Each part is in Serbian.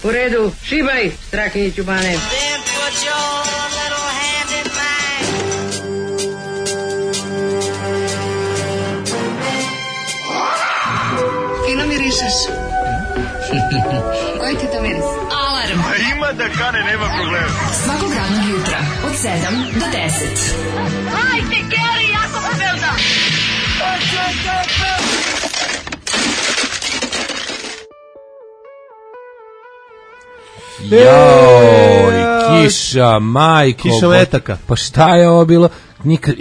U redu, šibaj, Strahinjiću Bane. Fino mirišeš. Koji ti to miris? Alarm. Ima da kane, nema problema. Svakog radnog jutra od 7 do 10. Hajde, Geri, jako se velda. Joj, kiša, majko. Kiša metaka. Pa šta je ovo bilo? Nikad,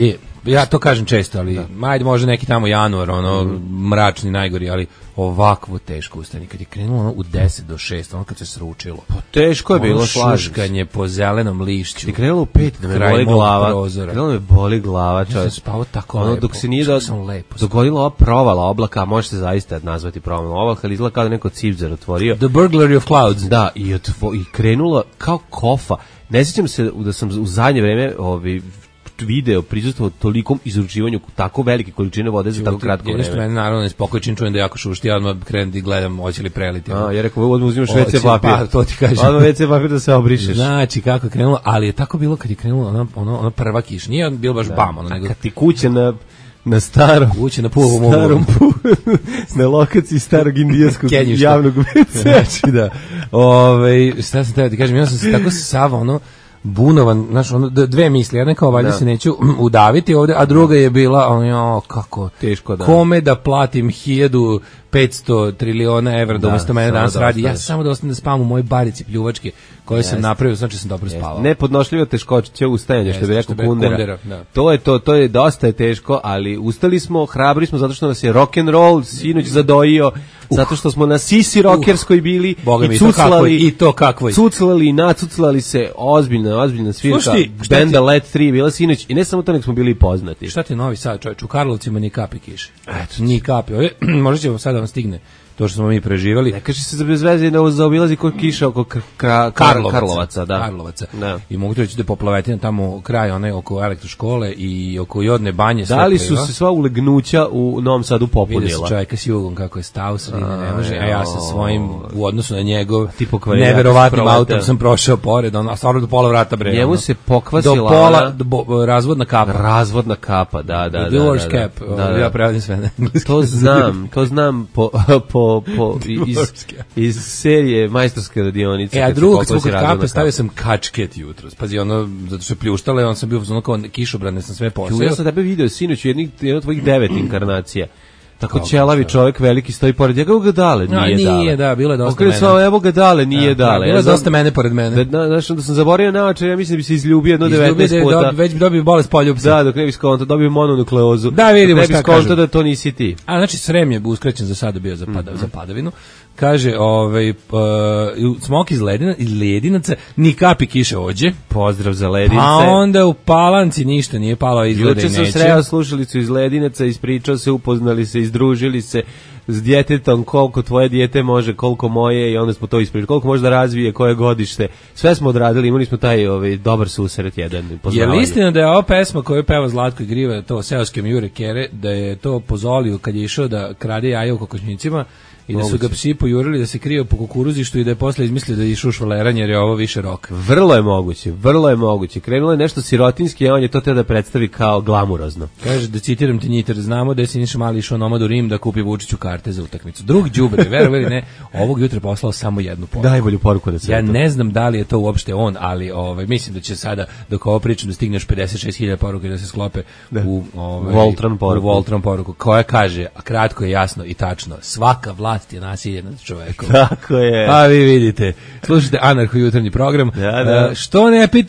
ja to kažem često, ali ajde može neki tamo januar, mračni, najgori, ali ovakvo teško ustani. Kad je krenulo u 10 do 6, kad se sručilo. Pa teško je bilo, šuškanje po zelenom lišću. Ti krenulo u 5 da me boli glava. Krenulo me boli glava, čovječ. Ja sam spavao tako lepo. Dok se nije dogodila ova provala oblaka, može se zaista nazvati provalom oblaka, ali izgleda kao da neko cipzar otvorio. The burglary of clouds. Da, i krenulo kao kofa. Ne sjećam se da sam u zadnje vreme video prisustvo tolikom izručivanju tako velike količine vode za tako kratko vreme. Nešto mene naravno nespokoj čim čujem da jako šušti, ja odmah krenem i gledam hoće li preliti. Ja rekao, odmah uzimaš WC papir. Pa, to ti kažem. Odmah WC papir da se obrišeš. Znači, kako je krenulo, ali je tako bilo kad je krenulo ona prva kiš. Nije bilo baš bam. Nego kad ti kuća na starom na lokaciji starog indijanskog javnog WC. Znači, da. Šta sam te kažem, ja sam se tako sava, bunovan, znaš, dve misli, jedna kao valjda se neću udaviti ovde, a druga je bila, kako teško, da. Kome da platim 1500 triliona evra da umesto mene danas radi, ja samo da ostanem da spavam u mojoj barici pljuvačke koje sam napravio, znači sam dobro spavao. Nepodnošljivo teškoće ustajanja, što bi rekao Kundera. To je dosta teško, ali ustali smo, hrabri smo zato što nas je rock'n'roll sinoć zadojio, zato što smo na sisi rockerskoj bili i cuclali, cuclali i nacuclali se, ozbiljna svirka, benda Let 3 bila sinoć i ne samo to, nek smo bili poznati. Šta ti Novi Sad, čovječ, u Karlovcima ni kapi kiše. Ni kapi, možda će vam sad da vam stigne to što smo mi preživali. Ne kaže se bez veze da zaobilazi kod kiša oko Karlovaca, da. Karlovaca. Da. I mogu ti reći da poplovetina tamo kraj oko elektroškole i oko Jodne banje. Da li su se sva ulegnuća u Novom Sadu popunila? Vidio se čovjeka s jugom kako je stao sredine, ne može, a ja sa svojim u odnosu na njegov neverovatnim autom sam prošao pored, a stvarno do pola vrata bre. Njemu se pokvasila do pola razvodna kapa. Razvodna kapa, da. Divorce cap, ja prevodim sve na engleski. To znam iz serije Majstorske radionice. A drugo, kad smo kod kape, stavio sam kačket jutros. Pazi, zato što je pljuštala, on sam bio kao kišobrane, sam sve posao. Ja sam tebe video sinoć u jedno tvojih 9 inkarnacija. Tako ćelavi čovjek veliki stoji pored njega, evo ga dale, nije da, bilo je dosta mene. Evo ga dale, nije dale. Bilo je dosta mene pored mene. Znaš, onda sam zaboravio naočar, ja mislim da bi se izljubio jedno 19 puta. Već bi dobio bolest poljupca. Da, dok ne bi skonto, dobio mononukleozu. Da, vidimo šta kažu. Ne bi skonto da to nisi ti. A znači, Srem je uskraćen za sada bio za padavinu. Kaže, smok iz Ledinaca, ni kapi kiše ođe. Pozdrav za Ledince. Pa onda u Palanci ništa nije palo, izgleda i neće. Juče sam sreo slušalicu iz Ledinaca, ispričao se, upoznali se, izdružili se s djetetom, koliko tvoje dijete može, koliko moje, i onda smo to ispričali, koliko može da razvije, koje godište. Sve smo odradili, imali smo taj dobar susret jedan. Je li istina da je ova pesma koju peva Zlatko Igriva, to Seoskem Jure Kere, da je to pozolio kad je išao da krade jaja u kokošnicima i da su ga psi pojurili da se krio po kukuruzištu i da je posle izmislio da je išao švaleranje jer je ovo više rock. Vrlo je moguće. Krenulo je nešto sirotinski, a on je to teo da predstavi kao glamurozno. Kaže, da citiram ti Njiter, znamo da je Siniša Mali išao nomad u Rim da kupi Vučiću karte za utakmicu. Drug đubre, verovali ne, ovog jutra poslao samo jednu poruku. Najbolju poruku da se. Ja ne znam da li je to uopšte on, ali mislim da će sada dok ovo pričam da stigneš 56.000 poruka da se sklope u Voltron poruku koja kaže, a kratko je jasno i tačno, svaka vlast je nasilje nad čovekom. Tako je. Pa vi vidite. Slušajte Anarho jutarnji program. Da.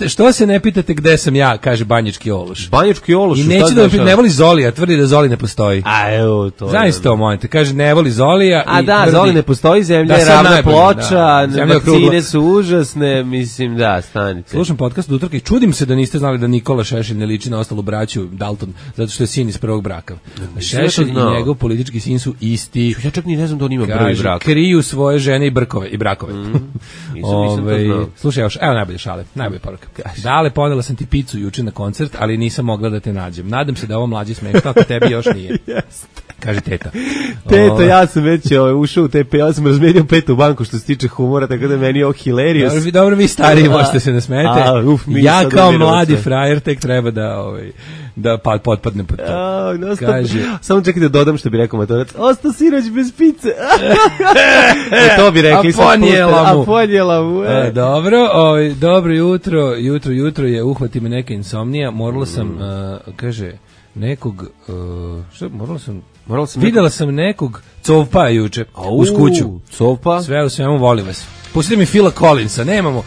Što se ne pitate gde sam ja, kaže Banjički Ološ. Banjički Ološ. I neće da ne voli Zolija, tvrdi da Zoli ne postoji. A evo to. Zaista to mojete. Kaže ne voli Zolija. A da, Zoli ne postoji, zemlja je ravna ploča, vakcine su užasne, mislim da, stanite. Slušam podcast od utorka i čudim se da niste znali da Nikola Šešelj ne liči na ostalu braću Dalton, zato što je sin iz prvog braka. Šešelj i njegov politički sin su isti. Ja čak ni ne znam da on ima ima prvi brak. Kriju svoje žene i brakove. Nisam to znao. Slušaj, evo najbolje šale, najbolje poruka. Dale, ponela sam ti picu juče na koncert, ali nisam mogla da te nađem. Nadam se da ovo mlađi smešno, ako tebi još nije. Kaže teta. Teta, ja sam već ušao u TP, ja sam razmenio petu banku što se tiče humora, tako da meni je ovo hilarious. Dobro, vi stariji možete se ne smete. Ja kao mladi frajer tek treba da potpadne pod to. Kaže, samo čekaj da dodam što bi rekao Matorac. Ostao sinoć bez pice. To bi rekli. A ponijela mu. Dobro jutro je, uhvati me neka insomnija. Morala sam, kaže, nekog, videla sam nekog covpa juče uz kuću. Covpa? Sve u svemu, volim vas. Pustite mi Phila Collinsa, nemamo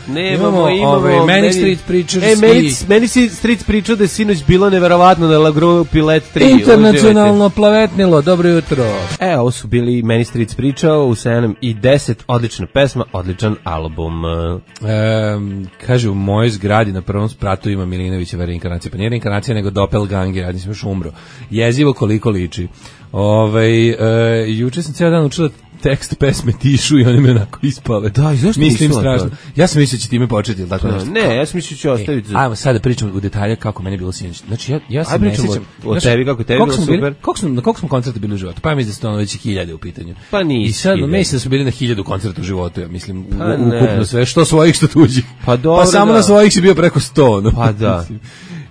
Manic Street Preachers Meni si Street pričao da je sinoć bilo neverovatno na La Grupi Let 3. Internacionalno plavetnilo, dobro jutro. Ovo su bili Manic Street pričao u 7 i 10, odlična pesma, odličan album. Kaže, u mojoj zgradi na prvom spratu ima Milinovićeva reinkarnacija, pa nije reinkarnacija nego doppelganger, ja nisam još umro. Jezivo koliko liči. Juče sam cijel dan učila tekst pesme Tišu i one me onako ispale. Da, i zašto mislim strašno. Ja sam mislio će time početi, ili tako nešto. Ne, ja sam mislio će ostaviti. Ajmo sad da pričamo u detalje kako meni je bilo sinoć. Znači, ja se ne sjećam. O tebi, kako tebi bilo super. Na koliko smo koncerta bili u životu? Pa ja mislim da su ono već 1000 u pitanju. Pa nisi. I sad, mislim da su bili na 1000 koncerta u životu, ja mislim, ukupno sve, što svojih, što tuđih. Pa dobro, pa samo na svojih si bio preko 100. No. Pa da.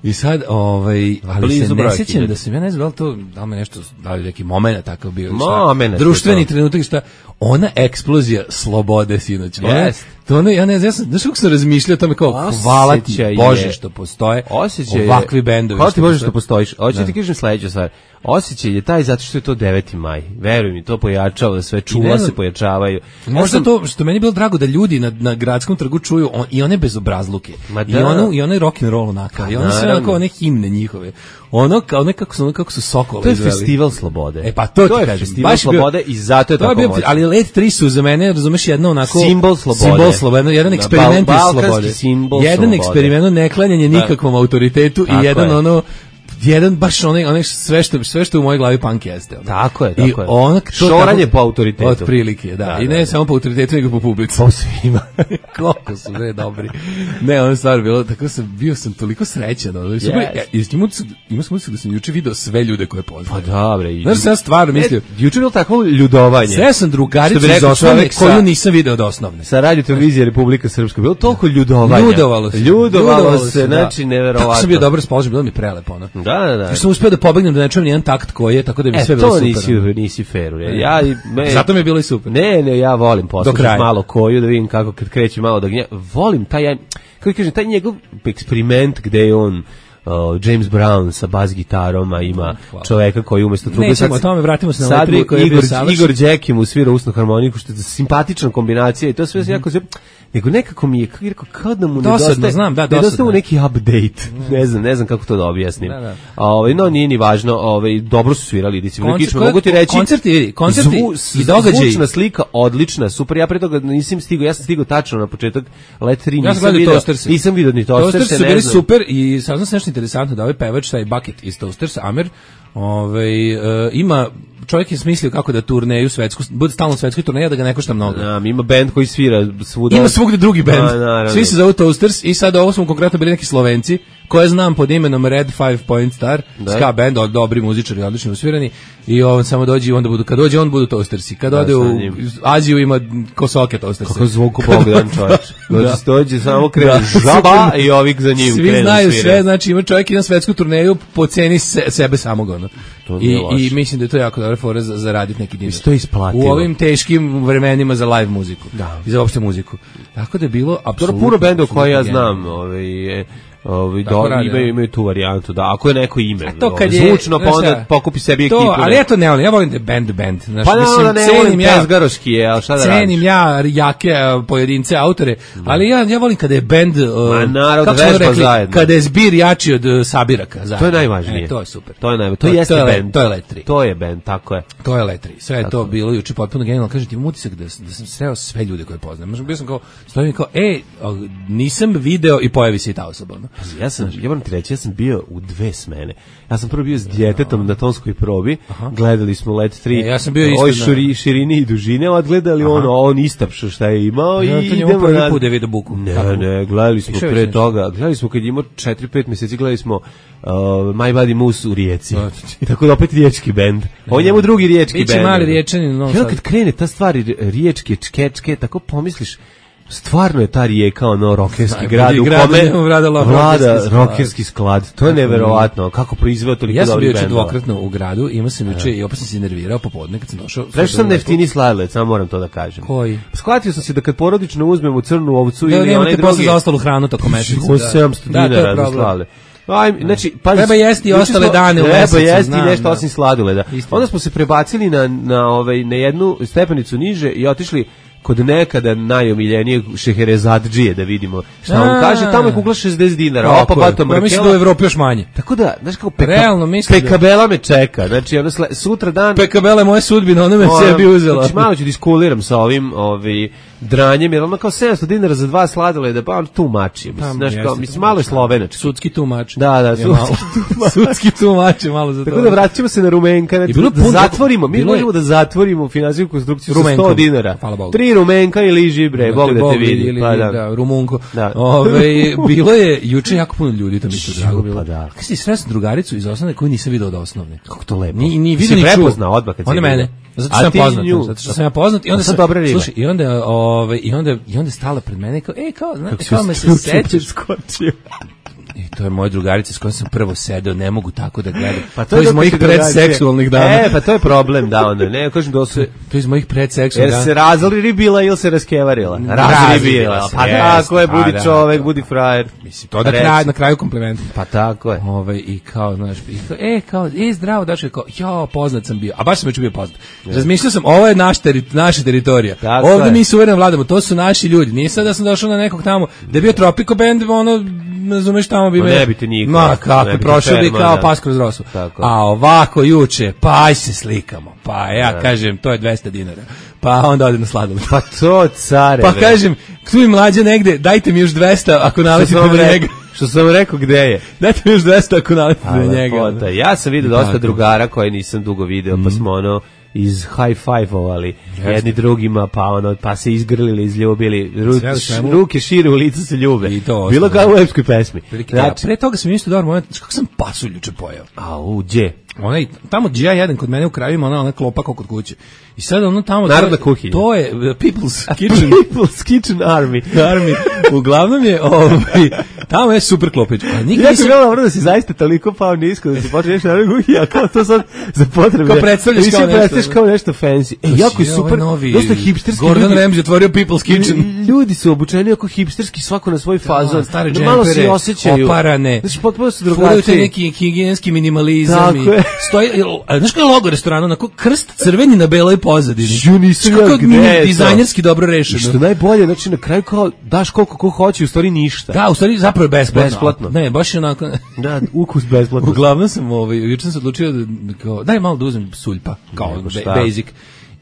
I sad, ali se ne sjećam da sam, ja ne znam da li me nešto, da li neki moment takav bio, društveni trenutak, šta, ona eksplozija slobode sinoć, to ono, ja ne znam, znaš kako sam razmišljao o tome kao, hvala ti Bože što postoje ovakvi bendovi. Hvala ti Bože što postojiš, hoću ti kažem sledeću stvar, osjećaj je taj zato što je to 9. maj, veruj mi, to pojačava, da sve čula se pojačavaju. Možda to, što meni je bilo drago da ljudi na gradskom trgu čuju i one bezobrazluke, i onaj rock'n'roll onakav, i one sve onako, one himne njihove, ono kako su Sokole izveli. To je festival slobode. Pa to ti kažem. To je festival slobode i zato je tako moćno. Ali Let 3 su za mene, razumeš, jedno onako simbol slobode, jedan eksperiment iz slobode. Jedan eksperiment, neklanjanje nikakvom autoritetu i jedan baš onaj sve što u mojoj glavi punk jeste. Tako je. I šoranje po autoritetu. Otprilike, da. I ne samo po autoritetu, nego po publici. Po svima. Koliko su dobri. Ne, ono stvar bilo, tako bio sam toliko srećan. Imao sam utisak da sam juče video sve ljude koje poznam. Pa dobre. Znaš, sam stvarno mislio. Juče bilo takvo ljudovanje. Sve sam drugaricu iz osnovne koju nisam video od osnovne. Sa radio televizije Republika Srpska. Bilo toliko ljudovanja. Ljudovalo se, znači neverovatno. Tako sam bio dobro raspoložen, bilo mi prelepo. Da. Što sam uspio da pobegnem da ne čujem nijedan takt koji je, tako da bi sve bilo super. To nisi fair. Zato mi je bilo i super. Ne, ja volim poslušati malo koju, da vidim kako kad kreće malo da gnja. Volim taj njegov eksperiment gde je on James Brown sa bas gitarom, a ima čoveka koji umesto trube. Nećemo o tome, vratimo se na Let 3 koji je bio savršen. Igor Đekim usvira usnu harmoniku, što je simpatična kombinacija i to sve jako sve. Nego nekako mi je, kao da mu nedostaje neki update. Ne znam kako to da objasnim. No, nije ni važno, dobro su svirali, disciplinikično, mogu ti reći. Koncerti i događaji. Zvučna slika, odlična, super, ja pre toga nisam stigao, ja sam stigao tačno na početak Let 3, nisam vidio ni Toasterse. Toasterse su bili super i saznam se nešto interesantno da ovaj pevač, taj Bucket iz Toastersa, Amer, ima, čovjek je smislio kako da turneju svetsku, bude stalno svetskoj turneji, da ga ne košta mnogo. Ima bend koji svira svuda. Ima svugde drugi bend. Svi se zovu Toasters i sad ovo smo konkretno bili neki Slovenci, koje znam pod imenom Red 5 Point Star, ska band, dobri muzičari, odlično usvirani, i on samo dođe i onda kad dođe on budu Toastersi. Kad ode u Aziju ima Kosoke Toastersi. Kako zvuku Bogdan čovječ. Dođe samo krene žaba i ovik za njim krenu. Svi znaju sve, znači ima čovjek i na svetsku turneju po ceni sebe samog. I mislim da je to jako dobra fora za raditi neki dinar. To je isplatilo. U ovim teškim vremenima za live muziku. I za opšte muziku. Tako da je bilo apsolutno. Puno benda koje ja znam, imaju tu varijantu, da ako je neko ime zvučno, pa onda pokupi sebi ekipu. Ali ja to ne volim, ja volim da je band. Pa ne volim pezgaroški je, ali šta da radiš? Cenim ja jake pojedince, autore, ali ja volim kada je band, kada je zbir jači od sabiraka. To je najvažnije. To je super. To jeste band. To je Let 3. To je band, tako je. To je Let 3. Sve je to bilo juče potpuno genijalno. Kažem ti, imam utisak da sam sreo sve ljude koje poznam. Bio sam kao, stojim kao, nisam video i pojavi se i ta osoba. Ja moram ti reći, ja sam bio u 2 smene. Ja sam prvo bio s djetetom na tonskoj probi, gledali smo Let 3, ja sam bio isto širini i dužine, odgledali on istapšo šta je imao i idemo na... Put Davida Buku. Ne, gledali smo pre toga, gledali smo kad imao 4-5 mjeseci, gledali smo My Body Moose u Rijeci. Tako da opet riječki bend. On njemu drugi riječki bend. Biće mali riječanin. Ja kad krene ta stvar riječke, čkečke, tako pomisliš, stvarno je ta Rijeka rokerski grad u kome vlada rokerski sklad. To je neverovatno. Kako proizveo toliko dobrih bendova. Ja sam bio dvokratno u gradu, imao sam juče i opet sam se nervirao popodne kad sam došao. Prešao sam neftini sladoled, samo moram to da kažem. Koji? Shvatio sam se da kad porodično uzmemo crnu ovcu ili onaj drugi... Da nemate posle za ostalu hranu tokom meseca. 700 dinara za sladoled. Znači, treba jesti i ostale dane u mesecu. Treba jesti nešto osim sladoleda. Onda smo se prebacili na jednu stepenicu niže i otišli kod nekada najomiljenijeg Šeherezadžije da vidimo šta on kaže, tamo je kugla 60 dinara, opa bato mrkela. Mislim da u Evropi još manje. Tako da, znaš kako Pekabela me čeka, znači sutra dan... Pekabela je moja sudbina, ona me sebi uzela. Znači malo ću diskuliram sa ovim dranjem, jer ono kao 700 dinara za 2 sladoleda, pa on tu mači. Mislim, malo je slovenački. Sudski tu mač. Da, sudski tu mač je malo za to. Tako da vraćamo se na Rumenka, znači da zatvorimo, mi možemo da zatvorimo finansijsku konstrukciju sa 100 dinara. 3 Rumenka i liži bre, Bog da te vidi. Pa da, Rumunko. Bilo je juče jako puno ljudi, to mi se drago bilo. Kako si sretno drugaricu iz osnovne koju nisam video od osnovne? Kako to lepo. Ni vidio ni čuo. Odmah kad se mene. Zato što sam ja poznat i onda sam slušaj i onda stala pred mene kao znate kao me se sećaš skočio. I to je moja drugarica s kojom sam prvo sedeo, ne mogu tako da gledam. Pa to je iz mojih predseksualnih dana. Pa to je problem, da onda. Ne, kažem da se to je iz mojih predseksualnih dana. Jer se razribila ili se raskevarila? Razribila. Pa tako je, budi čovek, budi frajer. Mislim to na kraju kompliment. Pa tako je. I kao, znaš, zdravo, daš kao, poznat sam bio. A baš sam već bio poznat. Razmišljao sam, ovo je naša teritorija. Ovde mi suvereno vladamo, to su naši ljudi. Nije sad da sam došao na nekog tamo da je bio Tropico band, ono ne razumeš tamo bi me... Ne bi te niko. Ma kako, prošao bi kao pas kroz rosu. A ovako juče, pa aj se slikamo. Pa ja kažem, to je 200 dinara. Pa onda ode na sladoled. Pa to care. Pa kažem, tu i mlađe negde, dajte mi još 200 ako naletite na njega. Što sam rekao, gde je? Dajte mi još 200 ako naletite na njega. Ja sam vidio dosta drugara koje nisam dugo video, pa smo iz high-five-ovali jedni drugima, pa se izgrlili, izljubili, ruke šire u licu se ljube. Bilo kao u epskoj pesmi. Pre toga sam isto dobar moment, kako sam pasulj juče pojeo. Gdje? Tamo gdje ja jedan kod mene u krajevima, ona klopa kao kod kuće. I sad ono tamo... Narodna kuhinja. To je People's Kitchen. People's Kitchen Army. Uglavnom je, tamo je super klopić. Ja bih bilo dobro da si zaista toliko pao nisko, da si počneš narodna kuhinja, kao to sad za potrebe. Kao predstavljaš kao nešto fancy. Jako je super, dosta hipsterski. Gordon Ramsay otvorio People's Kitchen. Ljudi su obučeni oko hipsterski, svako na svoj fazon. Stare džempere, oparane. Znači, potpuno su drugačiji. Furaju te neki higijenski minimalizam. Znaš kao je logo restorana, onako krst crveni na beloj pozadini. Nisam ja gde je to. Dizajnerski dobro rešeno. Što najbolje, znači na kraju kao daš koliko ko hoće, u stvari ništa. Da, u stvari zapravo je besplatno. Ne, baš je onako... Da, ukus besplatno. Uglavnom sam, juče sam se odlučio da, kao, daj malo da uzmem suljpa, kao basic.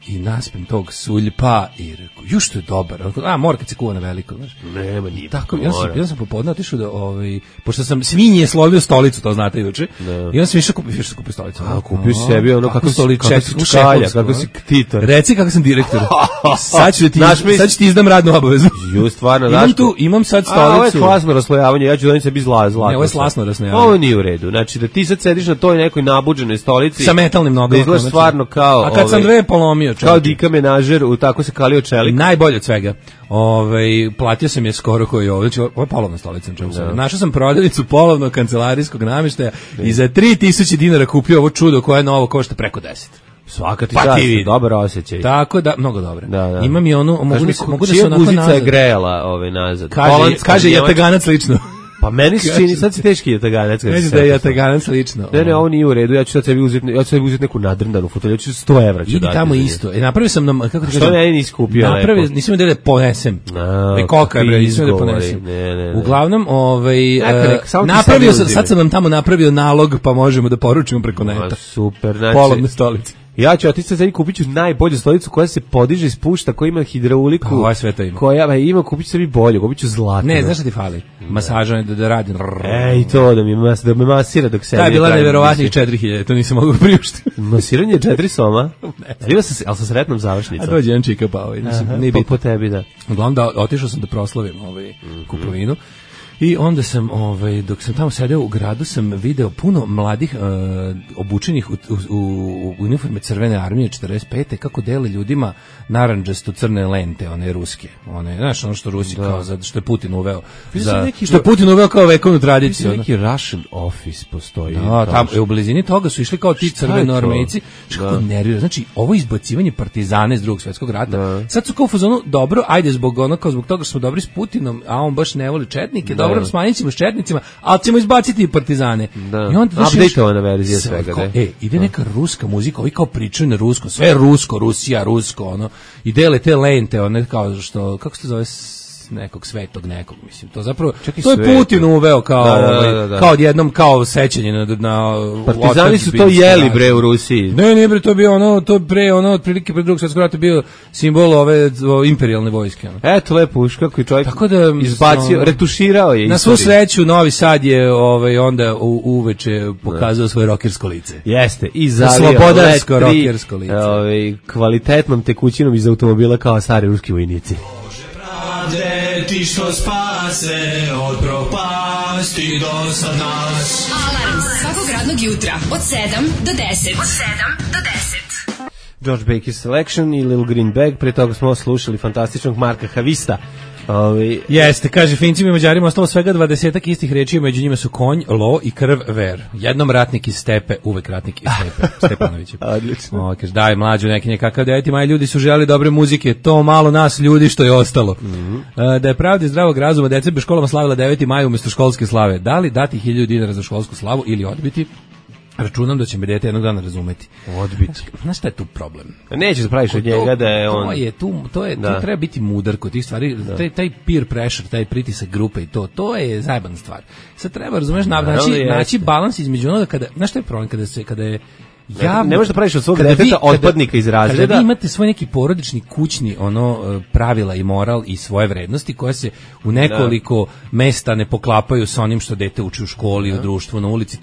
I naspem tog suljpa i rekao, što je dobar. Mora kad se kuva na veliko, znaš. Nema, nije. Tako, ja sam popodne otišao da, pošto sam svinje slovio stolicu, to znate juče. I onda sam išao kupio stolicu. Kupio sebi ono kako si ktitor. Reci kako sam direktor. Sad ću ti izdam radnu obavezu. Stvarno, imam sad stolicu. Ovo je klasno raslojavanje, ja ću doneti sebi zlatno. Ne, ovo je slasno raslojavanje. Ovo nije u redu. Znači da ti sad sediš na toj nekoj nabuđenoj stolici. Sa metalnim nogama. Izgledaš stvarno kao... A kad sam dve polomio, kao Dika menažer, tako se kalio čelik. Najbolje od svega. Platio sam je skoro koji je ovo. Znači, ovo je polovna stolica. Našao sam prodavnicu polovnog kancelarijskog namještaja i za 3000 dinara kupio ovo čudo koje je novo košta preko 10. Svaka ti čast, dobar osjećaj. Tako da, mnogo dobro. Imam i onu, mogu da se onako nazad. Čija guzica je grejala nazad? Kaže jataganac lično. Pa meni se čini, sad si teški jataganac. Neći da je jataganac lično. Ne, ovo nije u redu, ja ću sad sebi uzeti neku nadrndanu fotelju, ja ću 100 evra ću dati. Idi tamo isto. Napravio sam nam, kako ti kažem? Što meni nisi kupio lepo? Nisam da ponesem. Koka je, nisam da ponesem. Uglavnom, napravio sam, sad sam nam tamo napravio nalog, pa možemo da poručimo preko neta. Super, polovne stolice. Ja ću otići sad kupit ću najbolju stolicu koja se podiže i spušta, koja ima hidrauliku. Ovo sve to ima. Koja ima, kupit ću sebi bolju, kupit ću zlatnu. Ne, znaš šta ti fali? Masaža da radi. Ej, to da me masira dok se. Ta je bila neverovatnih 4000, to nisam mogao priuštiti. Masiranje 4 soma. Ali sa sretnom završnicom. A dođe jedan čika pa ovaj, nije po tebi da. Uglavnom da otišao sam da proslavim kupovinu. I onda sam, dok sam tamo sedeo u gradu, sam video puno mladih obučenih u uniforme Crvene armije 45. kako dele ljudima narandžasto crne lente, one ruske. One, znaš, ono što Rusi kao, što je Putin uveo. Što je Putin uveo kao vekovnu tradiciju. Neki Russian office postoji. Da, tamo, u blizini toga su išli kao ti crvenoarmejci. Što nervira. Znači, ovo izbacivanje partizana iz Drugog svjetskog rata. Sad su kao u fazonu, dobro, ajde zbog toga što smo dobri s Putinom, a on baš ne voli četnike, dobro, smanjit ćemo s četnicima, ali ćemo izbaciti i partizane. I onda updateovana verzija svega. Ide neka ruska muzika, ovi kao pričaju na ruskom, sve rusko, Rusija, rusko, ono, i dele te lente, one kao što, kako se to zove, nekog svetog nekog, mislim, to zapravo, to je Putin uveo kao, kao odjednom, kao sećanje na partizani su to jeli, bre, u Rusiji. Ne, bre, to je bio ono, to pre, ono, otprilike pre Drugog svjetskog rata bio simbol ove imperijalne vojske. Eto, lepo uš, kako je čovjek izbacio, retuširao je. Na svu sreću, Novi Sad je onda uveče pokazao svoje rokersko lice. Jeste, i zalio slobodarsko rokersko lice. Kvalitetnom tekućinom iz automobila kao stari ruski vojnici. Ti što spase od propasti do sad nas. Alarm svakog radnog jutra od 7 do 10. Od 7 do 10. George Baker Selection i Little Green Bag, pre toga smo slušali fantastičnog Marka Havista. Jeste, kaže, Fincima i Mađarima ostalo svega 20 istih reči, među njima su konj, lo i krv, ver. Jednom ratnik iz Stepe, uvek ratnik iz Stepe, Stepanović. Odlično. Kaže, daj mlađu neki nekakav 9. maj, ljudi su želi dobre muzike, to malo nas ljudi što je ostalo. Da je pravda i zdravog razuma, deca bi školama slavila 9. maj umjesto školske slave. Da li dati 1000 dinara za školsku slavu ili odbiti? Računam da će me dete jednog dana razumeti. Odbiti. Znaš šta je tu problem? Nećeš praviš od njega da je on... To treba biti mudar kod tih stvari. Taj peer pressure, taj pritisak grupe i to je zajebana stvar. Sad treba, razumeš, naći balans između onoga kada... Znaš šta je problem kada je javno, ne možeš da praviš od svog deteta otpadnika iz razreda. Kada vi imate svoj neki porodični, kućni pravila i moral i svoje vrednosti koje se u nekoliko mesta ne poklapaju sa onim što dete uči u školi, u društvu, na ulici.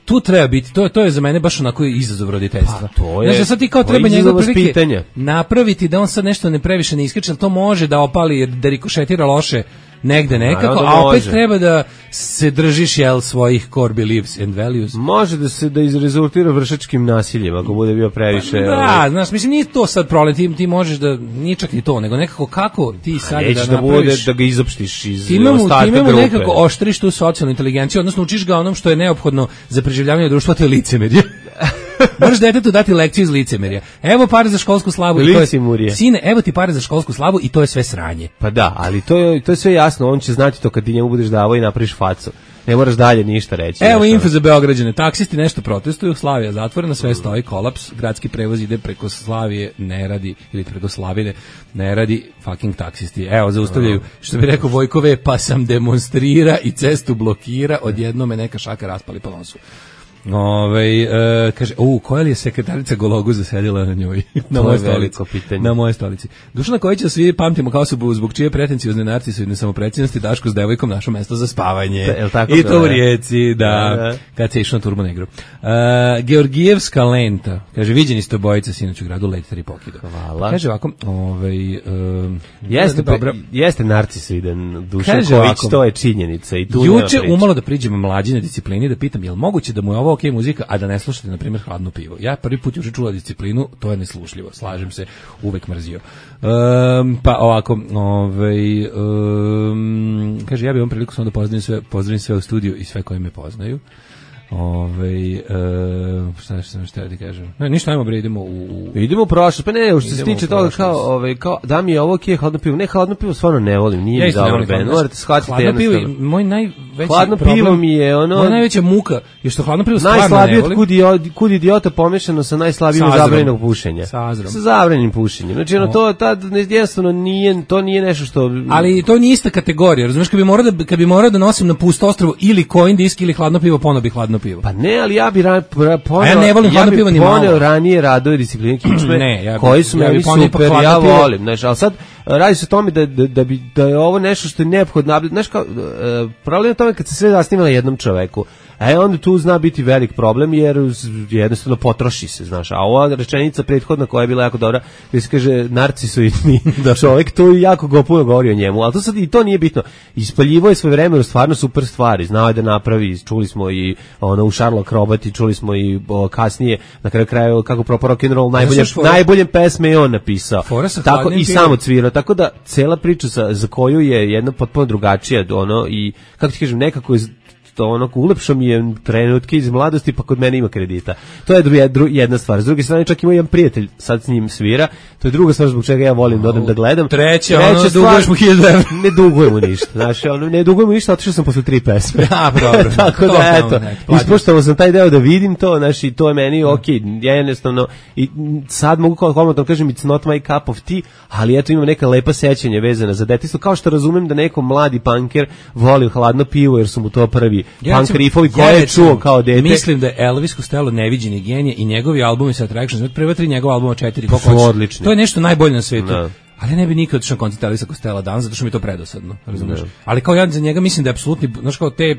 Tu treba biti, to je za mene baš onako izazov roditeljstva. Pa to je. Znači, sad ti kao treba njegov prilike napraviti da on sad nešto ne previše ne iskače, ali to može da opali, da rikošetira loše negde nekako, a opet treba da se držiš svojih core beliefs and values. Može da izrezultira vršačkim nasiljem, ako bude bio previše... Da, znaš, mislim, nije to sad problem, ti možeš da, nije čak ni to, nego nekako kako ti sad da napraviš... da bude, da ga izopštiš iz ostatka grupe. Ti nekako oštriš tu socijalnu inteligenciju, odnosno učiš ga onom što je neophodno za preživljavanje društva, to je licemerje. Moraš detetu dati lekciju iz licemerja. Evo pare za školsku slavu i to je, sine, evo ti pare za školsku slavu i to je sve sranje. Pa da, ali to je sve jasno, on će znati to kad ti njemu budeš davao i napraviš facu. Ne moraš dalje ništa reći. Evo info za Beograđane, taksisti nešto protestuju, Slavija zatvorena, sve stoji, kolaps, gradski prevoz ide preko Slavije, ne radi, ili preko Slavine, ne radi, fucking taksisti. Evo, zaustavljaju, što bi rekao Vojkove, pa sam demonstrira i cestu blokira, odjedno me neka šaka raspali po nosu. Kaže, koja li je sekretarica Gologu zasedila na njoj? Na moje stolici. Dušana Kojića svi pamtimo kao osobu zbog čije pretenciozne narcisoidne samopredsjednosti Daško s devojkom našo mesto za spavanje. I to u Rijeci, da. Kad se išlo na Turbo Negru. Georgijevska lenta. Kaže, viđeni ste obojica sinoć u gradu, letite i pokido. Hvala. Kaže ovako, jeste narcisoiden Dušan Kojić, to je činjenica. I tu juče umalo da priđemo mlađine disciplini, da pitam, je li moguće da mu je ovo ok muzika, a da ne slušate, na primjer, Hladno pivo. Ja prvi put juče čula disciplinu, to je neslušljivo, slažem se, uvek mrzio. Pa ovako, kaže, ja bih vam priliku samo da pozdravim sve u studiju i sve koji me poznaju. Šta sam ti kažem? Ne, ništa, ajmo bre, idemo u prošlost. Pa ne, što se tiče toga kao da mi je ovo ok, Hladno pivo. Ne, Hladno pivo stvarno ne volim, nije mi dobro band. Morate shvatiti jednostavno. Hladno pivo, moj najveći Hladno pivo mi je moja najveća muka je što Hladno pivo stvarno ne volim. Najslabije kud idiota pomešano sa najslabijim zabranjenog pušenja. Sa zabranjenim pušenjem. Znači, to tad jednostavno nije nešto što... Ali to nije ista kategorija, razumiješ, kad bi morao da nosim na pusto ostrvo ili Coin Disk ili Hladno pivo, ponovo bi Hladno hladno pivo. Pa ne, ali ja bi ja ne volim hladno pivo ni malo. Poneo ranije radove discipline kičme, koji su meni super, ja volim. Znaš, ali sad radi se o tome da je ovo nešto što je neophodno. Znaš, problem je tome kad se sve zasniva na jednom čoveku. Onda tu zna biti velik problem jer jednostavno potroši se, znaš. A ova rečenica prethodna koja je bila jako dobra, gdje se kaže narcisoidni čovjek, to je jako puno govori o njemu, ali to sad i to nije bitno. Ispaljivo je svoje vreme stvarno super stvari, znao je da napravi, čuli smo i u Sherlock Roboti, čuli smo i kasnije, na kraju krajeva kako propao rock and roll, najbolje pesme je on napisao. Tako i samo cvirao, tako da cela priča za koju je jedna potpuno drugačija, i kako ti kažem, nekako je ulepšao mi je trenutke iz mladosti, pa kod mene ima kredita. To je jedna stvar. S druge strane, čak ima jedan prijatelj, sad s njim svira, to je druga stvar zbog čega ja volim da odem da gledam. Treća duguješ mu 1000 evra. Ne dugujem mu ništa, znaš, ne dugujem mu ništa, otišao sam posle 3 pesme. Dobro. Tako da, eto, ispoštovao sam taj deo da vidim to, znaš, i to je meni okej, ja jednostavno, i sad mogu komotno kažem, it's not my cup of tea, ali eto, imam neka lepa sećanja vezana za detinjstvo, kao što razumem da neko mladi punker voli hladno pivo, jer su mu to prvi punk riffovi koje je čuo kao dete. Mislim da je Elvis Costello neviđeni genije i njegovi albumi sa Attractions, prva 3 njegova albuma 4, koliko hoćeš. To je nešto najbolje na svetu. Da. Ali ne bi nikad otišao na koncert Elvisa Costello danas, zato što mi je to predosadno, razumiješ? Ali kao ja za njega mislim da je apsolutni, znaš kao to je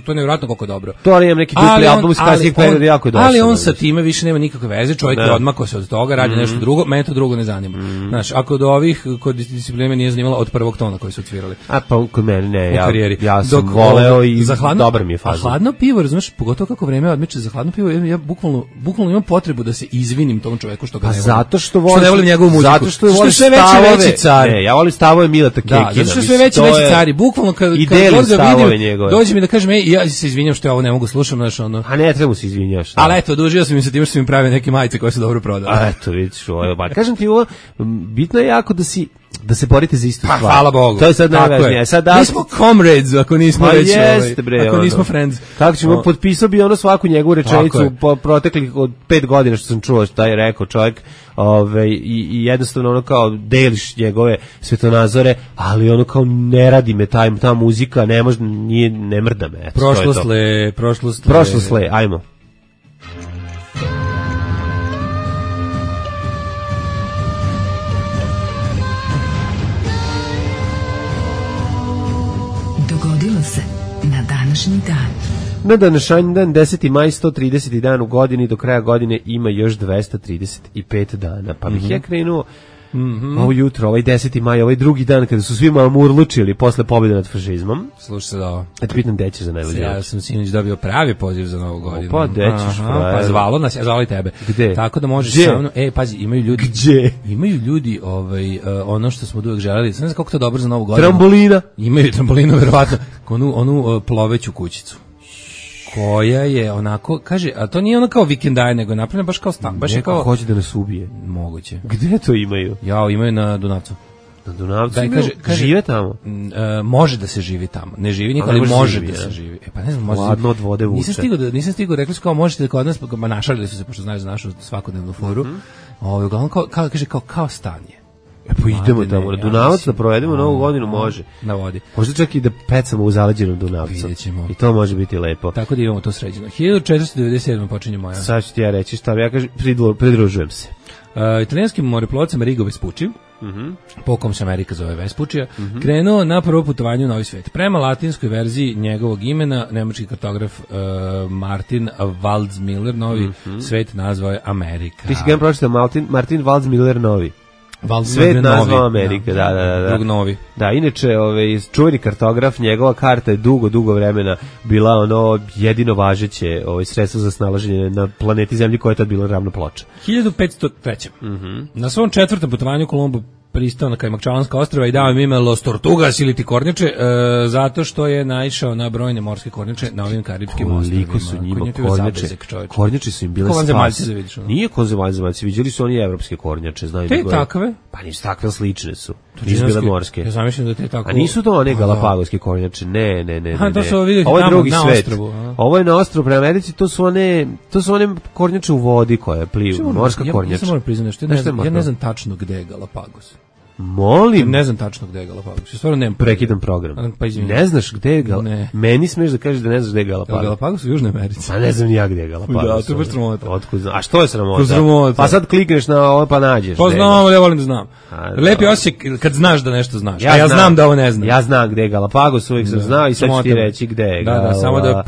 nevjerojatno koliko dobro. To ali imam neki dupli album iz kasnijeg perioda jako dobro. Ali on sa time više nema nikakve veze, čovjek je odmakao se od toga, radi nešto drugo, mene to drugo ne zanima. Znaš, ako od ovih kod discipline nije zanimalo od prvog tona koji su odsvirali. A pa kod mene ne, ja sam voleo i dobar mi je faza. Hladno pivo, razumiješ, pogotovo kako vreme odmiče za hladno pivo, ja bukvalno imam potrebu da se izvinim tom čoveku što ga ne volim. Zato što ne volim njegovu muziku. Zato što voli stavove. Ja volim stavove Mileta Kekina. Da, zato što sve veći cari, bukvalno kad god ga vidim, dođe mi da kažem, ja se izvinjam što ja ovo ne mogu slušam, znaš, ono. A ne treba se izvinjaš. Ali eto, odužio sam im se tim što su mi pravi neke majice koje su dobro prodali. A eto, vidiš, ovo. Kažem ti ovo, bitno je jako da se borite za istu stvar. Hvala Bogu. To je sad najvažnije. Mi smo comrades, ako nismo već, ako nismo friends. Kako ćemo, potpisao bi svaku njegovu rečenicu po proteklih od 5 godina što sam čuo šta je rekao čovjek, i jednostavno kao deliš njegove svetonazore, ali kao ne radi me ta muzika, ne mrda me. Prošlost le, ajmo. Na današnji dan. Na današnji dan, 10. maj, 130. dan u godini, do kraja godine ima još 235 dana. Pa bih ja krenuo ovo jutro, ovaj 10. maj, ovaj drugi dan kada su svi malo murlučili posle pobjede nad fašizmom. Slušaj se da ovo. Eto pitam gde ćeš za najbolje. Ja sam sinoć dobio pravi poziv za novu godinu. Pa gde ćeš? Pa zvalo nas, ja zvali tebe. Gde? Tako da možeš sa mnom, pazi, imaju ljudi. Gde? Imaju ljudi, ono što smo uvek želeli, ne znam kako to dobro za novu godinu. Trambolina. Imaju trambolinu, verovatno, onu ploveću kućicu. Koja je onako, kaže, a to nije ono kao vikendaj, nego je napravljeno baš kao stan. Baš je kao... hoće da nas ubije. Moguće. Gde to imaju? Imaju na Dunavcu. Na Dunavcu imaju? Žive tamo? Može da se živi tamo. Ne živi niko, ali može da se živi. Pa ne znam, može. Hladno od vode vuče. Nisam stigao, rekli su kao možete da kod nas, našalili su se, pošto znaju za našu svakodnevnu foru. Uglavnom, kaže kao stan je. Pa idemo tamo na Dunavac da provedemo novu godinu, može. Na vodi. Možda čak i da pecamo u zaleđenom Dunavcu. I to može biti lepo. Tako da imamo to sređeno. 1497. počinje moja. Sad ću ti ja reći šta ja kažem, pridružujem se. Italijanskim moreplovcem Rigo Vespucci, po kom se Amerika zove Vespuccija, krenuo na prvo putovanje u Novi svet. Prema latinskoj verziji njegovog imena, nemački kartograf Martin Waldseemüller Novi svet nazvao je Amerika. Ti si ga pročitao Martin Waldseemüller Novi. Svet nazvao Amerika, da. Drug novi. Da, inače, čuveni kartograf, njegova karta je dugo vremena bila jedino važeće sredstvo za snalaženje na planeti Zemlji koja je tad bila ravna ploča. 1503. Na svom 4. putovanju Kolumbo pristao na Kajmakčalanska ostrva i dao im ime Los Tortugas ili ti kornjače, zato što je naišao na brojne morske kornjače na ovim karibskim ostrvima. Koliko su njima kornjače? Kornjače su im bile spas. Nije ko zemaljci, viđali su oni evropske kornjače. Te takve? Pa nisu takve, slične su. Nisu bile morske. Ja zamišljam da te tako... A nisu to one galapagoske kornjače, ne. Ovo je drugi svet. Ovo je na ostrvu prema Americi, to su one kornjače u vodi koje pliju, morska kornjača. Ja moram priznati, ja ne znam tačno gde je Galapagos. Molim. Ne znam tačno gde je Galapagos. Stvarno nemam. Prekidam program. Pa izvinite. Ne znaš gde je Galapagos? Meni smeš da kažeš da ne znaš gde je Galapagos. Galapagos u Južnoj Americi. Pa ne znam ni ja gde je Galapagos. Da, to je baš sramota. Otkud znam? A što je sramota? Sramota. Pa sad klikneš na ovo pa nađeš. Pa znam, ja volim da znam. Lepi osjećaj kad znaš da nešto znaš. A ja znam da ovo ne znam. Ja znam gde je Galapagos, uvijek sam znao i sad ću ti reći gde je. Da, samo da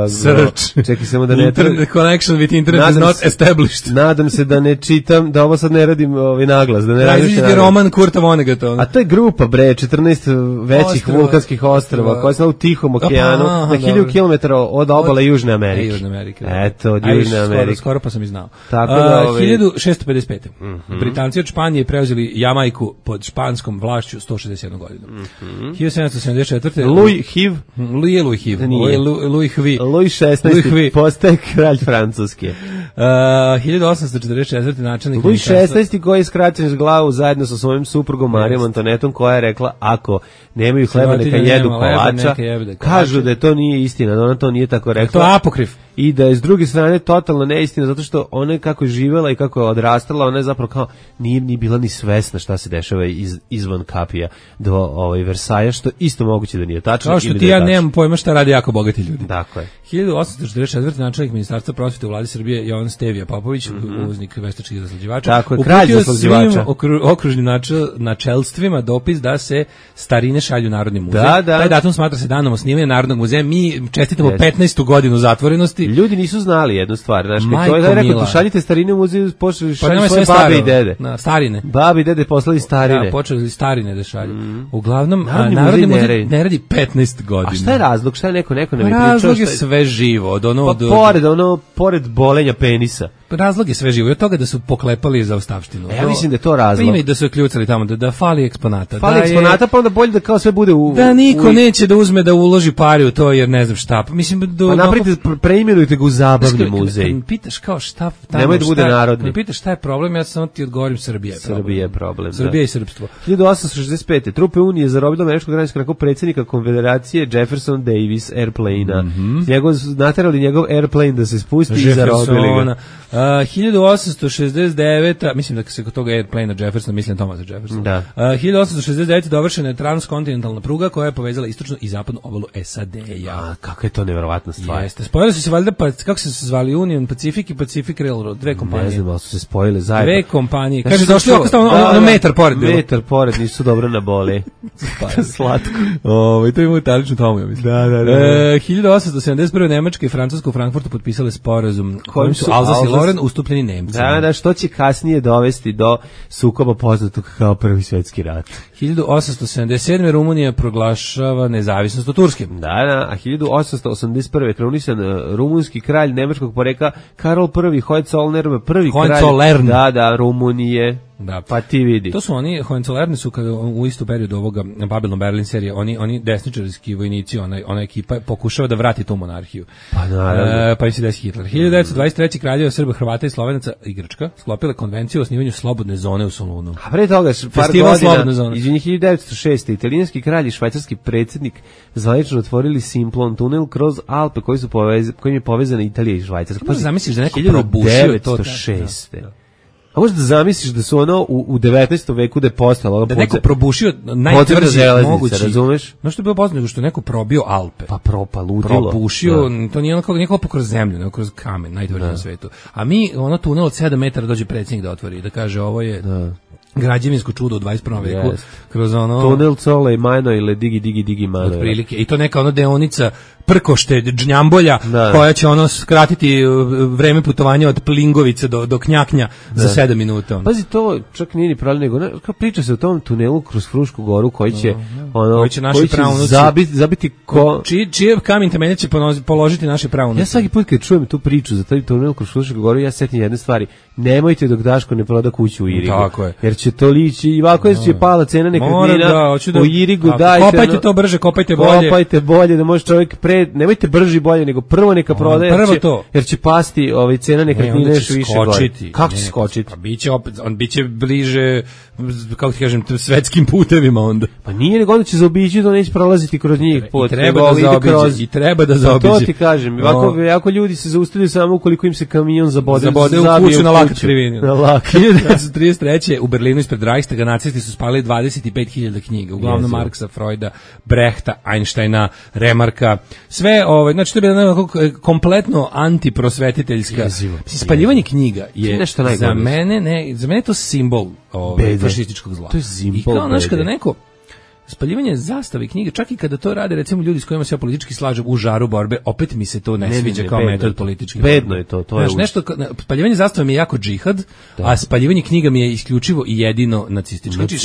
search. Čekaj samo da ne... Internet connection with internet is not established. Nadam se da ne čitam, da ovo sad ne radim naglas. Da ne različiti roman Kurta Vonnegata. A to je grupa, 14 većih vulkanskih ostrava koja je u Tihom okeanu, na 1000 km od obale Južne Amerike. Južne Amerike. Eto, od Južne Amerike. Skoro pa sam i znao. 1655. Britanci od Španije preuzeli Jamajku pod španskom vlašću 161 godinu. 1774. Louis XVI postaje kralj Francuske. 1844. načelnik Louis XVI koji je skraćen s glavu zajedno sa svojim suprugom Marijom Antonetom, koja je rekla ako nemaju hleba neka jedu kolača. Kažu da to nije istina, da ona to nije tako rekla. To je apokrif. I da je s druge strane totalno neistina, zato što ona kako je živjela i kako je odrastala, ona je zapravo kao nije ni bila ni svesna šta se dešava izvan kapija do Versaja, što isto moguće da nije tačno. Kao što ti ja nemam pojma šta radi jako bogati ljudi. Dakle. 1844. načelnik ministarstva prosvete u vladi Srbije Jovan Stevija Popović, uvoznik veštačkih zaslađivača, tako je, kralj zaslađivača, okružnim načelstvima dopis da se starine šalju Narodni muzej. Da. Taj datum smatra se danom osnivanja Narodnog muzeja. Mi čestitamo 15. godinu zatvorenosti. Ljudi nisu znali jednu stvar, znači to je rekao, šaljite starine u muzej, počeli šalju svoje babe i dede. Starine. Babe i dede poslali starine. Da, počeli starine da šalju. Uglavnom, Narodni muzej ne radi 15 godina. A šta je razlog? Šta je neko ne mi pričao? Razlog je sve živo. Pored bolenja penisa. Razlog je sve živo. I od toga da su poklepali za ostavštinu. Ja mislim da je to razlog. Pa ima i da su je kljucali tamo, da fali eksponata. Fali eksponata, pa onda bolje da kao sve bude u... Da niko neće da uzme da uloži pari u to, jer ne znam šta. Mislim, pa napravite, preimenujte ga u zabavni muzej. Kad pitaš kao šta... Nemoj da bude narodni. Kad pitaš šta je problem, ja samo ti odgovorim Srbija je problem. Srbija i srpstvo. 1865. Trupe Unije zarobile američkog građanskog nakon predsjednika Konfederacije Jefferson Davis Airplane-a. Naterali njegov airplane da se spusti i zarobili ga. 1869. Mislim da se kod toga Airplane Jefferson, mislim Thomasa Jefferson. Da. 1869. dovršena je transkontinentalna pruga koja je povezala istočnu i zapadnu obalu SAD-a. Kakva je to neverovatna stvar. Jeste. Spojili su se valjda, kako se zvali, Union Pacific i Pacific Railroad, dve kompanije. Ne znam, ali su se spojile zajedno. Dve kompanije. Kaže, došli ono metar pored. Metar pored, nisu dobro na boli. Slatko. I to ima italičnu tomu, ja mislim. Da. 1871. Nemačka i Francuska u Frankfurtu potpisale sporazum kojim su Alsace i Lorraine ustupljeni Nemcima. Da, što će kasnije dovesti do sukoba poznatog kao Prvi svjetski rat. 1877. Rumunija proglašava nezavisnost od Turske. Da, a 1881. krunisan rumunski kralj nemačkog porekla Karol I Hohenzollern, prvi kralj Rumunije. Da. Pa ti vidi. To su oni, Hohenzollerni su kada u istu periodu ovoga Babylon Berlin serije, oni desničarski vojnici, ona ekipa pokušava da vrati tu monarhiju. Pa naravno. Pa i se desi Hitler. 1923. kraljeva Srba, Hrvata i Slovenaca i Grčka sklopile konvenciju o osnivanju slobodne zone u Solunu. A pre toga, par godina, izvinji 1906. italijanski kralj i švajcarski predsjednik zvanično otvorili Simplon tunel kroz Alpe kojim je povezana Italija i Švajcarska. Pa zamisliš da neko probušio to 1906. A možda da zamisliš da su ono u 19. veku da je postalo da neko probušio najtvrđi mogući, razumeš? No što je bilo poznato što je neko probio Alpe. Pa ludilo. Probušio, to nije ono kako kroz zemlju, nego kroz kamen, najtvrđi na svetu. A mi ono tunel od 7 metara dođe predsjednik da otvori, da kaže ovo je građevinsko čudo u 21. veku. Kroz ono tunel Cole i Majno ili digi Majno. Otprilike. I to neka ono deonica Prkošte, Džnjambolja, koja će ono skratiti vreme putovanja od Plingovice do Knjaknja za 7 minuta. Pazi, to čak nije ni problem, nego priča se o tom tunelu kroz Frušku goru koji će zabiti čije kamen temelje će položiti naše praunuci. Ja svaki put kad čujem tu priču za taj tunel kroz Frušku goru, ja setim jedne stvari. Nemojte dok Daško ne proda kuću u Irigu. Tako je. Jer će to lići i ovako će pala cena nekretnina u Irigu. Kopajte to brže, kopajte bolje da može čovjek nemojte brži bolje, nego prvo neka prodaje, jer će pasti cena nekretnine još više gore. Kako će skočiti? Pa biće bliže kako ti kažem, svetskim putevima onda. Pa nije, nego onda će zaobići, da neće prolaziti kroz njih. I treba da zaobiđe. To ti kažem, jako ljudi se zaustavljaju samo ukoliko im se kamion zabode u kuću na lakat krivini. 1933. u Berlinu ispred Reichstaga nacisti su spalili 25.000 knjiga, uglavnom Marksa, Freuda, Brehta, Einsteina, Remarka, sve, znači to je bila kompletno antiprosvetiteljska. Spaljivanje knjiga je za mene to simbol fašističkog zla. To je simbol. I kao, znaš, kada neko spaljivanje zastave knjige, čak i kada to rade recimo ljudi s kojima se ja politički slažem u žaru borbe, opet mi se to ne sviđa kao metod politički. Bedno je to. Znaš, nešto, spaljivanje zastave mi je jako džihad, a spaljivanje knjiga mi je isključivo i jedino nacistički. Znači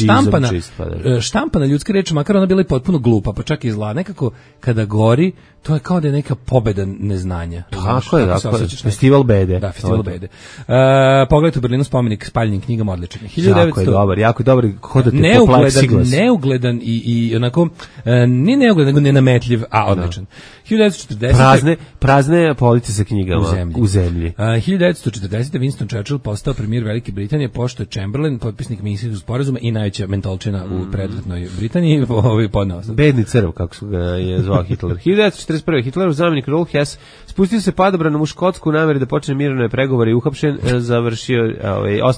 štampana ljudska reč, makar ona bila i potpuno glupa, pa čak i zla, nekako kada gori, to je kao da je neka pobeda neznanja. Tako je, festival bede. Da, festival bede. Pogledajte u Berlinu spomenik spaljenim knjigama, odličan. Jako je dobar, hodate po pleksiglas. Neugledan i onako, nije neugledan, nego nenametljiv, a odličan. 1940. Prazne police sa knjigama u zemlji. 1940. Winston Churchill postao premijer Velike Britanije, pošto je Chamberlain, potpisnik Minskog sporazuma i najveća mentolčina u predratnoj Britaniji, podnao sam. Bedni crv, kako su ga je zvao Hitler. 1941. Hitlerov zamjenik Rudolf Hess spustio se padobranom u Škotsku u nameri da počne mirovne pregovore i uhapšen, završio,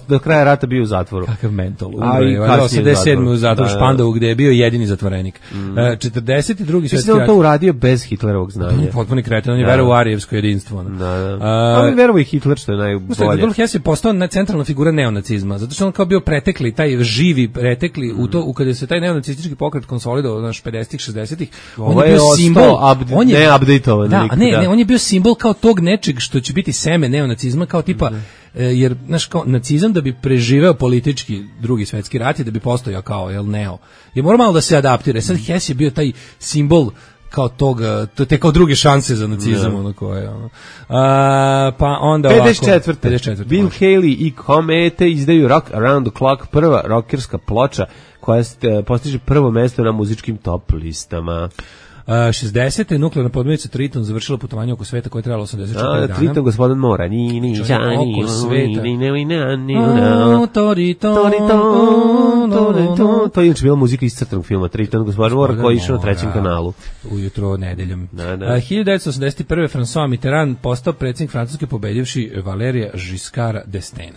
do kraja rata bio u zatvoru. Kakav mentol. 87. u zatvoru Špandovu, gde je bio jedini zatvorenik. 42. svetski rat. To uradio bez Hitlerovog znanja. Potpuni kreten, on je verovao u arijevsko jedinstvo. On je verovao i Hitler, što je najbolje. Rudolf Hess je postao centralna figura neonacizma, zato što on kao bio pretekli, taj živi pretekli u to, kada se taj neonacistički pokret konsolidovao, 50-ih, 60-ih, on je bio simbol, on je bio simbol kao tog nečeg što će biti seme neonacizma, kao tipa, jer znaš, kao nacizam da bi preživeo politički drugi svetski rat i da bi postojao kao neo, je mora malo da se adaptira. Sad Hess je bio taj simbol kao toga, to je kao druge šanse za nacizam, ono koje, pa onda 54. Bill Haley i Komete izdaju Rock Around the Clock, prva rockerska ploča koja postiže prvo mesto na muzičkim top listama. 60. nuklearna podmornica Triton završila putovanje oko sveta koje je trajalo 84 dana. Triton, gospodin mora. Oko sveta. To je inače bila muzika iz crtanog filma Triton, gospodin mora, koji je išao na trećem kanalu. Ujutro nedeljom. 1981. François Mitterrand postao predsjednik Francuske pobedivši Valerija Giscarda d'Estaing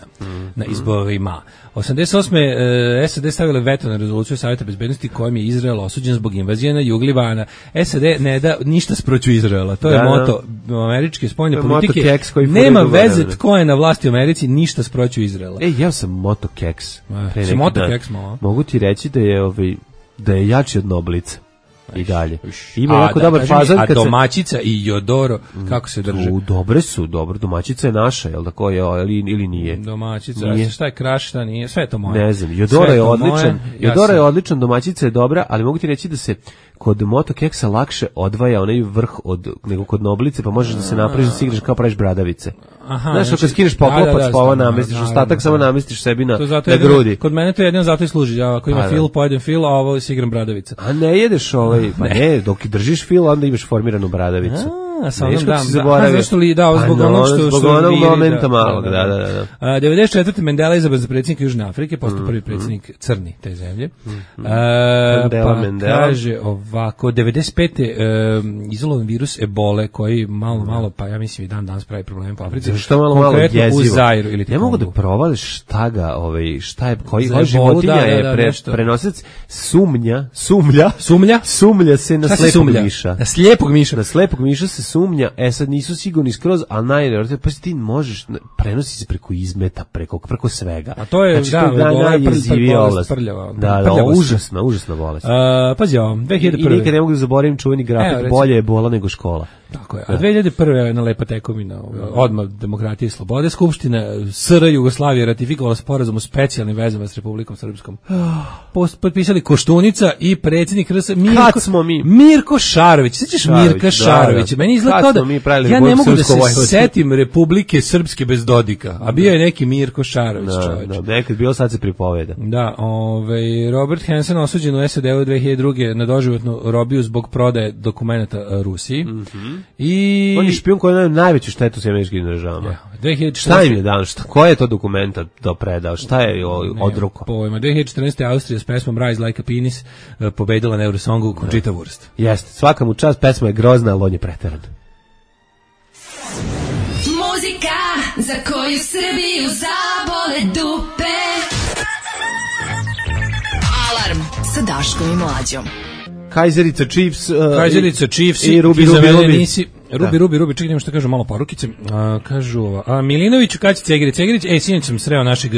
na izborima. 88. SAD stavile veto na rezoluciju Savjeta bezbednosti kojom je Izrael osuđen zbog invazije na jug Libana. SAD ne da ništa sproću Izraela. To je moto američke spoljne politike. Nema veze tko je na vlasti u Americi, ništa sproću Izraela. Ja sam Moto Keks. Mogu ti reći da je jači od Noblica. I dalje. Ima jako dobar fazon. A domaćica i Jodoro, kako se drže? Dobre su, dobro. Domaćica je naša, jel da koja ili nije? Domaćica, šta je kraš, šta nije, sve je to moje. Ne znam, Jodoro je odličan. Jodoro je odličan, domaćica je dobra, ali mogu ti reći da se kod Moto Keksa lakše odvaja onaj vrh nego kod Noblice, pa možeš da se napraviš da se igraš kao praviš bradavice. Znaš, kad skineš poklopac, pa ovo namestiš, ostatak samo namestiš sebi na grudi. Kod mene to jedino zato i služi, ako ima fil, pojedem fil, a ovo si igram bradavica. A ne jedeš pa ne, dok držiš fil, onda imaš formiranu bradavicu. Zbog onog momenta malog, da. 94. Mandela izabran za predsjednika Južne Afrike, postao prvi predsjednik crni te zemlje. Pa kaže ovako, 95. izolovan virus ebole koji malo, pa ja mislim i dan danas pravi probleme po Africi. Što malo jezivo. U Zairu ili ne mogu da provališ šta je, koji životinja je prenosilac sumnja se na slepog miša. Na slepog miša se sumnja, sad nisu sigurni skroz, ali najbolje, pa ti možeš, prenosi se preko izmeta, preko svega. A to je, prljava. Da, užasna bolest. Pazi ovo, 2001. I nikad ne mogu da zaboravim čuveni grafik, bolje je bola nego škola. Tako je. A 2001. je jedna lepa tekovina, odmah demokratije i slobode. Skupština SR Jugoslavije ratifikovala sporazum o specijalnim vezama s Republikom Srpskom. Potpisali Koštunica i predsjednik RS Mirko Šarović. Sjećaš Mirka Šarovića? Meni izgleda kao da ja ne mogu da se setim Republike Srpske bez Dodika, a bio je neki Mirko Šarović, čovječ. Da, nekad bilo, sad se pripoveda. Da, Robert Hansen osuđen u SAD-u 2002. na doživotnu robiju zbog prodaje dokumenata Rusiji. I on je špijun koji je najveću štetu s američkim državama. 2014. Šta im je dan? Koja je to dokumenta predao? Šta je odruko? Pojma. 2014. Austrija s pesmom Rise Like a Penis pobedila na Eurosongu Conchita Wurst. Jeste, svaka mu čast, pesma je grozna, ali on je preteran. Muzika za koju Srbiju zabole dupe. Alarm sa Daškom i Mlađom. Kajzerica Chiefs i Rubi, čekaj, nemo što kažu malo porukice. Kažu, Milinoviću, kad će Cegerić? Sinoć sam sreo našeg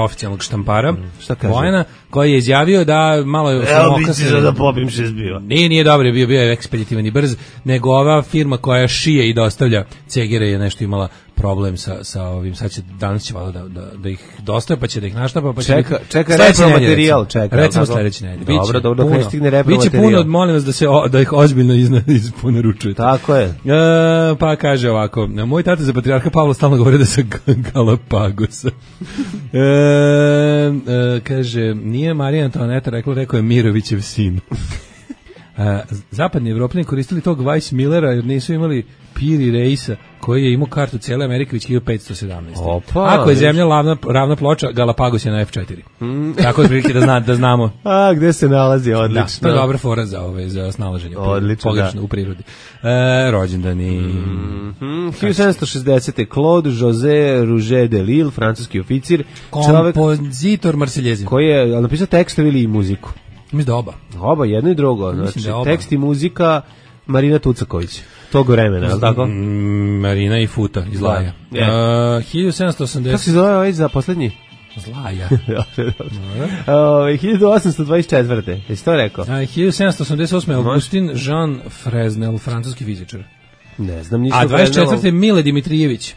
oficijalnog štampara, Bojana, koji je izjavio da malo je... Evo bići da popim 6 biva. Nije dobro, bio je ekspeditivan i brz, nego ova firma koja šije i dostavlja Cegere je nešto imala problem sa ovim, sad će, danas će malo da ih dostaje, pa će da ih naštapa, pa će... Čeka repromaterijal, recimo sledeći nedelje. Dobro, dok ne stigne repromaterijal. Biće puno, molim vas da ih ozbiljno isporučujete. Tako je. Pa kaže ovako, moj tata za patrijarha Pavla stalno govori da sa Galapagosa. Kaže, nije Marija Antoaneta rekao je Mirovićev sin. Zapadni Evropljani koristili tog Weissmillera jer nisu imali Piri Reisa koji je imao kartu cijele Amerike već 1517. Ako je zemlja ravna ploča, Galapagos je na F4. Tako otprilike da znamo. Gde se nalazi, odlično. Da, to je dobra fora za snalaženje. Odlično, pogrešno u prirodi. Rođendani. 1760. Claude José Rouget de Lille, francuski oficir. Kompozitor Marseljezin. Koji je napisao tekstove ili muziku? Mislim da oba. Oba, jedno i drugo. Znači, tekst i muzika Marina Tucaković. Tog vremena, je li tako? Marina i Futa iz Laja. 1780... Kako se zove ovaj za poslednji? Zlaja. 1824. Jesi to rekao? 1788. Augustin Jean Fresnel, francuski fizičar. Ne znam, ništa. A 24. Mile Dimitrijević.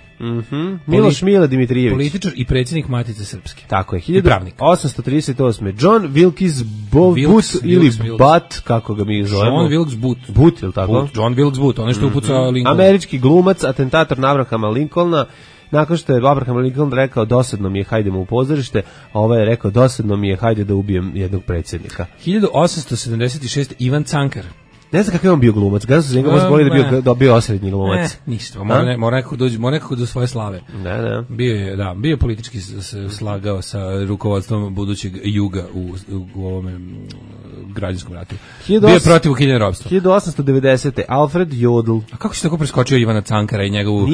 Miloš Mile Dimitrijević. Političar i predsjednik Matice Srpske. Tako je, 1838. John Wilkes Booth ili Butt, kako ga mi zovemo. John Wilkes Booth. Booth, ili tako? John Wilkes Booth, on je što upucao Lincoln. Američki glumac, atentator na Abrahama Lincolna. Nakon što je Abraham Lincoln rekao dosadno mi je, hajdemo u pozorište, a ovaj je rekao dosadno mi je, hajde da ubijem jednog predsjednika. 1876. Ivan Cankar. Ne znam kakav je on bio glumac, kada su se njega možda boli da bio osrednji glumac. Ništa, mora nekako do svoje slave. Da. Bio je politički slagao sa rukovodstvom budućeg Juga u ovome građanskom ratu. Bio je protiv ukidanja ropstva. 1890. Alfred Jodl. A kako si tako preskočio Ivana Cankara i njegovu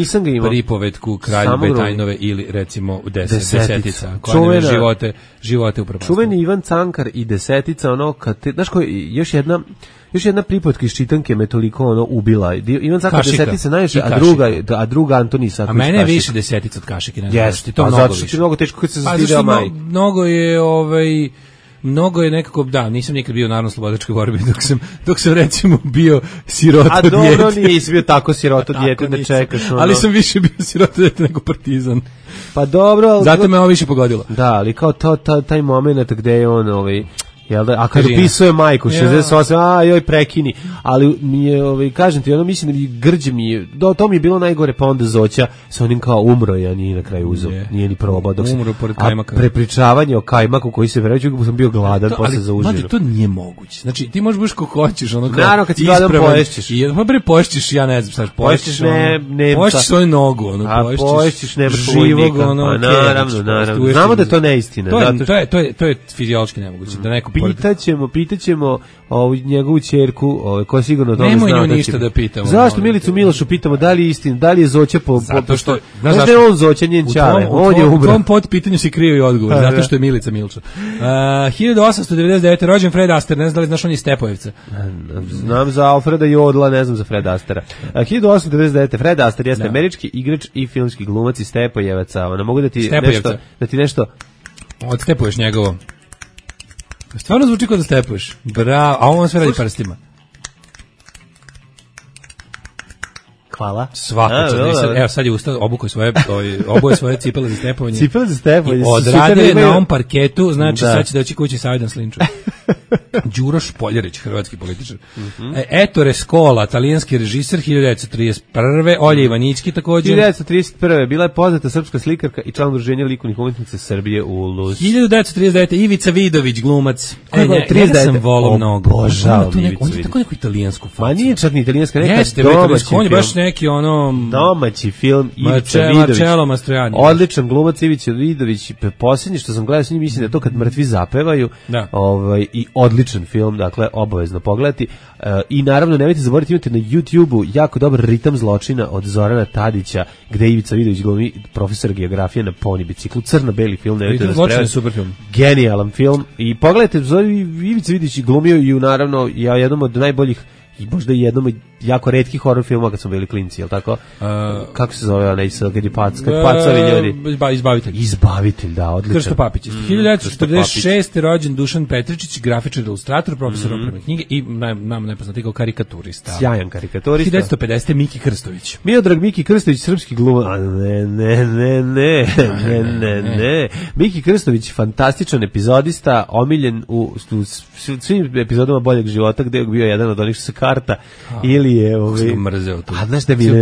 pripovetku Kralj Betajnove ili recimo Desetica, koja nam je živote upropastila. Čuveni Ivan Cankar i Desetica, ono, znaš koji, još jedna pripovetka iz čitanke me toliko ubila. Ivan Cankar Desetica najviše, a druga Antoni Isaković. A mene je više Desetica od Kašike. Jeste, a zato što ti mnogo teško kad se zastideo majke. Mnogo je nekako, nisam nikad bio u narodno-slobodačkoj borbi dok sam recimo bio sirota dijete. A dobro, nisi bio tako sirota dijete da čekaš. Ali sam više bio sirota dijete nego partizan. Pa dobro. Zato me ovo više pogodilo. Da, ali kao taj moment gde je on jel da, a kad opisuje majku 68, joj prekini, ali mi je, kažem ti, ono mislim da mi grđe mi je, to mi je bilo najgore, pa onda Zoća sa onim kao umro je, a nije na kraju uzeo, nije ni probao, umro pored kajmaka. A prepričavanje o kajmaku koji se vređu, sam bio gladan posle za užinu. Ali to nije moguće, znači ti možeš ko hoćeš, ono kao, naravno kad si gladan poješćeš. Pa bre poješćeš, ja ne znam šta, poješćeš svoju nogu, poješćeš živog, naravno, znamo da je to neistina. To je fiziološki nemoguće, da neko Pitaćemo njegovu ćerku, koja sigurno to nemoj nju ništa da pitamo. Zašto Milicu Milošu pitamo da li je istina, da li je Zoća zato što znaš je on Zoća njen čale, on je umro. U tom potpitanju si krivi odgovor, zato što je Milica Milča. 1899. rođen Fred Astaire, ne znam da li znaš on je Stepojevca. Znam za Alfreda Jodla, ne znam za Fred Astairea. 1899. Fred Astaire jeste američki igrač i filmski glumac iz Stepojevaca. Mogu da ti nešto odstepuješ njegovo. Stvarno zvuči kao da stepuješ. Bravo, a on sve radi prstima. Hvala. Svako čast. Evo sad je ustao, oboje svoje cipele za stepovanje. Cipele za stepovanje. Odradio je na ovom parketu, znači sad će doći kući sa jedan slinču. Đuro Špoljarić, hrvatski političar. Ettore Scola, talijanski režiser, 1931. Olja Ivanićki također. 1931. bila je poznata srpska slikarka i član udruženja likovnih umetnica Srbije ULUS. 1939. Ivica Vidović, glumac. Ja sam volao mnogo. Obožavam Ivicu Vidović. On je tako neku italijansku facu. Ma nije čak ni italijanska, neka domaći film. On je baš neki ono... Domaći film Ivica Vidović. Marcello Mastroianni. Odličan glumac Ivica Vidović. Posljednje što sam gledao s njim, mislim da je to kad mrtvi zapevaju. Da. I odličan film, dakle, obavezno pogledati. I naravno, nemojte zaboraviti, imate na YouTube-u jako dobar Ritam zločina od Zorana Tadića, gde Ivica Vidović glumi profesor geografije na poni biciklu. Crno-beli film, nemojte da spremati. Super film. Genijalan film. I pogledajte, Ivica Vidović glumio i naravno, jednom od najboljih i možda i jednom od jako retkih horror filmova kad smo bili klinci, jel tako? Kako se zove onaj kad je pacovi ljudi? Izbavitelj, da, odličan. Krsto Papić. 1946. rođen Dušan Petričić, grafičar, ilustrator, profesor opreme knjige i nam nepoznati kao karikaturista. Sjajan karikaturista. 1950. Miki Krstović. Miodrag Miki Krstović, srpski glumac. Ne. Miki Krstović, fantastičan epizodista, omiljen u svim epizodama Boljeg života, gde je bio jedan od onih što se karta ili je mrzeo to. A znaš da mi je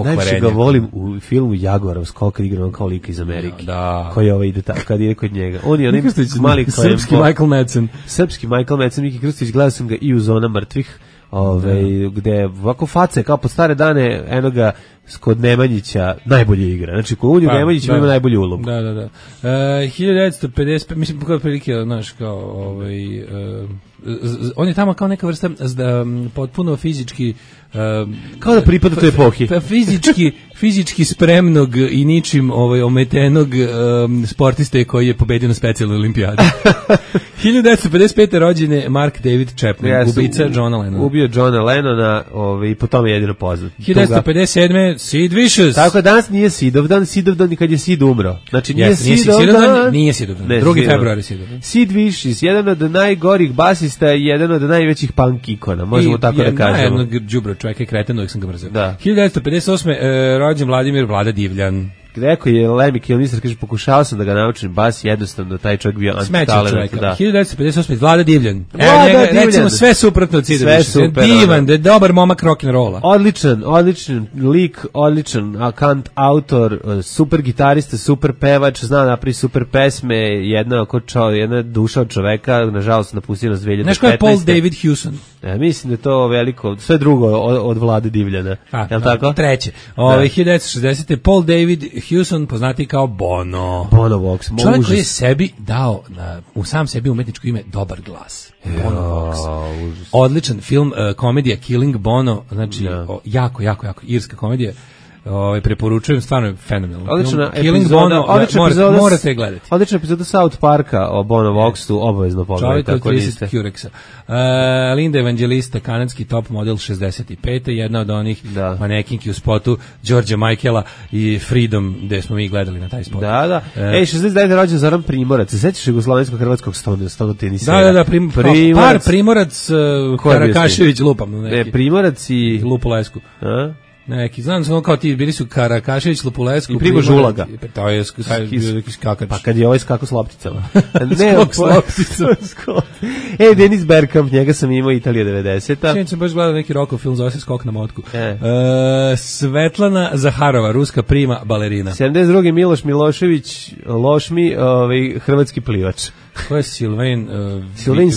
najviše ga volim u filmu Jaguarov skok kad igra on kao lik iz Amerike. Da. Koji ide tako kad ide kod njega. On je onaj mali srpski Michael Madsen. Srpski Michael Madsen, Miki Krstović, gledao sam ga i u Zona mrtvih. Gde ovako face kao po stare dane enoga kod Nemanjića najbolje igra. Znači kod Nemanjić ima najbolju ulogu. Da. 1955, mislim kao prilike, znaš, kao on je tamo kao neka vrsta potpuno fizički kao da pripada toj epohi. Fizički spremnog i ničim ometenog sportiste koji je pobedio na specijalnoj olimpijadi. 1955. rođen je Mark David Chapman, ubica Johna Lennona. Ubio Johna Lennona i po tome je jedino poznat. 1957. Sid Vicious. Tako danas nije Sidovdan i kad je Sid umro. Znači nije Sidovdan. Nije Sidovdan. 2. februar je Sidovdan. Sid Vicious, jedan od najgorih basista i jedan od najvećih punk ikona, možemo tako da kažemo. Jednog đubra čovjeka i kreten, uvijek sam ga mrzeo. 1958. rođen Vladimir Vlada Divljan. Rekao je Lemmy Kilmister, kaže, pokušao sam da ga naučim bas, jednostavno taj čovjek bio antitalent. Da. 1958. Vlada Divljan. Recimo sve suprotno od Cida Višića. Divan, da je dobar momak rock'n'rolla. Odličan lik, odličan autor, super gitarista, super pevač, zna napravi super pesme, jedna duša od čoveka, nažalost napustio nas 2015. Znaš ko je Paul David Hewson? Mislim da je to veliko, sve drugo od Vlade Divljana. Je li tako? Treće. 1960. Paul David Hewson, poznati kao Bono. Bono Vox. Čovjek koji je sebi dao u sam sebi umetničko ime dobar glas. Bono Vox. Odličan film, komedija Killing Bono, znači jako irska komedija. Preporučujem, stvarno je fenomenalno. Odlična epizoda, morate gledati. Odlična epizoda South Parka o Bono Voxu, obavezno pogledajte. Čovjek od 30 Curexa. Linda Evangelista, kanadski top model 65. Jedna od onih manekinki u spotu Đorđa Michaela i Freedom, gde smo mi gledali na taj spot. Da. 69. rođen Zoran Primorac. Se sećaš jugoslovensko-hrvatskog stonotenisera? Da, Primorac, Karakašević, lupam. Primorac i Lupolesku. Neki, znam samo kao ti, bili su Karakašević, Lupulesku, i Primož Ulaga. To je skakač. Pa kad je ovaj skako s lopticama. Skok s lopticama. Denis Bergkamp, njega sam imao Italija 90-a. Sjećam sam baš gledao neki rokov film, zove se Skok na motku. Svetlana Zaharova, ruska prima balerina. 72. Miloš Milošević, Lošmi, hrvatski plivač. Ko je Silvain?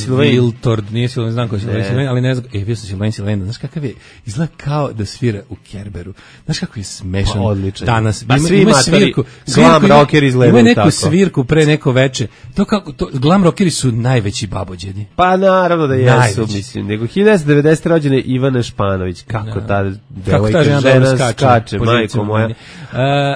Wiltord, nije Silvain, znam ko je Silvain, ali ne znam, bio sam Silvain, znaš kakav je, izgleda kao da svira u Kerberu, znaš kako je smešan danas, ima svirku, glam rocker izgledaju tako. Ima neku svirku pre neko veče, glam rockeri su najveći babođeni. Pa naravno da jesu, mislim, nego 1990. rođene Ivana Španović, kako ta devojka žena skače, majko moja.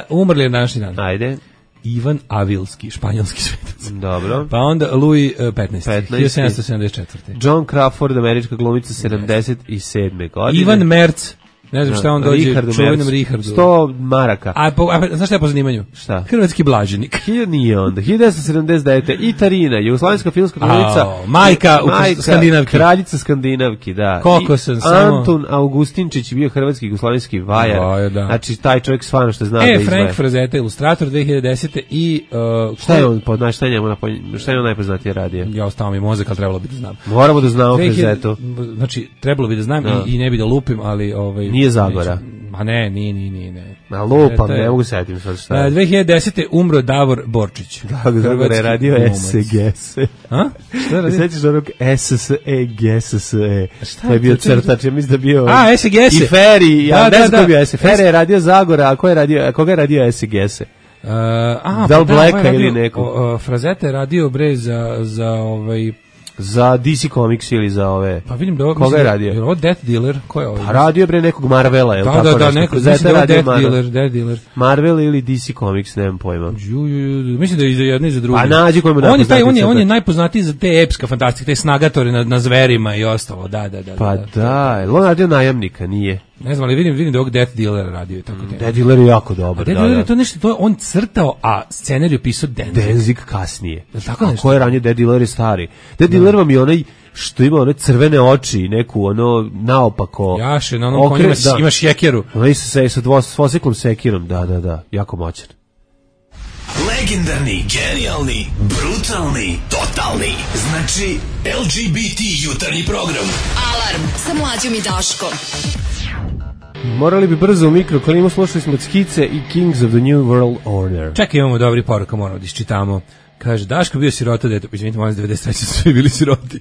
Umrli je današnji dan. Ajde. Ivan Avilski, španjolski svetac. Dobro. Pa onda Louis 15. 1774. John Crawford, američka glumica, 77. godine. Ivan Merc, Ne znam šta on dođe, čuvenom Richardu. 100 maraka. A znaš šta je po zanimanju? Šta? Hrvatski blaženik. Nije onda. 1979. Itarina, jugoslovenska filmska kraljica. Majka Skandinavki. Kraljica Skandinavki, da. Koliko sam samo... Anton Augustinčić je bio hrvatski jugoslovenski vajar. Da. Znači, taj čovjek stvarno što zna da izvaja. Frank Frazetta, ilustrator 2010. I... šta je on, šta je on najpoznatije radio? Ja ostao mi mozak, ali trebalo bi da znam. Moramo da znamo Frazettu. Znači, trebalo bi da znam i ne bi da lupim, ali... Nije Zagora. A ne. A lupam, ne mogu setim sad šta je. 2010. umro Davor Borčić. Davor je radio SGS. A? Šta je radio? Sećaš onog SSE. To je bio crtač, ja mislim da bio... A, SGS. I Feri, ja ne znam ko je bio SGS. Feri je radio Zagora, a koga je radio SGS? Da li Blacka ili neko? Frazetta je radio bre za DC Comics ili za ove. Pa vidim da ovo koga je radio? Je ovo Death Dealer? Ko je ovo? Pa radio bre nekog Marvela, je l' tako? Da, neko Death Dealer. Marvel ili DC Comics, nemam pojma. Mislim da je i za jedno i za drugo. A nađi koji mu najpoznatiji. On je najpoznatiji za te epska fantastike, te snagatore na zverima i ostalo, da. Pa da, on radio Najamnika, nije. Ne znam, ali vidim da ovog Death Dealer radio i tako. Death Dealer je jako dobar. Death Dealer je to nešto, to je on crtao, a scenariju pisao Danzig kasnije. Tako nešto. A ko je ranije? Death Dealer je stari. Death Dealer vam je onaj što ima one crvene oči, neku ono naopako. Jaše, na onom konjima imaš šekeru. Onaj se sa dvosiklom sekirom, da, jako moćan. Legendarni, genijalni, brutalni, totalni. Znači, LGBT jutarnji program. Alarm sa Mlađom i Daškom. Morali bi brzo u mikroklimu, slušali smo Skice i Kings of the New World Order. Čekaj, imamo dobri poruka, moramo da iščitamo. Kaže, Daško bio sirota, dete, izvinite, molim 93. su svi bili siroti.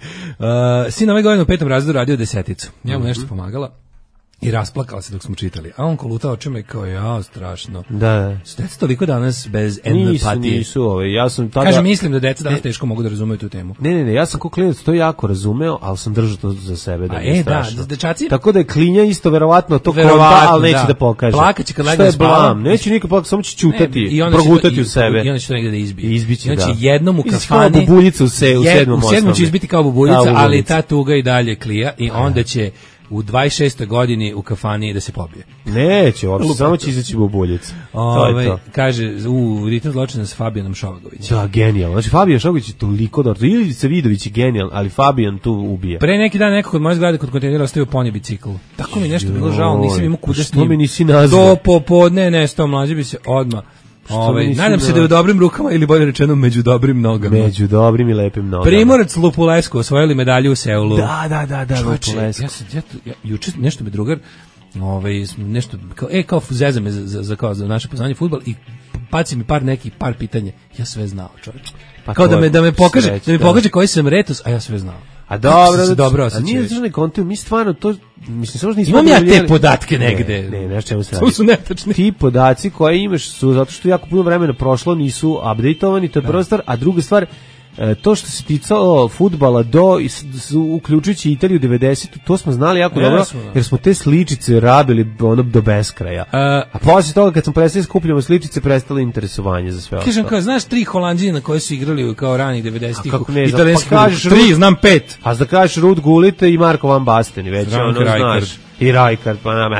Sin ove godine u 5. razredu radio 10. Ja mu nešto pomagala i rasplakala se dok smo čitali. A on kolutao očima i kao, ja, strašno. Da. Su deca toliko danas bez empatije? Nisu, ja sam tada... Kaže, mislim da deca danas teško mogu da razumeju tu temu. Ne, ja sam ko klinac to jako razumeo, ali sam držao to za sebe. Da, dečaci? Tako da je klinja isto verovatno to konta, ali neće da pokaže. Plakaće kad legne spava. Neće nikad plakati, samo će čutati, progutati u sebe. I onda će to negde da izbije. Izbiće, da. Znači, jednom u kafani... Kao bubuljica u 7. U 7. će izbiti kao bubuljica, ali ta tuga i dalje klija i onda će u 26. godini u kafani da se pobije. Neće, uopšte, samo će izaći bubuljica. Kaže, Ritam zločina s Fabijanom Šovagovićem. Da, genijalno. Znači, Fabijan Šovagović je toliko dobro. Ivica Vidović je genijalan, ali Fabijan tu ubije. Pre neki dan neko kod moje zgrade kod kontejnera ostavio ponje bicikl. Tako mi nešto bilo žao, nisam imao kuda s njim. Što mi nisi nazvao? Do popodne nestao, mlađe bi se odmah. Nadam se da je u dobrim rukama ili bolje rečeno među dobrim nogama. Među dobrim i lepim nogama. Primorac Lupulesko osvojili medalju u Seulu. Da, Lupulesko. Ja juče nešto mi drugar nešto kao zeza me za naše poznanje fudbal i baci mi par pitanja. Ja sve znao, čovječe. Pa kao da me pokaže koji sam retus, a ja sve znao. A dobro, a nije državni kontiv, mi stvarno to, mislim, samo što nismo... Imam ja te podatke negde. Ne, znaš čemu se radi. To su netačni. Ti podaci koje imaš su, zato što jako puno vremena prošlo, nisu updateovani, to je prva stvar, a druga stvar, to što se ticalo fudbala uključujući Italiju 90, to smo znali jako dobro, jer smo te sličice rabili do beskraja. A poslije toga kad smo prestali skupljamo sličice, prestalo interesovanje za sve ostalo. Kažem kao, znaš 3 Holanđina koji su igrali kao ranih 90-ih? Kako ne znam, pa kažeš 3, znam 5. A da kažeš Ruud Gullit i Marko van Basten, već ono znaš. I Rijkaard, pa nam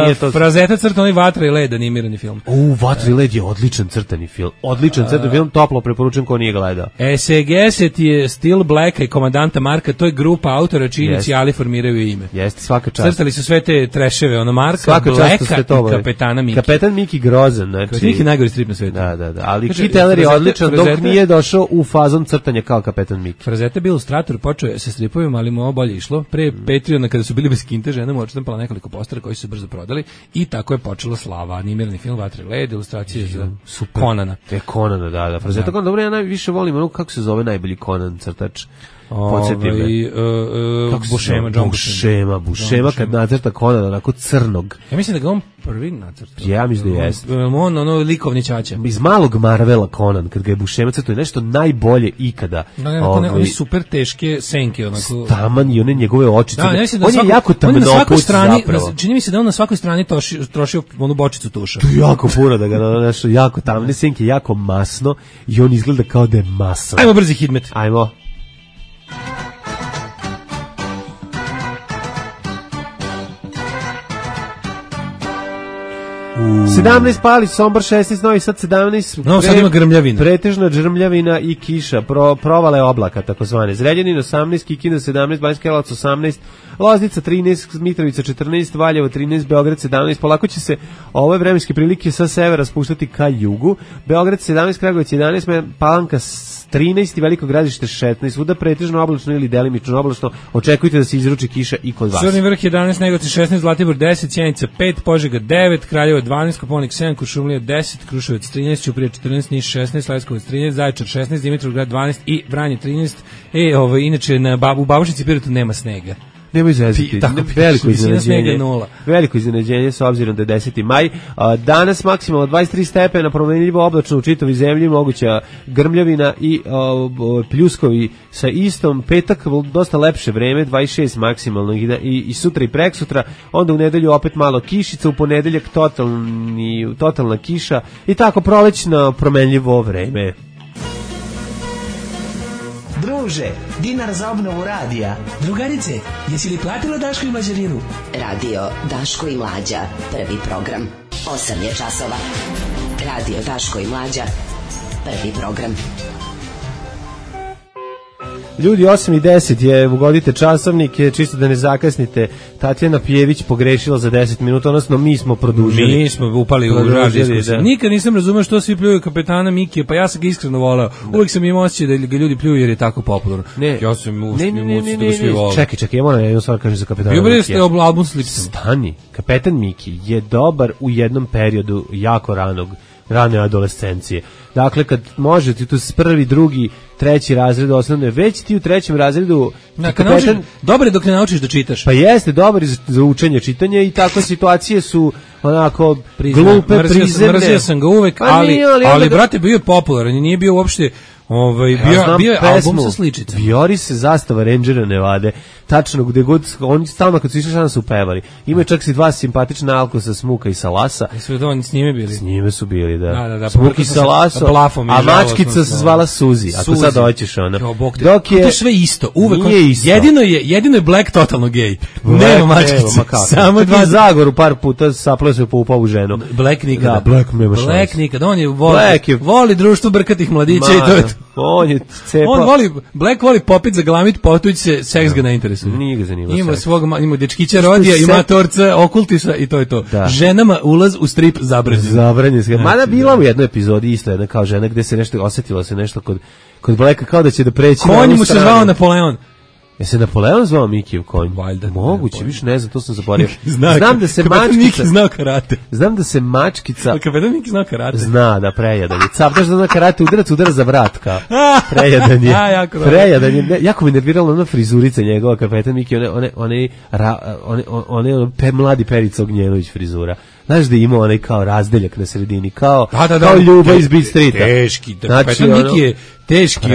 nije to... Frazetta crtani Vatra i led, animirani film. Vatra i led je odličan crtani film. Odličan crtani film, toplo preporučujem ko nije gledao. SGS je Still Blacka i komandanta Marka, to je grupa autora čiji inicijali formiraju ime. Jeste, svaka čast. Crtali su sve te treševe, Marka, Blacka i kapetana Miki. Kapetan Miki grozan, znači... Miki najgori strip na svetu. Da. Ali Keith Teller je odličan dok nije došao u fazon crtanja kao kapetan Miki. Frazetta je bio ilustrator, počeo je sa stripovima, ali mu ovo bolje išlo. Pre Patreona, kada su bili bez kinte, žena odštampala nekoliko postera koji su brzo prodali i tako je počela slava. Animirani film Vatra i led, ilustracije za Conana. Conana, da. Frazetta, dobro, ja najviše volim kako se zove najbolji Conan crtač. Podsjeti me. Bušema kad nacrta Conana, onako crnog. Ja mislim da ga on prvi nacrta. Ja mislim da jeste. On likovni ćaća. Iz malog Marvela Conan, kad ga je Bušema crtao, je nešto najbolje ikada. One super teške senke. Taman i one njegove očice. On je jako tamnopuc zapravo. Čini mi se da on na svakoj strani trošio onu bočicu tuša. To je jako puno da ga nešto jako tamne senke, jako masno i on izgleda kao da je masan. Ajmo brzi hidmet. Ajmo. 17 Palić, Sombor 16, Novi Sad 17. No, sad ima grmljavina. Pretežna grmljavina i kiša, provale oblaka, takozvane. Zrenjanin 18, Kikinda 17, Banjska Karlovac 18, Loznica 13, Mitrovica 14, Valjevo 13, Beograd 17. Polako će se ove vremenske prilike sa severa spuštati ka jugu. Beograd 17, Kragujevac 11, Palanka 13, Veliko Gradište 16, svuda pretežno oblačno ili delimično oblačno. Očekujte da se izruči kiša i kod vas. Crni vrh 11, Negotin 16, Zlatibor 10, Sjenica 5, Požega 9, Kraljevo 12, Kopaonik 7, Kuršumlija 10, Kruševac 13, Ćuprija 14, Niš 16, Leskovac 13, Zaječar 16, Dimitrovgrad 12 i Vranje 13. Inače u Babušnici i Pirotu nema snega. Nemoj zezati, veliko iznenađenje s obzirom da je 10. maj. Danas maksimalno 23 stepena, promenljivo oblačno u čitavoj zemlji, moguća grmljavina i pljuskovi sa istom. Petak dosta lepše vreme, 26 maksimalno i sutra i preksutra, onda u nedelju opet malo kišica, u ponedeljak totalna kiša i tako prolećno promenljivo vreme. Druže, dinar za obnovu radija. Drugarice, jesi li platila Daško i Mlađarinu? Radio Daško i Mlađa, prvi program. 8 je časova. Radio Daško i Mlađa, prvi program. Ljudi, 8 i 10 je, ugodite časovnike, čisto da ne zakasnite. Tatjana Pjević pogrešila za 10 minuta, odnosno mi smo produžili. Mi smo upali u diskusiju. Nikad nisam razumeo što svi pljuju kapetana Mikija, pa ja sam ga iskreno voleo. Uvijek sam imao osjećaj da ga ljudi pljuju jer je tako popularno. Ja sam usjećaj da ga svi vole. Čekaj, ja moram jednu stvar kažem za kapetana Mikija. Mikija. Bio ste album s Lipsom. Stani, kapetan Miki je dobar u jednom periodu jako rane adolescencije. Dakle, kad možete tu s prvi, drugi, treći razred osnovne, već ti u trećem razredu dobar je dok ne naučiš da čitaš. Pa jeste, dobar za učenje čitanja i takve situacije su onako glupe, prizemne. Mrzio sam ga uvek, ali brate, bio je popularan i nije bio uopšte bio je album sa sličicama. Vijori se zastava Rangera Nevade, tačno gde god, oni stalno kad su išli šta su pevali. Imaju čak si dva simpatična Alkosa, Smuka i Salasa. Jesu da oni s njime bili? S njime su bili, da. Smuk i Salaso, a mačkica se zvala Suzi, ako sad doćeš ono. Dok je... To je sve isto, uvek. Nije isto. Jedino je Black totalno gej. Nema mačkica. Samo dva Zagoru par puta sapleo se po upavu ženu. Black nikada. Da, Black nema šanse. Black nikada. On je voli društvo brkatih mladića i to je to. Black voli popit za glamit, potuć se, seks ga ne interesuje. Nije ga zanimao seks. Ima dečkića rodija, ima torca, okultisa i to je to. Da. Ženama ulaz u strip zabranjen. Zabranjen. Mada bila u jednoj epizodi isto jedna kao žena gde se nešto osetilo se nešto kod Blacka kao da će da preći. Konj mu se zvao Napoleon. Je se Napoleon zvao Mikijev konj? Valjda. Moguće, više ne znam, to sam zaboravio. Znam da se mačkica... znao karate. Znam da se mačkica... Kapetan Miki znao karate. Zna, da, prejadan je. Captaš da zna karate, udara za vrat, kao. Prejadan je. Prejadan je. Jako mi nervirala ona frizurica njegova, kapetan Miki, one mladi Perica Ognjenović frizura. Znaš da ima onaj kao razdeljak na sredini, kao Ljuba iz Beat Streeta. Teški, kapetan Miki je teški,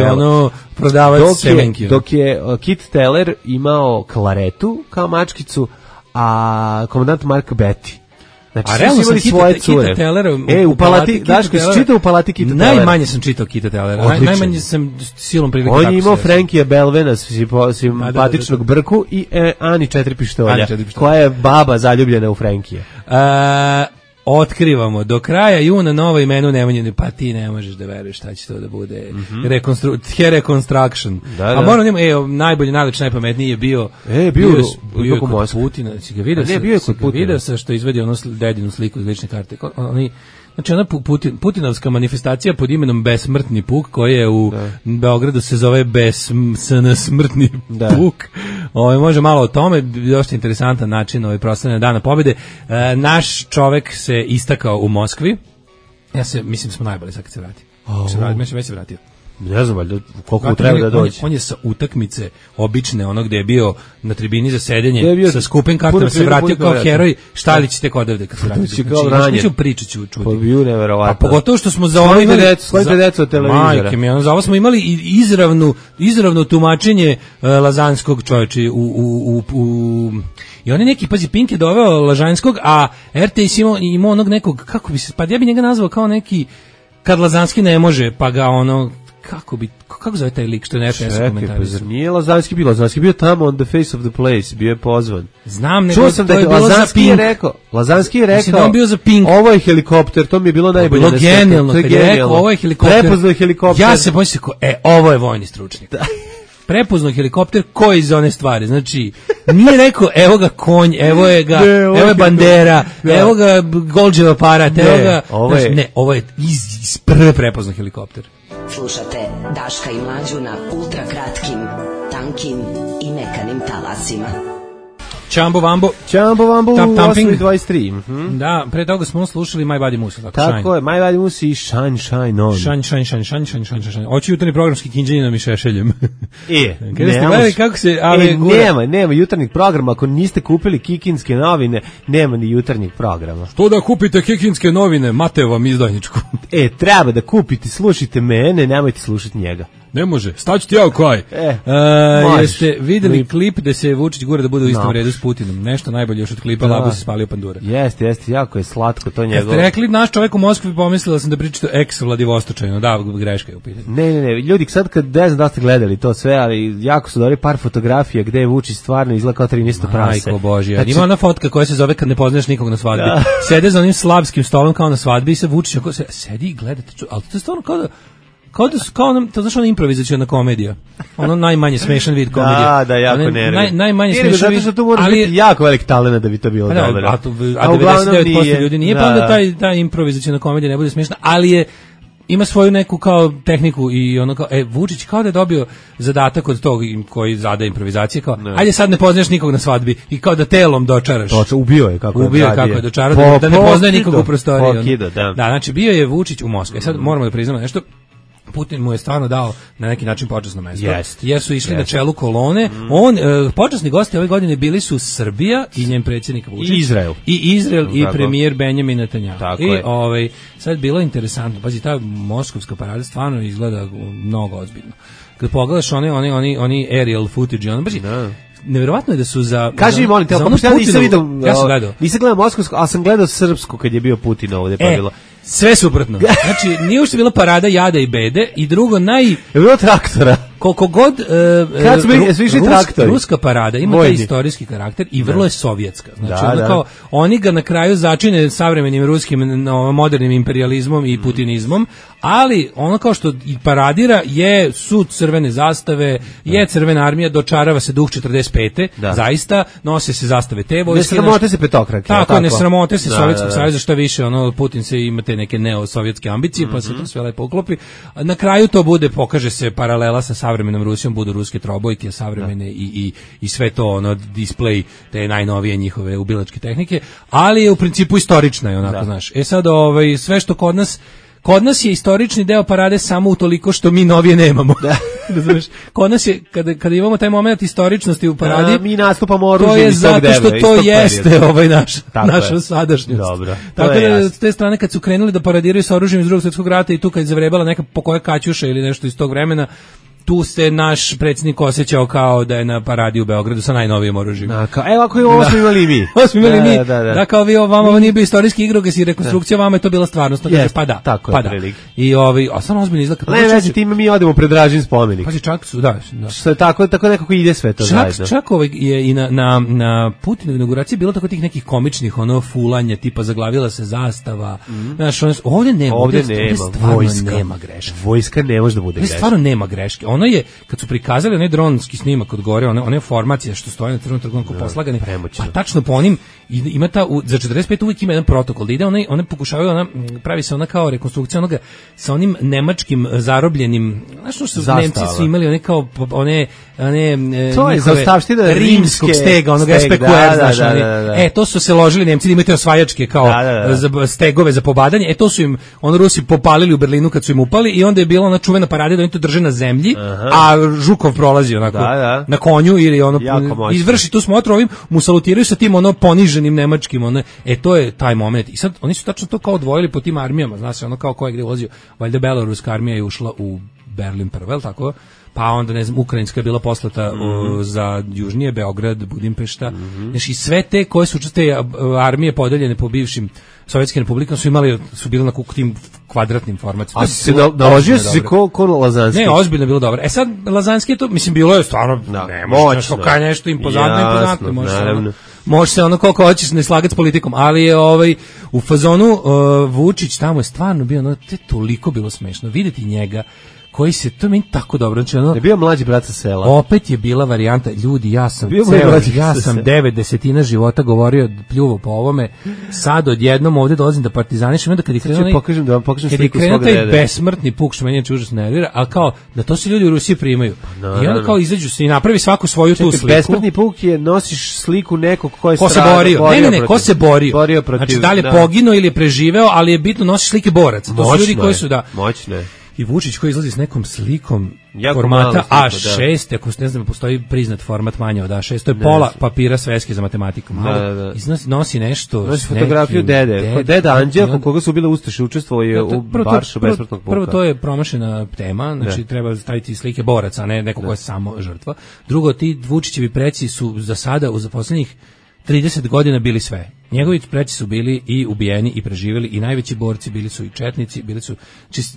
prodavac semenki. Dok je Kit Teller imao klaretu kao mačkicu, a komandant Mark Betty. Znači, a realno sam Kita Tellera u Palati, Daško, si čitao u Palati Kita Tellera? Najmanje sam čitao Kita Tellera, najmanje sam silom prilike. On je imao Frankija Belvena, simpatičnog Brku i Ani Četiri pištolja, koja je baba zaljubljena u Frankija. Otkrivamo, do kraja juna novo imenu Nemanjine, pa ti ne možeš da veruješ šta će to da bude. Reconstruction. A moram njemu, najbolji, najlepši, najpametniji je bio kod Putina. Video sam što izvedi ono dedinu sliku iz lične karte. Znači ona putinovska manifestacija pod imenom Besmrtni puk, koji je u Beogradu se zove Smrtni puk. Može malo o tome, dosta interesantan način proslavljanja Dana pobjede. Naš čovek se istakao u Moskvi. Mislim smo najbolji sad kad se vrati. Već se vratio. Ne znam, valjda, koliko mu treba da dođe. On je sa utakmice obične, ono gde je bio na tribini za sedenje, sa skupim kartama se vratio kao heroj. Šta li ćete kod ovde kad se vratite? Znači, priču ću čuti. Pa bio neverovatno. A pogotovo što smo za ovo imali... Skojite decu od televizora. Majke mi, za ovo smo imali izravno tumačenje Lazanskog čovječa i on je neki, pazi, Pink je doveo Lažanskog, a RTS imao onog nekog, kako bi se, pa ja bi njega nazvao kao neki kad Lazanski ne može, pa ga ono, kako kako zove taj lik što je nešto komentarisao? Pa zar nije Lazanski bio tamo on the face of the place, bio je pozvan. Znam, nego to je bilo za Pink. Lazanski je rekao, on bio za Pink. Ovo je helikopter, to mi je bilo najbolje. Bilo genijalno, kad je rekao, ovo je helikopter. Prepoznao je helikopter. Ja se bojim ovo je vojni stručnjak. Prepoznao helikopter koji iz one stvari, znači nije rekao evo ga konj, evo je bandera, evo ga Golđev aparat, ovo je iz prve prepoznao helikopter. Slušate Daška i Mlađu na ultra kratkim, tankim i mekanim talasima. Čambo Vambo u 8:23. Da, pre toga smo slušali My Body Moose. Tako je, My Body Moose i Shine On. Shine. Oći jutarnji programski kinđaninom i šešeljem. Nema jutarnjeg programa, ako niste kupili Kikinske novine, nema ni jutarnjeg programa. Što da kupite Kikinske novine, Mateo vam izdajničku. Treba da kupite, slušajte mene, nemojte slušati njega. Ne može, staću ti ja u kaj. Jeste videli klip da se Vučić gura da bude u istom redu s Putinom? Nešto najbolje još od klipa, Labu se spalio pandura. Jeste, jako je slatko to njegovo. Jeste rekli, naš čovjek u Moskvi pomislila sam da pričate ex-Vladivostočajno, da, greška je u pitanju. Ne, ljudi, sad kad ne znam da ste gledali to sve, ali jako su dobri par fotografija gde je Vučić stvarno izgleda kao 13 prase. Majko Božja, ima ona fotka koja se zove kad ne poznaš nikog na svadbi. Sede za onim slavskim stolom kao na svadbi i se Vučić sedi i gledate, ali to je stvarno kao ono, to znaš ona improvizaciona komedija. Ono najmanje smešan vid komedije. Da, jako nervi. Najmanje smešan vid. Zato što tu moraš biti jako velik talent da bi to bilo dobro. A 99% ljudi nije, pa onda ta improvizaciona komedija ne bude smešna, ali ima svoju neku kao tehniku i ono kao, Vučić kao da je dobio zadatak od tog koji zada improvizacije, kao, ajde sad ne poznaš nikog na svadbi i kao da telom dočaraš. Ubio je kako je dočarao, da ne poznaje nikog u prostoriji. Da, znači bio je Vučić u Moskvi. Sad moramo da priznamo nešto. Putin mu je stvarno dao na neki način počasno mesto, jer su išli na čelu kolone. Počasni gosti ove godine bili su Srbija i njen predsjednik Vučić. I Izrael i premijer Benjamin Netanjahu. I sad bilo interesantno, pazi, ta moskovska parada stvarno izgleda mnogo ozbiljno. Kad pogledaš oni aerial footage, nevjerovatno je da su za... Kaži mi, molim te, ja nisam vidio... Ja sam gledao. Nisam gledao moskovsku, ali sam gledao srpsku kad je bio Putin ovdje, pa bilo... Sve suprotno. Znači, nije ušte bila parada jada i bede i drugo Je bilo traktora. Koliko god ruska parada ima taj istorijski karakter i vrlo je sovjetska. Znači, kao, oni ga na kraju začine savremenim ruskim modernim imperializmom i putinizmom, ali ono kao što i paradira su crvene zastave, je crvena armija, dočarava se duh 45. Zaista, nose se zastave te vojske. Ne sramote se petokrake. Tako, ne sramote se Sovjetskog saveza, što više, Putin se ima te neke neosovjetske ambicije, pa se to sve lepo uklopi. Na kraju to pokaže se paralela sa savremenom Rusijom, budu ruske trobojke savremene i sve to display te najnovije njihove ubilačke tehnike, ali je u principu istorična je onako, znaš. Sad sve što kod nas je istorični deo parade samo utoliko što mi novije nemamo. Razumeš? Kod nas je, kada imamo taj moment istoričnosti u paradi, mi nastupamo oružjem. To je zato što to jeste naša sadašnjost. Dobro. Tako da s te strane kad su krenuli da paradiraju sa oružjem iz Drugog svjetskog rata i tu kad je zavrebala neka pokoja kaćuša ili nešto iz tog vremena, tu se naš predsjednik osjećao kao da je na paradi u Beogradu sa najnovijim oružjem. Evo ako je ovo smo imali mi. Da, kao vi vama ovo nije bio istorijski igrokaz i rekonstrukcija, vama je to bila stvarnost. Pa da. Tako je prilike. I a samo ozbiljno izgleda. Ne vezi, time mi odemo pred Dražin spomenik. Pa čak su, da. Što je tako nekako ide sve to zajedno. Čak je i na Putinovoj inauguraciji bilo tako tih nekih komičnih fulanja, tipa zaglavila se zastava. Znaš, ovdje nema greške. Vojska ne može da bude greška. Stvarno nema greške. Ono je, kad su prikazali onaj dronski snimak od gore, one formacije što stoje na crvenom trgovnom poslagani, pa tačno po onim, ima za 45 uvijek ima jedan protokol, da ide one pokušavaju, pravi se ona kao rekonstrukcija onoga sa onim nemačkim zarobljenim, znaš što su Nemci svi imali, one kao, to je zaostavština rimskog stega, onoga SPQR, znaš, to su se ložili Nemci da imaju te osvajačke kao stegove za pobadanje, to su im, Rusi popalili u Berlinu kad su im upali i onda je bila ona čuvena parada da oni to drže na zemlji, a Žukov prolazi onako na konju ili izvrši tu smotru, ovim mu salutiraju sa tim poniženim nemačkim, to je taj moment. I sad oni su tačno to kao odvojili po tim armijama, znaš, kao ko je gde ulazio, valjda beloruska armija je ušla u Berlin prvo, je li tako? pa onda ne znam ukrajinska je bila poslata za južnije Beograd, Budimpešta. Znači sve te koje su te armije podeljene po bivšim sovjetskim republikama su bile na tim kvadratnim formatima. A se naložio si ko Lazanski? Ne, ozbiljno je bilo dobro. E sad Lazanski je to, mislim, bilo je stvarno moćno, nešto impozantno, može se ono koliko hoćeš ne slagati s politikom, ali je u fazonu Vučić tamo je stvarno bio, te toliko bilo smešno vidjeti njega koji se, to meni tako dobro, znači je bio mlađi brat sa sela. Opet je bila varijanta, ljudi, ja sam 9/10 života govorio, pljuvo po ovome, sad odjednom ovdje dolazim da partizanišem, onda kad je krenuo taj besmrtni puk, što meni je užasno nervira, ali kao, da to se ljudi u Rusiji primaju. I onda kao izađu se i napravi svaku svoju tu sliku. Besmrtni puk je, nosiš sliku nekog ko se borio. Ne, ko se borio. Znači, da li je poginuo ili je preživeo, ali je bitno nosiš slike boraca. To su ljudi koji su, moćne. I Vučić koji izlazi s nekom slikom formata A6, ako ne znam, postoji priznat format manje od A6, to je pola papira sveske za matematiku. Nosi nešto. Nosi fotografiju deda Anđela, koga su bile ustaše, učestvovao u Baršu besmrtnog puka. Prvo, to je promašena tema, znači treba staviti slike boraca, a ne neko ko je samo žrtva. Drugo, ti Vučićevi preci su za sada, za poslednjih 30 godina bili sve. Njegovi preci su bili i ubijeni i preživjeli i najveći borci bili su i četnici, bili su,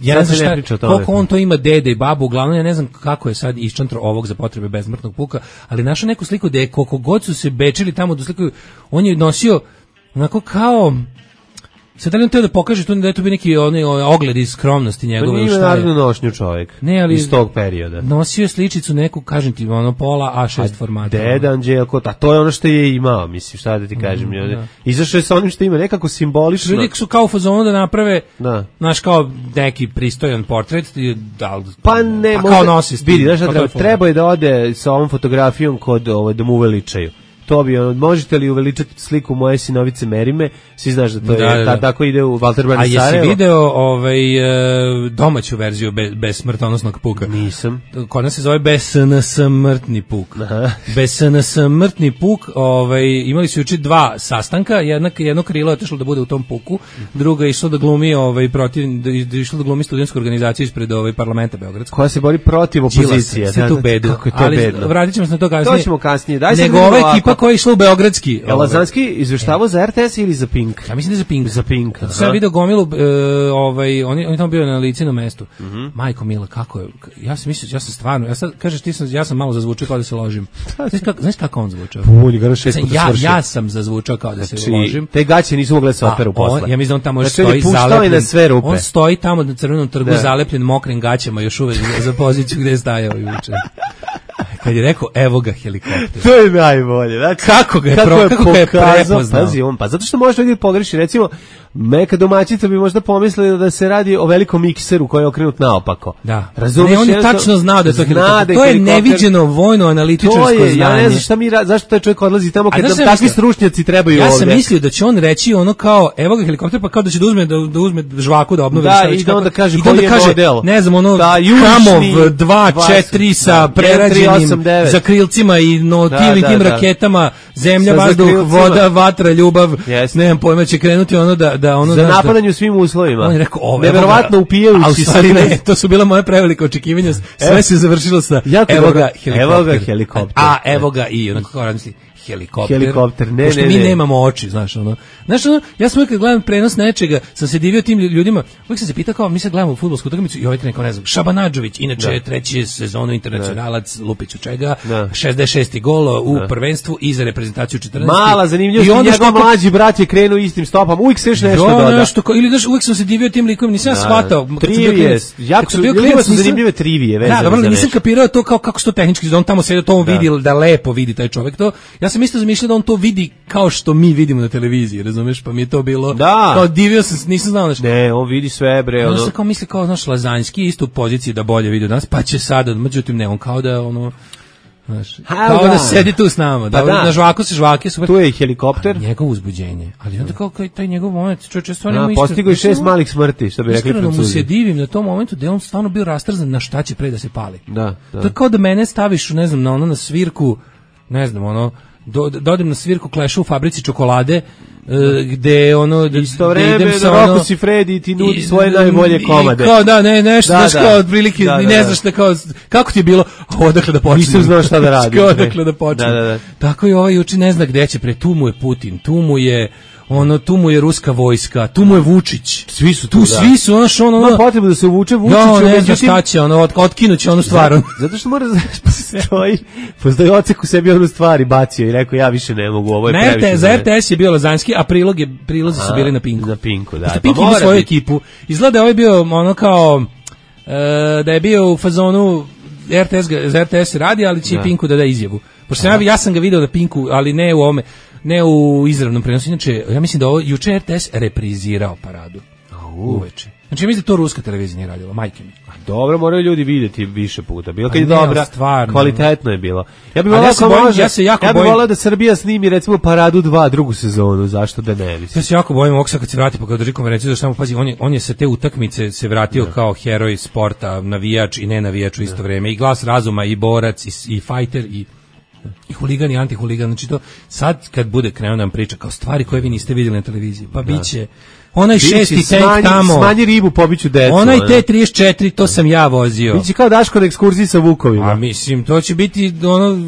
ja ne znam koliko on to ima dede i babu, uglavnom ja ne znam kako je sad iščantro ovog za potrebe besmrtnog puka, ali našao neku sliku da je koliko god su se bečili tamo do sliku, on je nosio onako kao, sad da li on teo da pokaže tu da je to bio neki ogled iz skromnosti njegove? Pa nije narodno nošnju čovjek iz tog perioda. Nosio je sličicu neku, kažem ti, pola A6 formata. Deda Anđelko, a to je ono što je imao, mislim, šta da ti kažem. Izašao je sa onim što ima, nekako simbolično. Ljudi su kao u fazonu da naprave, znaš, kao neki pristojan portret, pa ne, kao nosi s tim. Vidi, znaš, treba je da ode sa ovom fotografijom kod da mu uveličaju. To bi, možete li uveličati sliku moje sinovice Merime, svi znaš da to je, tako ide u Valter Brani Sarajevo. A jesi video domaću verziju bez smrtonosnog puka? Nisam. Kod nas se zove besmrtni puk. Besmrtni puk, imali su juče 2 sastanka, jedno krilo je otišlo da bude u tom puku, drugo je išlo da glumi išlo da glumi studentsku organizaciju ispred parlamenta beogradskog. Koja se bori protiv opozicije. Sve tu bedu. Kako je to bedno. Vratit ćemo se na to kasnije. To ćemo kasnije. Nego ova ekipa koja je išla u beogradski. Lazanski izveštavao za RTS ili za Pink? Ja mislim da je za Pink. Za Pink. Sam video gomilu, on je tamo bio na licenom mestu. Majko mila, kako je, ja sam mislio, ja sam stvarno, kažeš ti ja sam malo zazvučao kao da se ložim. Znaš kako on zvučao? Ja sam zazvučao kao da se ložim. Te gaće nisu mogle se operu posle. Ja mislim da on tamo stoji zalepljen. On stoji tamo na Crvenom trgu zalepljen mokrim gaćama još uvek za poziciju gde je stajao juče. Kad je rekao, evo ga helikopter. To je najbolje. Znači, kako ga je prepoznao. Pazi, zato što možda ljudi pogreši, recimo, neka domaćica bi možda pomislila da se radi o velikom mikseru koji je okrenut naopako. Da. Razumiješ? Ne, on je tačno znao da je to helikopter. To je neviđeno vojno-analitičarsko znanje. Ja ne znam zašto taj čovjek odlazi tamo kad nam takvi stručnjaci trebaju ovdje. Ja sam mislio da će on reći ono kao, evo ga helikopter, pa kao da će da uzme žvaku da obnovi. Da, i da onda kaže koji je model. Ne znam, ono, Kamov 2-4 sa prerađenim za krilcima i tim raketama, zemlja, vazduh, voda, vatra, ljubav, nemam pojma, će krenuti ono da ono za napadanje u svim uslovima. On je rekao, neverovatno upijajući se. To su bila moje prevelika očekivanja. Sve se završilo sa evo ga helikopter. A evo ga i onako kao razmisli helikopter. Ne. Mi nemamo oči, znaš ono. Ja sam uvijek gledam prenos nečega, sam se divio tim ljudima. Uvijek sam se pitao kao, mi sad gledamo fudbalsku utakmicu i ovaj neko, ne znam, Šabanadžović, inače treći sezonu internacionalac, Lupić u čega, 66. gol u prvenstvu i za reprezentaciju 14. Mala zanimljivost, njegov mlađi brat je krenuo istim stopama, uvijek se još nešto doda. Ili znaš, uvijek sam se divio tim likom, nisam shvatao. Trivije, jako su zanimljive trivije vezane za nešto. Nisam kapirao to kako se to tehnički, da on tamo sedi, to on vidi, da lepo vidi taj čovjek to. Ja sam isto zamišljao da on to vidi kao što mi vidimo na televiziji, razumeš, pa mi je to bilo, kao divio sam, nisam znao nešto. Ne, on vidi sve, bre. Ono se kao misli kao, znaš, Lazanski isto u poziciji da bolje vidi od nas, pa će sada, međutim ne, on kao da, ono, znaš, kao da sedi tu s nama, na žvaku se žvake, super. Tu je i helikopter. Njegovo uzbuđenje, ali onda kao taj njegov moment, čovječe, stvarno ima postigao je 6 malih smrti, što bi rekli Francuzi. Iskreno mu se divim na tom momentu da je on stvarno bio rastrzan na šta će pre da se pali. Da. To je kao da mene staviš, ne znam, na svirku, ne znam, ono, dodem na svirku Kleša u fabrici čokolade, gde ono isto vreme Roko si Fredi ti nudi svoje najbolje komade. Kao da nešto znaš kao otprilike i ne znaš šta kao kako ti je bilo, odakle da počnem. Nisam znao šta da radim. Odakle da počnem. Da. Tako i ovaj juče ne zna gde će tu mu je Putin, tu mu je ruska vojska, tu mu je Vučić. Svi su tu, svi su ono. Ma potrebno da se uvuče Vučiću, međutim šta će, otkinuće onu stvar. Zato što mora postoji ocek u sebi onu stvari bacio i rekao ja više ne mogu, ovo je previše. Za RTS je bio Lazanski, a prilozi su bili na Pinku. Na Pinku, da. Pink ima svoju ekipu. Izgleda da ovaj bio ono kao da je bio u fazonu za RTS radi, ali će i Pinku da izjavu. Pošto ja sam ga video na Pinku, ali ne u ovome, ne u izravnom prenosu. Inače, ja mislim da ovo juče RTS reprizirao paradu. Uveče. Znači, mislim da to ruska televizija nije radila, majke mi. Dobro, moraju ljudi vidjeti više puta. Bilo kad je dobra, stvarno, kvalitetno je bilo. Ja bih volao da Srbija snimi recimo Paradu 2 drugu sezonu, zašto da ne bi. Ja se jako bojim ovog sad kad se vrati, pa kad drži konferenciju, zašto pazi, on je sa te utakmice se vratio kao heroj sporta, navijač i ne navijač u isto vrijeme, i glas razuma, i borac, i fighter, i huligan i antihuligan. Znači to sad kad bude krenuo nam priča kao stvari koje vi niste vidjeli na televiziji, pa biće onaj šesti tank tamo. Smanji ribu, pobiću decu. Onaj T-34, to sam ja vozio. Biće kao Daško na ekskurziji sa vukovima. A mislim, to će biti,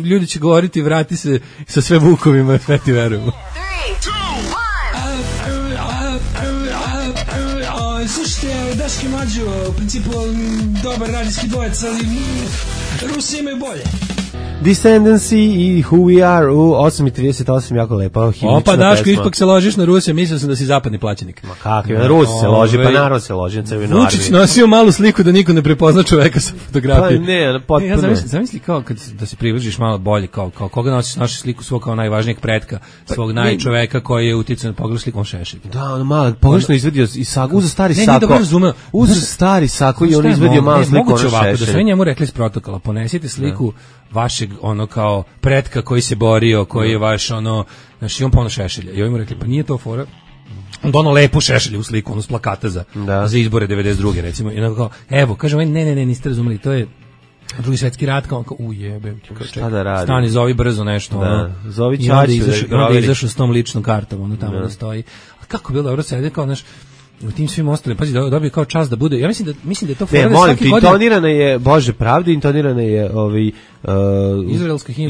ljudi će govoriti, vrati se sa sve vukovima, sve ti verujemo. 3, 2, 1. Slušajte, Daški Mlađo, u principu dobar radijski dvojec, ali Rusi imaju bolje. Descendancy i Who We Are u 8:38, jako lepo. Opa, Daško, ipak se ložiš na Rusije, mislio sam da si zapadni plaćenik. Ma kako, na Rusi se loži, pa narod se loži na Crvenoj armiji. Vučić nosio malu sliku da niko ne prepozna čoveka sa fotografije. Pa ne, potpuno. Ja zamisli kao da se približiš malo bolje, kao koga nosiš sliku svog kao najvažnijeg pretka, svog najčoveka koji je uticao na pogledu slikom Šešelj. Da, ono malo, pogrešno izvedio i sagu, uzeo stari sako. Uzeo stari sako i on izvedio malo sliku Šešelj. Da sve njemu rekli iz protokola, ponesite sliku vašeg ono kao pretka koji se borio, koji je vaš ono, znači on puno Šešelja. I oni mu rekli, pa nije to fora. On dono lepu Šešelja u sliku, ono s plakata za izbore 92. recimo. I onako kao, evo, kažem, ne, niste razumeli, to je Drugi svjetski rat, kao ujebe, šta da radi? Stani, zovi brzo nešto. Da, zovi Čačić. Onda izašao s tom ličnom kartom, ono tamo da stoji. A kako bilo dobro sede, kao, znaš, u tim svim ostalim, pazi, dobije kao čast da bude. Ja mislim da je to fora. Ne, molim ti, intonirana je Bože pravde, intonirana je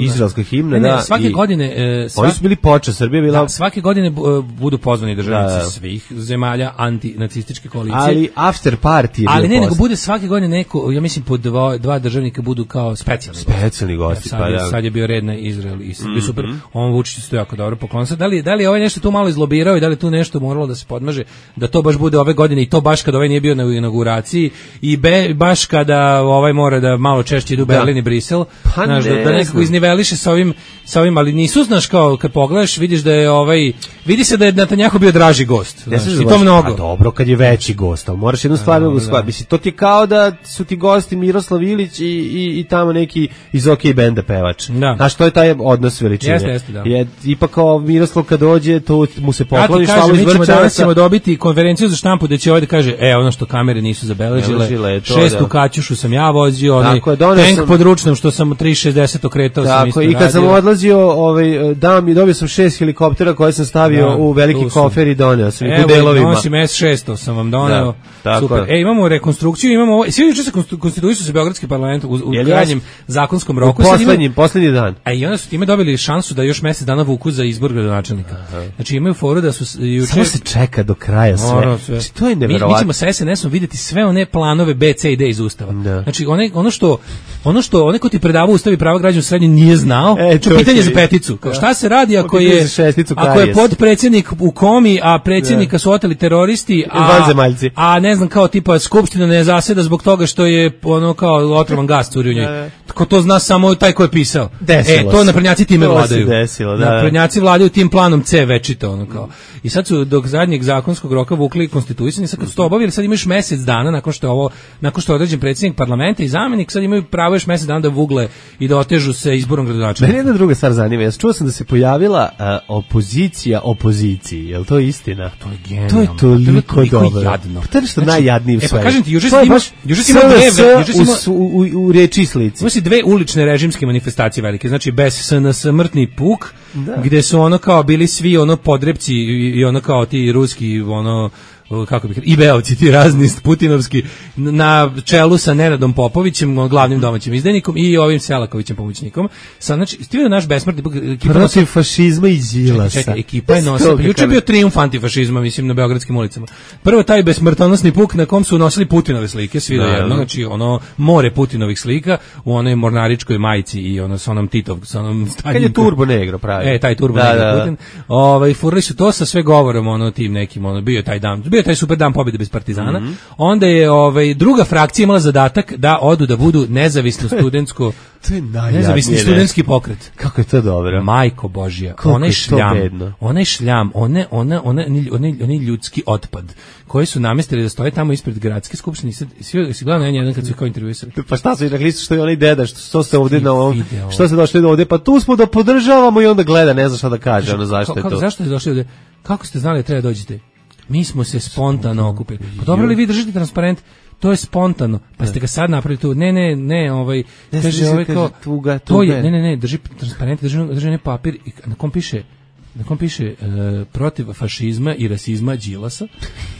izraelska himna. Ne, svake godine oni su bili počas, Srbija bila. Da, svake godine budu pozvani državnici svih zemalja antinacističke koalicije. Ali after party je. Ali ne, nego bude svake godine neko, ja mislim po dva državnika budu kao specijalni gosti. Sad je bio red na Izrael i super. On Vučić isto jako dobro poklon. Da li je ovaj nešto tu malo izlobirao i da li tu nešto moralo da se podmaže da to baš bude ove godine i to baš kada ovaj nije bio na inauguraciji i baš kada ovaj mora da malo češće idu Berlin i Brisel. Pa znaš, da nekako izniveliše sa ovim, ali nisu, znaš, kao kad pogledaš, vidiš da je vidi se da je Netanjahu bio draži gost. I to mnogo. A dobro, kad je veći gost, ali moraš jednu stvar shvatiti. Mislim, to ti je kao da su ti gosti Miroslav Ilić i tamo neki iz OK benda pevač. Znaš, to je taj odnos veličine. Jeste, da. Ipak kao Miroslav kad dođe, to mu se pokloni šalu iz vrča. Danas ćemo dobiti konferenciju za štampu da će ovaj da kaže, ono što kamere nisu zabeležile, 6. Kaćušu sam ja vozio, onaj tank pod ručnom što sam 360 okretao sam isto radio. I kad sam odlazio, dobio sam 6 helikoptera koje sam stavio u veliki kofer i doneo sam ih u delovima. Evo, nosim S600 sam vam doneo. Super. Imamo rekonstrukciju, imamo svi juče se konstituisao se Beogradski parlament u krajnjem zakonskom roku. Poslednji dan. A i onda su time dobili šansu da još mesec dana vuku za izbor gradonačelnika. Znači imaju foru da su juče... Samo se čeka do kraja sve. To je neverovatno. Mi ćemo sa SNS-om vidjeti sve one planove B, C i D iz Ustava. Znači ono što onaj ko ti predavao Ustav i prava građana srednje nije znao, pitanje za peticu. Šta se radi ako je podpredsjednik u komi, a predsjednika su oteli teroristi, a ne znam, kao tipa Skupština ne zaseda zbog toga što je ono kao otrovan gas curi u njoj. Ko to zna samo taj ko je pisao. To naprednjaci time vladaju. Naprednjaci vladaju tim planom C večito, ono kao. I sad su dok zadnjeg zakonskog roka vukli konstituisani, sad kad su to obavili, sad imaš mesec dana nakon što je određen predsjednik parlamenta i zamjenik, sad imaju pravo još mesec dana da vugle i da otežu se izborom gradonačelnika. Mene jedna druga stvar zanima. Ja čuo sam da se pojavila opozicija opoziciji. Je li to istina? To je genijalno. To je toliko dobro. Jadno. Pa to je nešto najjadnije u svemu. Pa kažem ti, juče si u reči i slici. Ima si dve ulične režimske manifestacije velike, znači bez SNS mrtni puk, gde su ono kao bili svi ono podrepci i ono kao ti ruski ono kako bih i beovci ti razni putinovski na čelu sa Nenadom Popovićem, glavnim domaćim izdajnikom i ovim Selakovićem pomoćnikom. Sad znači stivio naš besmrtni protiv fašizma i Đilasa. Čekaj, ekipa je nosila. Juče bio trijumf antifašizma, mislim, na beogradskim ulicama. Prvo taj besmrtonosni puk na kom su nosili Putinove slike, svi do jedno, znači ono more Putinovih slika u onoj mornaričkoj majici i ono sa onom Titov, sa onom Staljinkom. Kad je Turbo Negro pravi. Taj Turbo Negro Putin. Furali su to sa sve govorom ono tim nekim, ono bio taj dan. Taj super dan pobjede bez Partizana. Onda je druga frakcija imala zadatak da odu da budu nezavisno studentsko nezavisni studentski pokret. Kako je to dobro. Majko Božja, onaj šljam, onaj ljudski otpad koji su namestili da stoje tamo ispred gradske skupštine. Si gledao jedan kad su kao intervjuisali. Pa šta su rekli što je onaj deda, što ste ovdje na ovom, što ste došli ovdje, pa tu smo da podržavamo i onda gleda, ne zna šta da kaže, ono zašto je to. Zašto ste došli ovdje? Kako ste znali da treba dođete? Mi smo se spontano okupili. Pa dobro li vi držite transparent? To je spontano. Pa ste ga sad napravili tu. Ne, kaže kao to je, ne, drži transparent, drži ne papir i na kom piše protiv fašizma i rasizma Đilasa.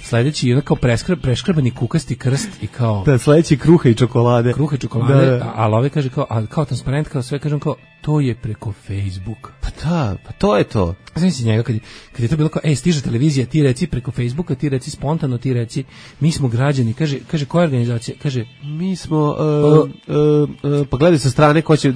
Sledeći je kao preškrabani kukasti krst i kao sledeći kruha i čokolade. Ali ove kaže kao transparent, kao sve kažem kao to je preko Facebooka. Pa to je to. Znači njega kad je to bilo kao stiže televizija, ti reci preko Facebooka, ti reci spontano, ti reci mi smo građani, kaže koja organizacija, kaže mi smo pa gledaj sa strane ko će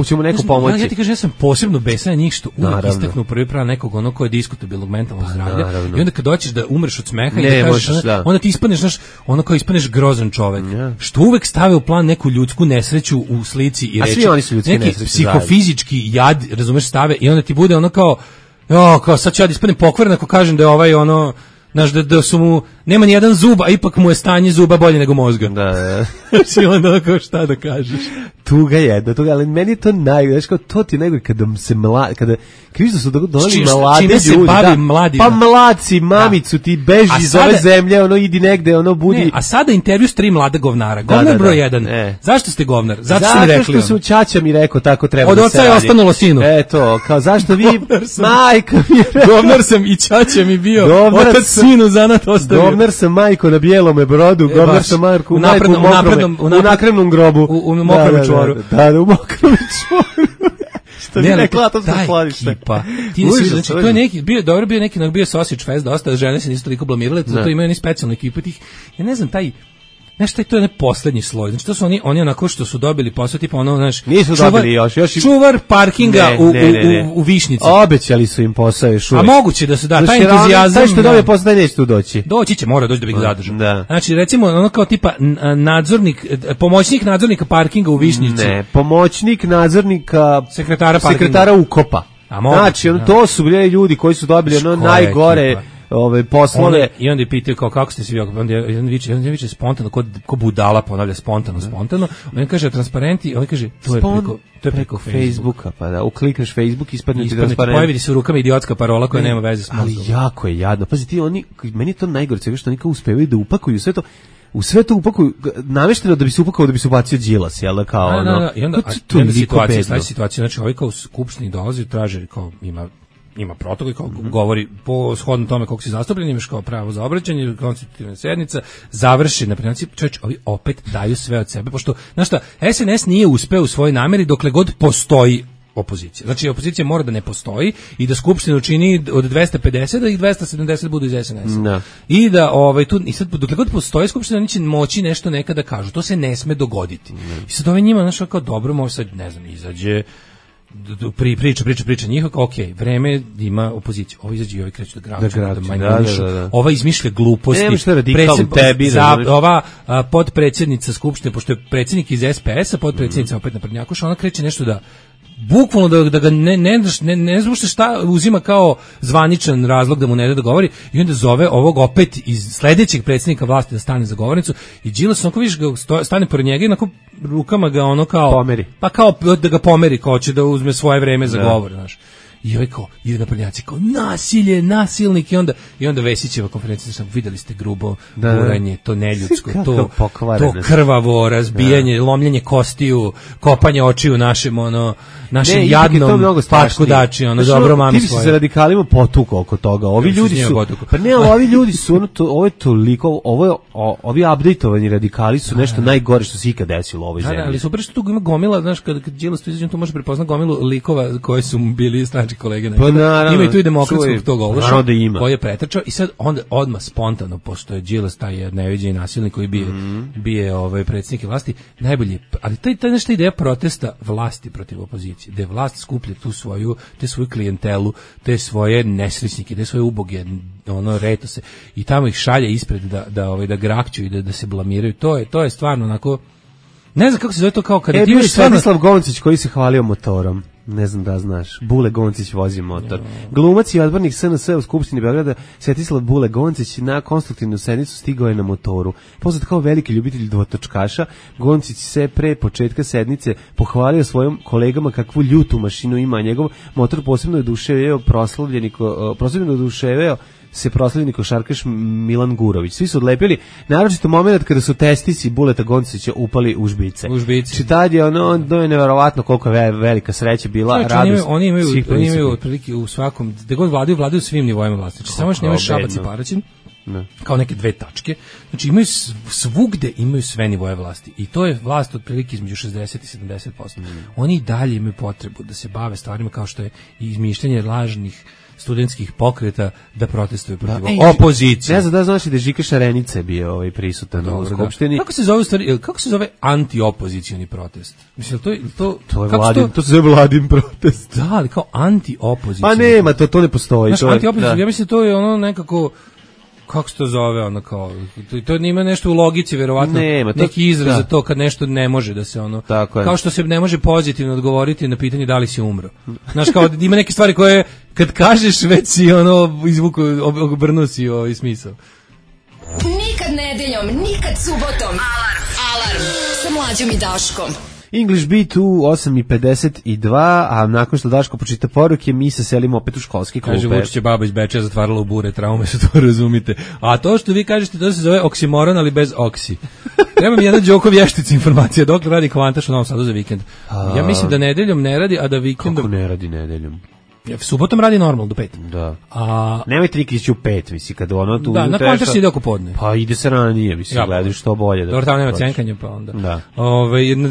ćemo neko pomoći. Ja ti kažem, ja sam posebno besan na njih što uvijek istaknu prvi plan nekog ono ko je diskutabilnog mentalnog zdravlja i onda kad dođeš da umreš od smeha i da kažeš onda ti ispaneš ono kao ispaneš grozan čovek. Što uvek stave u plan neku ljudsku nesreću u slici i reči. A svi oni su ljudski neki psihofizički jad, razumeš, stave i onda ti bude ono kao sad ću ja da ispadnem pokvaren ako kažem da je ovaj ono, znaš, da su mu, nema ni jedan zub, a ipak mu je stanje zuba bolje nego mozga. Da. Znači onda kao šta da kažeš. Tuga, ali meni je to najgore, znaš kao, to ti je najgore kada vidiš da su donali mlade ljudi. Čime se bavi mladi? Pa mladci, mamicu, ti beži iz ove zemlje, ono idi negde, ono budi. Ne, a sada intervju s 3 mlada govnara. Govnar broj 1. Zašto ste govnar? Zato što su ćaća mi rekao tako treba da se radi. Od oca je ostanulo sinu. Eto, kao zašto vi, majka mi je rekao. Govnar sam i ćaća mi bio, otac sinu zanat ostavio. Govnar sam majko na bijelome brodu, govnar sam majku u nakremnom grobu. U mokrom čvoru. Da, u mokrom čvoru. Što ne rekla, to se skladište. Znači, to je neki, bio neki sausage fest, dosta žene se nisu toliko blamirale, zato imaju oni specijalnu ekipu tih, ja ne znam, nešto je to je poslednji sloj. Znači to su oni onako što su dobili posao tipa ono, znaš, nisu dobili još čuvar parkinga u Višnjici. Obećali su im posao još uvek. A moguće da se da taj entuzijazam. Taj što dobije posao neće tu doći. Doći će, mora doći da bi ga zadržao. Znači recimo ono kao tipa pomoćnik nadzornika parkinga u Višnjici. Ne, pomoćnik nadzornika sekretara ukopa. Znači to su bili ljudi koji su dobili ono najgore poslove. I onda je pitao kako ste svi, onda viče spontano, ko budala ponavlja spontano. On kaže transparenti, on kaže to je preko Facebooka. Pa da, uklikneš Facebook, ispadne ti transparent. Pojavi se u rukama idiotska parola koja nema veze s mozgom. Ali jako je jadno. Pazi ti, meni je to najgore, što oni kao uspevaju da upakuju sve to. U sve to upakuju, namešteno da bi se upakao, da bi se ubacio Đilas, jel da kao ono. I onda situacija, znači ovaj kao u skupštini dolazi, traže kao ima protokol, kao govori po shodno tome koliko si zastupljen, imaš kao pravo za obraćanje, konstitutivna sednica, završi na princip, ovi opet daju sve od sebe, pošto, znaš šta, SNS nije uspeo u svojoj nameri dokle god postoji opozicija. Znači, opozicija mora da ne postoji i da skupština učini od 250 da ih 270 budu iz SNS-a. No. I da, i sad, dokle god postoji skupština, oni će moći nešto nekada kažu. To se ne sme dogoditi. I sad ovaj njima, znaš, kao dobro, može sad, ne znam, izađe, priča njihova, ok, vreme ima opoziciju. Ovo izađe i ovi kreću da manjanišu. Ova izmišlja gluposti. Ova podpredsjednica skupštine, pošto je predsjednik iz SPS-a, podpredsjednica opet naprednjakoša, ona kreće nešto da bukvalno da ga ne znam šta uzima kao zvaničan razlog da mu ne da govori i onda zove ovog opet iz sledećeg predsjednika vlasti da stane za govornicu i Đilas onako vidiš ga stane pored njega i onako rukama ga ono kao pomeri. Pa kao da ga pomeri, kao će da uzme svoje vreme za govor, znaš. I ovaj kao, ide naprednjaci kao nasilje, nasilnik i onda Vesićeva konferencija, sam videli ste grubo guranje, to neljudsko, to krvavo razbijanje, lomljenje kostiju, kopanje očiju našem jadnom patku dači, dobro mami svoje. Ti si se radikalima potukao oko toga. Ovi ljudi su, pa ne, ali ovi ljudi su, ovo je toliko, ovi updateovani radikali su nešto najgore što se ikad desilo u ovoj zemlji. Ali super što tu ima gomila, znaš, kad Đilas tu izađe, tu može prepoznat gomilu likova koji su bili stranački kolege. Pa naravno, ima i tu i demokratskog tog Ološa koji je pretrčao i sad onda odmah spontano, pošto je Đilas taj neviđeni nasilnik koji bije predsjednike vlasti, najbolje, ali taj nešto ideja protesta vlasti protiv opozicije, da je vlast skuplja te svoju klijentelu, te svoje nesrećnike, te svoje uboge, retose i tamo ih šalje ispred da grakću i da se blamiraju. To je stvarno onako, ne znam kako se zove to, kao kada ti imaš Svetislav Goncić koji se hvalio motorom. Ne znam da znaš. Bule Goncić vozi motor. Glumac i odbornik SNS u Skupštini Beograda Svetislav Bule Goncić na konstruktivnu sednicu stigao je na motoru. Poznat kao veliki ljubitelj dvotočkaša, Goncić se pre početka sednice pohvalio svojim kolegama kakvu ljutu mašinu ima. Njegov motor posebno je proslavljeni košarkaš Milan Gurović. Svi su odlepili, naročito moment kada su testisi Buleta Goncića upali u žbice. Tad je to je neverovatno koliko je velika sreća bila, radost. Oni imaju otprilike u svakom, gde god vladaju svim nivoima vlasti. Znači, samo što nemaju Šabac i Paraćin, kao neke dve tačke. Znači, svugde imaju sve nivoje vlasti. I to je vlast otprilike između 60 i 70%. Oni i dalje imaju potrebu da se bave stvarima kao što je izmišljanje lažnih studentskih pokreta da protestuju protiv opozicije. Ne znam da znaš da je Žika Šarenica bio prisutan u Skupštini. Kako se zove anti-opozicioni protest? Mislim, to se zove Vladin protest. Da, ali kao anti-opozicioni. Pa nema, to ne postoji. Znaš, anti-opozicioni, ja mislim to je nekako, kako se to zove, kao, to nima nešto u logici, verovatno, neki izraz za to kad nešto ne može da se kao što se ne može pozitivno odgovoriti na pitanje da li si umro. Znaš, kao ima neke stvari koje kad kažeš već si izvuku, obrnuo si smisao. Nikad nedeljom, nikad subotom. Alarm sa Mlađom i Daškom. English Beat u 8:52, a nakon što Daško počita poruke, mi se selimo opet u školski klupe. Kaže, Vučić je baba iz Bečeja zatvarala u bure, traume su, to razumite. A to što vi kažete, to se zove oksimoron, ali bez oksi. Treba mi jedna Đoko vještica informacija, dokle radi Kvantaš u Novom Sadu za vikend. Ja mislim da nedeljom ne radi, a da vikendom... Kako ne radi nedeljom? Subotom radi normalno do 5. Da. Nemojte nikad ići u 5, misli, kad tu... Da, na Kvantaš ide oko podne. Pa ide se ranije, misli, gledaj što bolje. Dobro, tamo nema cenkanja, pa onda. Da.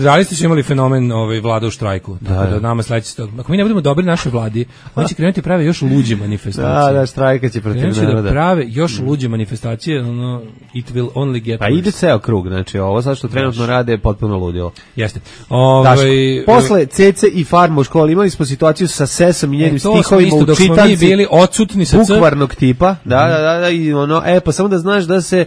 Realisti su imali fenomen vlada u štrajku, tako da nama sledeći stog. Ako mi ne budemo dobri našoj vladi, oni će krenuti prave još luđe manifestacije. Da, štrajka će protiv naroda. Krenuti da prave još luđe manifestacije, it will only get worse. Pa ide ceo krug, znači ovo sad što trenutno rade je potpuno ludilo. Jeste. Posle Cece i Farma u školi imali smo situaciju sa Sesom i njenim stihovima u čitanci bili odsutni sa bukvarnog tipa, da, i pa samo da znaš da se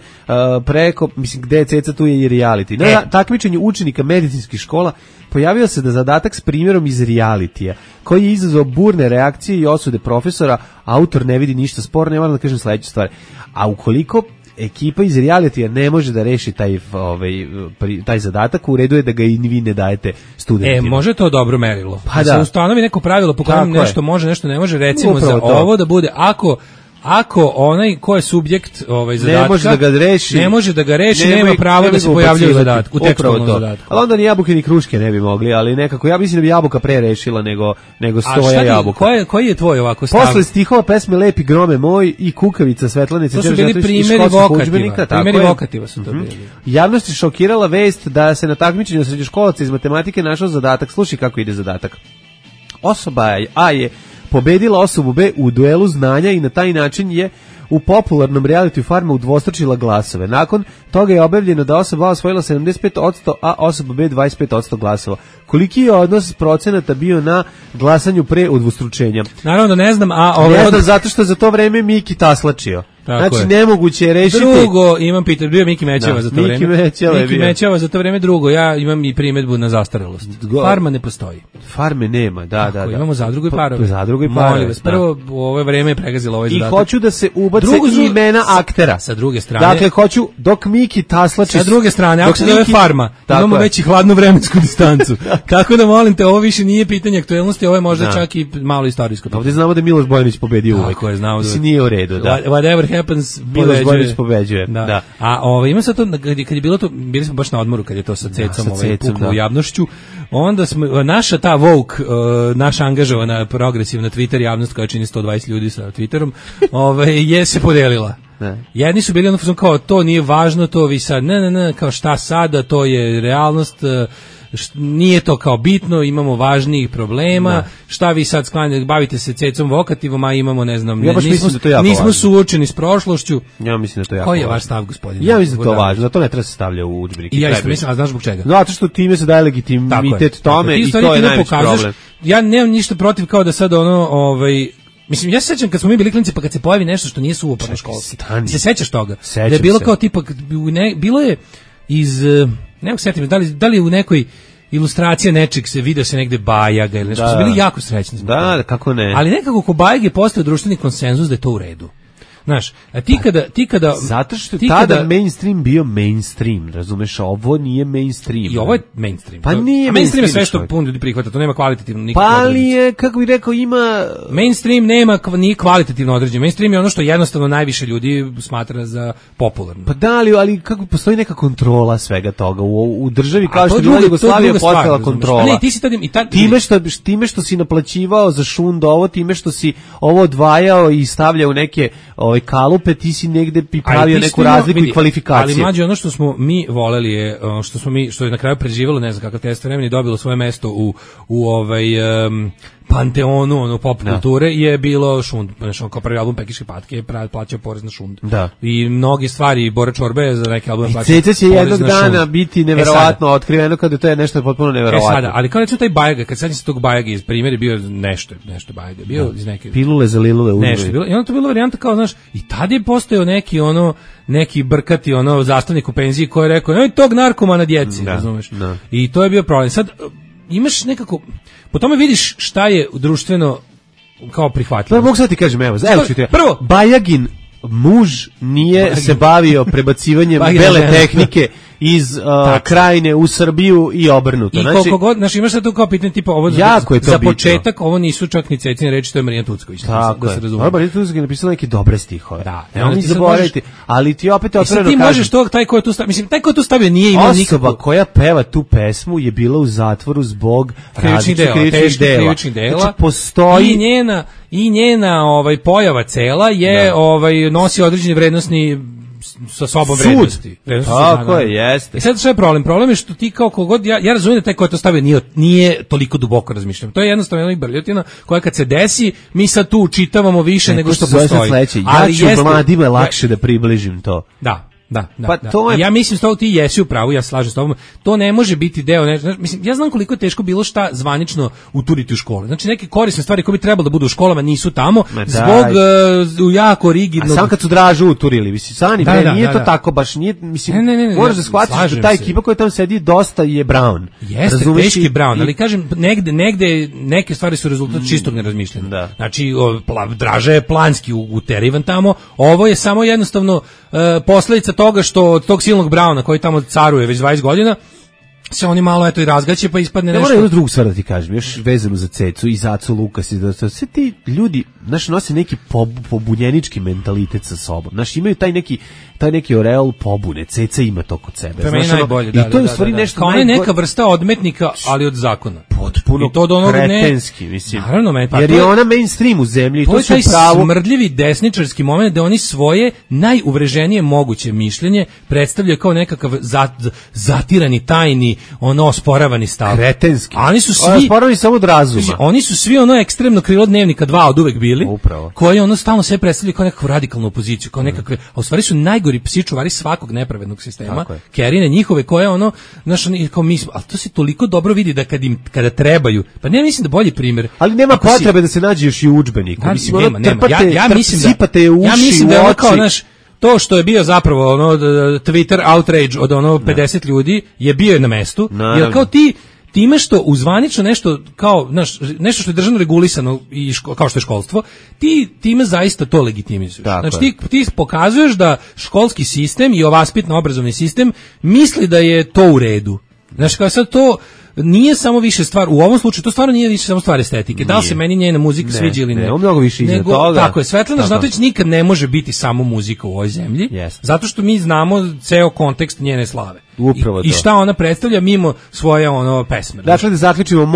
preko, mislim, gde je Ceca, tu je i reality. Na takmičenju učenika medicinskih škola pojavio se da zadatak s primjerom iz realitija, koji je izazvao burne reakcije i osude profesora, autor ne vidi ništa sporno, ne moram da kažem sledeću stvar. A ukoliko ekipa iz realitija ne može da reši taj zadatak, u redu je da ga i vi ne dajete studentima. Može to dobro merilo. Pa da se ustanovi neko pravilo po kojem nešto može, nešto ne može, recimo upravo za ovo da bude, ako onaj ko je subjekt zadatka ne može da ga reši, nema pravo da se pojavljuje u zadatku, u tekstualnom zadatku. Ali onda ni jabuke ni kruške ne bi mogli, ali nekako, ja mislim da bi jabuka pre rešila nego stoja jabuka. Koji je tvoj ovako stav? Posle stihova pesme Lepi grome moj i Kukavica Svetlane Ceđević, to su bili primjeri vokativa su to bili. Javnost je šokirala vest da se na takmičenju srednjoškolaca iz matematike našao zadatak. Slušaj kako ide zadatak. Osoba A je pobedila osobu B u duelu znanja i na taj način je u popularnom realitiju Farma udvostručila glasove. Nakon toga je objavljeno da osoba A osvojila 75%, a osoba B 25% glasova. Koliki je odnos procenata bio na glasanju pre udvostručenja? Naravno da ne znam, ne znam, zato što za to vreme Miki taslačio. Znači, nemoguće je rešiti. Drugo, imam pitanje, bio Miki Mećava za to vreme. Miki Mećava za to vreme. Drugo, ja imam i primedbu na zastarelost. Farma ne postoji. Farme nema, da. Imamo zadrugu i parove. Zadrugu i parove. Molim vas, prvo, u ovo vreme je pregazilo ovaj zadatak. I hoću da se ubace imena aktera. Sa druge strane. Dakle, hoću, dok Miki taslači... Sa druge strane, ako se zove Farma, imamo već i hladnu vremensku distancu. Tako da, molim te, ovo više nije pitanje aktuelnosti, ovo je možda čak i malo istorijsko. Ovdje znamo da Miloš Bojanić pobedio uvek. Tako je, znamo da... Nije u redu, da. Whatever happens, Miloš Bojanić pobeđuje. Da. A ima sad to, kad je bilo to, bili smo baš na odmoru, kad je to sa Cecom puklo u javnošću, onda smo, naša ta woke, naša angažovana progresivna Twitter javnost koja čini 120 ljudi sa Twitterom, je se podelila. Jedni su bili kao to nije važno, to vi sad, ne, kao šta sada, to je realnost, nije to kao bitno, imamo važnijih problema, šta vi sad sklanjate, bavite se Cecom vokativom, a imamo, ne znam, nismo suočeni s prošlošću. Ja mislim da to je jako Koji je vaš stav, gospodine? Ja mislim da to važno, da to ne treba se stavlja u udžbenike. I ja isto mislim, a znaš zbog čega? Zato što time se daje legitimitet tome i to je najveći problem. Ja nemam ništa protiv kao da sad mislim, ja se sećam kad smo mi bili klinci, pa kad se pojavi nešto što nije suvoparno školski. Se sećaš toga? Da je bilo kao tipa, bilo je iz, ne mogu setim, da li u nekoj ilustracija nečeg se vidio se negde Bajaga ili nešto, su bili jako srećni. Da, kako ne. Ali nekako ko Bajage postao društveni konsenzus da je to u redu. Znaš, a ti kada... Zato što je tada mainstream bio mainstream, razumeš, ovo nije mainstream. I ovo je mainstream. Pa nije mainstream je sve što puno ljudi prihvata, to nema kvalitativno nikakvo određenje. Pa ali je, kako bih rekao, ima... Mainstream nema ni kvalitativno određenje. Mainstream je ono što jednostavno najviše ljudi smatra za popularno. Pa da, ali kako postoji neka kontrola svega toga u državi kao što je bila Jugoslavija postala kontrola. Ne, ti si time što si naplaćivao za šund ovo, time što si ovo odvajao i stavljao u neke kalupe, ti si negde pravio neku razliku i kvalifikaciju. Ali mlađe, ono što smo mi voleli je, što je na kraju preživjelo, ne znam kakav test vremena i dobilo svoje mesto u panteonu pop kulture je bilo šund, znači kao prvi album Pekiške patke je plaćao porez na šund. Da. I mnogi stvari Bora Čorbe za neki album plaćao. Ceca će jednog dana biti neverovatno otkriveno kada to je nešto potpuno neverovatno. Sada, ali kao recimo taj Bajaga, kad sad se tog Bajaga iz primjer je bio nešto Bajaga, bio iz neke pilule za lilule uzme. Nešto bilo. I onda to bilo varijanta kao, znaš, i tad je postojao neki brkati zastavnik u penziji koji je rekao, tog narkomana djeci, razumeš? I to je bio problem. Sad imaš nekako, po tome vidiš šta je društveno kao prihvatljivo. Pa mogu sad ti kažem, evo ću prvo, Bajagin muž nije se bavio prebacivanjem bele tehnike iz krajine u Srbiju i obrnuto. I koliko god, znaš, imaš sad tu kao pitanje tipa, ovo za početak, ovo nisu čak ni Cecine reči, to je Marija Tucković. Da se razume. Marija Tucković je napisala neke dobre stihove. Da, ne zaboraviti, ali ti opet otvoreno kažem. Ti možeš taj ko je tu stavio, mislim, taj ko je tu stavio nije imao nikakvu... Osoba koja peva tu pesmu je bila u zatvoru zbog krivičnih dela. Znači, postoji... I njena pojava cela je nosi određeni vrednosni sa sobom vrednosti. Tako je, jeste. I sad što je problem? Problem je što ti kao kogod, ja razumijem da taj ko je to stavio nije toliko duboko razmišljam. To je jednostavno jedna brljotina koja kad se desi, mi sad tu učitavamo više nego što postoji. Ja ću mladima lakše da približim to. Da. Ja mislim što ti jesi u pravu, ja slažem s tobom. To ne može biti deo, mislim, ja znam koliko je teško bilo šta zvanično uturiti u škole. Znači neke korisne stvari koje bi trebalo da budu u školama nisu tamo zbog jako rigidnog. A sam kad su Dražu uturili, mislim, nije to tako baš, nije, mislim, moraš da shvatiš da ta ekipa koja tamo sedi dosta je Brown. Jeste, teški Brown, ali kažem, negde neke stvari su rezultat čistog nerazmišljanja. Znači, Draža je planski uterivan tamo, ovo je samo jednostavno posledica toga što od tog silnog Brauna koji tamo caruje već 20 godina se oni malo i razgaće pa ispadne nešto. Moram jednu drugu stvar da ti kažem, još vezano za Cecu i za Acu Lukas i sve ti ljudi, nose neki pobunjenički mentalitet sa sobom. Imaju taj neki oreol pobune. Ceca ima to kod sebe. To je najbolje, i to je u stvari nešto kao neka vrsta odmetnika, ali od zakona. Potpuno kretenski, mislim. Naravno, jer je ona mainstream u zemlji. To je taj smrdljivi desničarski moment da oni svoje najuvreženije moguće mišljenje predstavljaju kao nekakav zatirani, tajni, osporavani stav. Kretenski. Oni su svi osporavani samo od razuma. Oni su svi ekstremno krilo Dnevnika 2 od uvek bili. Upravo. Koji stalno sve predstavljaju kao nekakvu radikalnu opoziciju, kao nekakve, a u stvari su najgori psi čuvari svakog nepravednog sistema. Kerine njihove koje kao mi, ali to se toliko dobro vidi da kada treba trebaju. Pa ne mislim da bolji primjer. Ali nema potrebe da se nađe još i u udžbeniku. Mislim, nema. Ja mislim da je kao naš to što je bio zapravo Twitter outrage od 50 ljudi je bio na mestu. Jer kao time što uzvanično nešto kao nešto što je državno regulisano i kao što je školstvo, ti time zaista to legitimizuješ. Znači ti pokazuješ da školski sistem i vaspitno obrazovni sistem misli da je to u redu. Znači kao sad to nije samo više stvar, u ovom slučaju to stvarno nije više samo stvar estetike. Da li se meni njena muzika sviđa ili ne? Ne, mnogo više iza toga. Tako je, Svetlana Žnatović nikad ne može biti samo muzika u ovoj zemlji, zato što mi znamo ceo kontekst njene slave. I šta ona predstavlja mimo svoje pesme. Dakle, da zaključimo,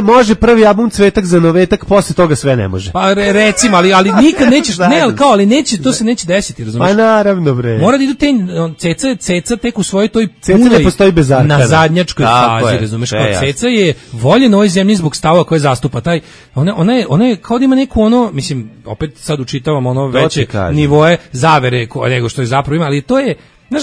može prvi album Cvetak za Novetak, posle toga sve ne može. Pa recimo, ali nikad nećeš, ali neće, to se neće desiti, razumiješ? Pa naravno, bre. Mora da idu Ceca tek u svojoj toj punoj ne postoji bez arkada. Na zadnjačkoj fazi, razumiješ? Ceca je voljen ovoj zemlji zbog stava koje zastupa taj, ona je kao da ima neku mislim, opet sad učitavam veće nivoe zavere nego što je zapravo ima, ali to je znaš,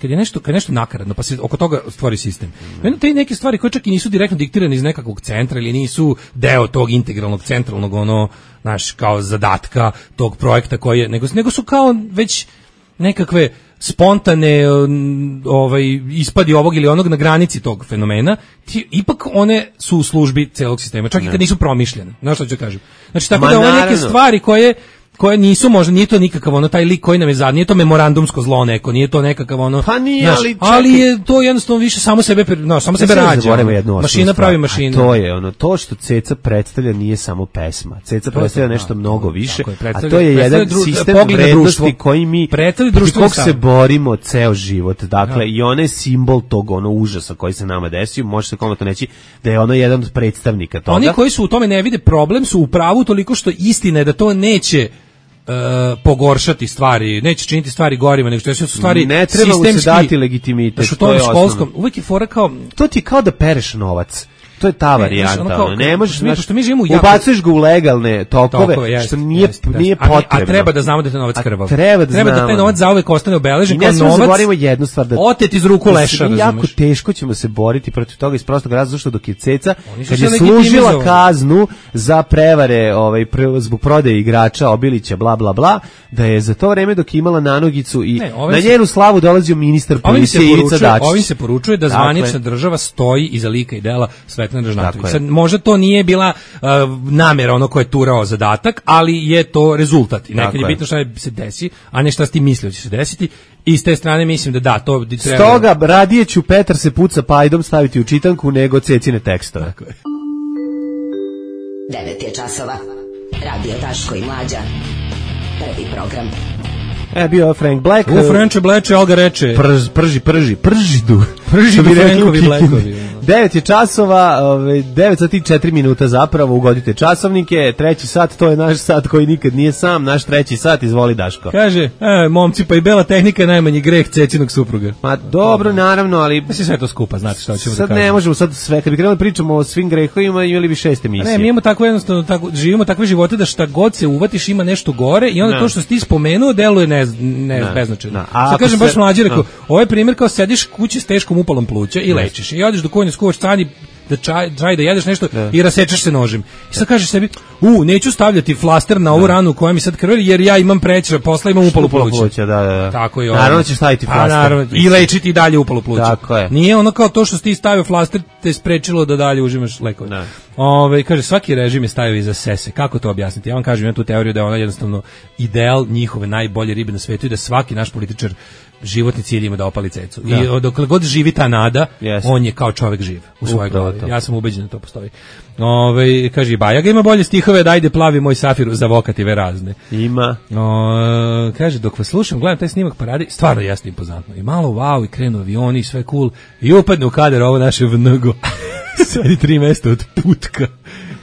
kad je nešto nakaradno, pa se oko toga stvori sistem. Te neke stvari koje čak i nisu direktno diktirane iz nekakvog centra ili nisu deo tog integralnog, centralnog, kao zadatka tog projekta nego su kao već nekakve spontane ispadi ovog ili onog na granici tog fenomena, ipak one su u službi celog sistema, čak i kad nisu promišljene. Znaš što ću kažem? Znači, tako da ove neke stvari koje nisu, možda nije to nikakav taj lik koji nam je nije to memorandumsko zlo neko, nije to nekakav pa nije, ali je to jednostavno više samo sebe rađa. Mašina pravi mašinu. To je to što Ceca predstavlja nije samo pesma. Ceca predstavlja nešto mnogo više, a to je jedan sistem vrednosti koji mi kog se borimo ceo život. Dakle, i ona je simbol tog užasa koji se nama desio, može se komotno reći da je ono jedan od predstavnika toga. Oni koji su u tome ne vide problem su u pravu toliko što istina je da to neće pogoršati stvari, neće činiti stvari gorima, nego što su stvari ne treba sistemski. Ne treba se dati legitimitet. To je školskom, uvijek je fora kao... To ti kao da pereš novac. To je ta varijanta. Ne možeš, mi živimo ubacuješ ga u legalne tokove, što nije potrebno. A treba da znamo da je taj novac krvav. Treba da taj novac zauvek ostane obeležen kao novac. Ne zaboravimo jednu stvar, da otet iz ruku leša. Jako teško ćemo se boriti protiv toga iz prostog razloga što dok je Ceca, kad je služila kaznu za prevare zbog prodaje igrača Obilića, bla bla bla, da je za to vreme dok je imala nanogicu i na njenu slavu dolazio ministar policije Ivica Dačić. Ovim se poručuje da zvanična država stoji iza lika i dela Svetlane Žnatović. Sad, možda to nije bila namjera ko je turao zadatak, ali je to rezultat. I nekad je bitno šta se desi, a ne šta si ti mislio će se desiti. I s te strane mislim da to treba... Stoga radije ću Petar se puca pajdom staviti u čitanku nego Cecine tekstove. 9 je časova. Radio Daško i Mlađa. Prvi program. Bio je Frank Black. Frenče bleče, Alga reče. Prži du Frankovi Blackovi. 9 je časova, 9 sati 4 minuta zapravo, ugodite časovnike, treći sat, to je naš sat koji nikad nije sam, naš treći sat, izvoli Daško. Kaže, momci, pa i bela tehnika je najmanji greh Cecinog supruga. Ma dobro, naravno, ali... Mislim sve to skupa, znate što ćemo da kažemo. Sad ne možemo, sad sve, kad bi krenuli pričamo o svim grehovima, imali bi 6 emisije. Ne, mi imamo tako jednostavno, živimo takve živote da šta god se uvatiš ima nešto gore i onda to što si ti spomenuo deluje beznačajno. Sad kažem baš Mlađe, rekao, ovo je primjer kao sediš kući s teškom upalom pluća i lečiš i odeš do konja skuvaš stani da čaj da jedeš nešto i rasečeš se nožem. I sad kažeš sebi, neću stavljati flaster na ovu ranu koja mi sad krvari jer ja imam prećera posla, imam upalu pluća. Da. Tako je. Naravno ćeš staviti flaster. I lečiti i dalje upalu pluća. Tako je. Nije ono kao to što si ti stavio flaster te sprečilo da dalje užimaš lekove. Kaže, svaki režim je stavio iza sese. Kako to objasniti? Ja vam kažem, imam tu teoriju da je ona jednostavno ideal njihove najbolje ribe na svetu i da svaki naš političar životni cilj ima da opali cecu. I dokle god živi ta nada, on je kao čovjek živ u svojoj glavi. Ja sam ubeđen da to postoji. Kaže, Bajaga ima bolje stihove, da ajde plavi moj safiru za vokative razne. Ima. Kaže, dok vas slušam, gledam taj snimak parade, stvarno jasno impozantno. I malo wow, i krenu avioni, i sve cool. I upadne u kader ovo naše vnego. Sedi 3 mesta od putka.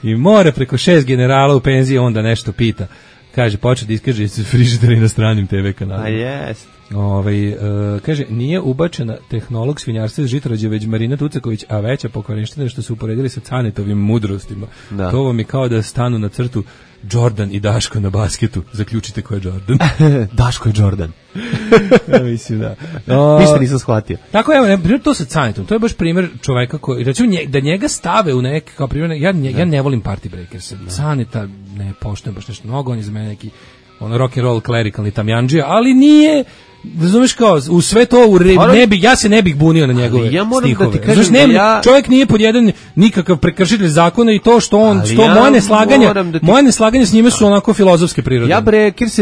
I mora preko 6 generala u penziji, onda nešto pita. Kaže, počne da iskaže frižideri na stranim TV kanalima. A jest. Kaže, nije ubačena tehnolog svinjarstva iz Žitorađe, već Marina Tucaković, a veća pokvarenština što su uporedili sa Canetovim mudrostima. To vam je kao da stanu na crtu Jordan i Daško na basketu. Zaključite ko je Jordan. Daško je Jordan. Mislim da. Ništa nisam shvatio. Tako evo, primjer to sa Canetom. To je baš primjer čoveka koji, recimo, da njega stave u neki, kao primjer, ja ne volim Party Breakers. Caneta ne poštujem baš nešto mnogo, on je za mene neki rock and roll klerikalni tamjandžija, ali nije, razumeš, kao u sve to ja se ne bih bunio na njegove stihove. Da kažem, čovjek nije pod jedan nikakav prekršitelj zakona i to što on, moje neslaganje s njime su onako filozofske prirode. Ja Breakers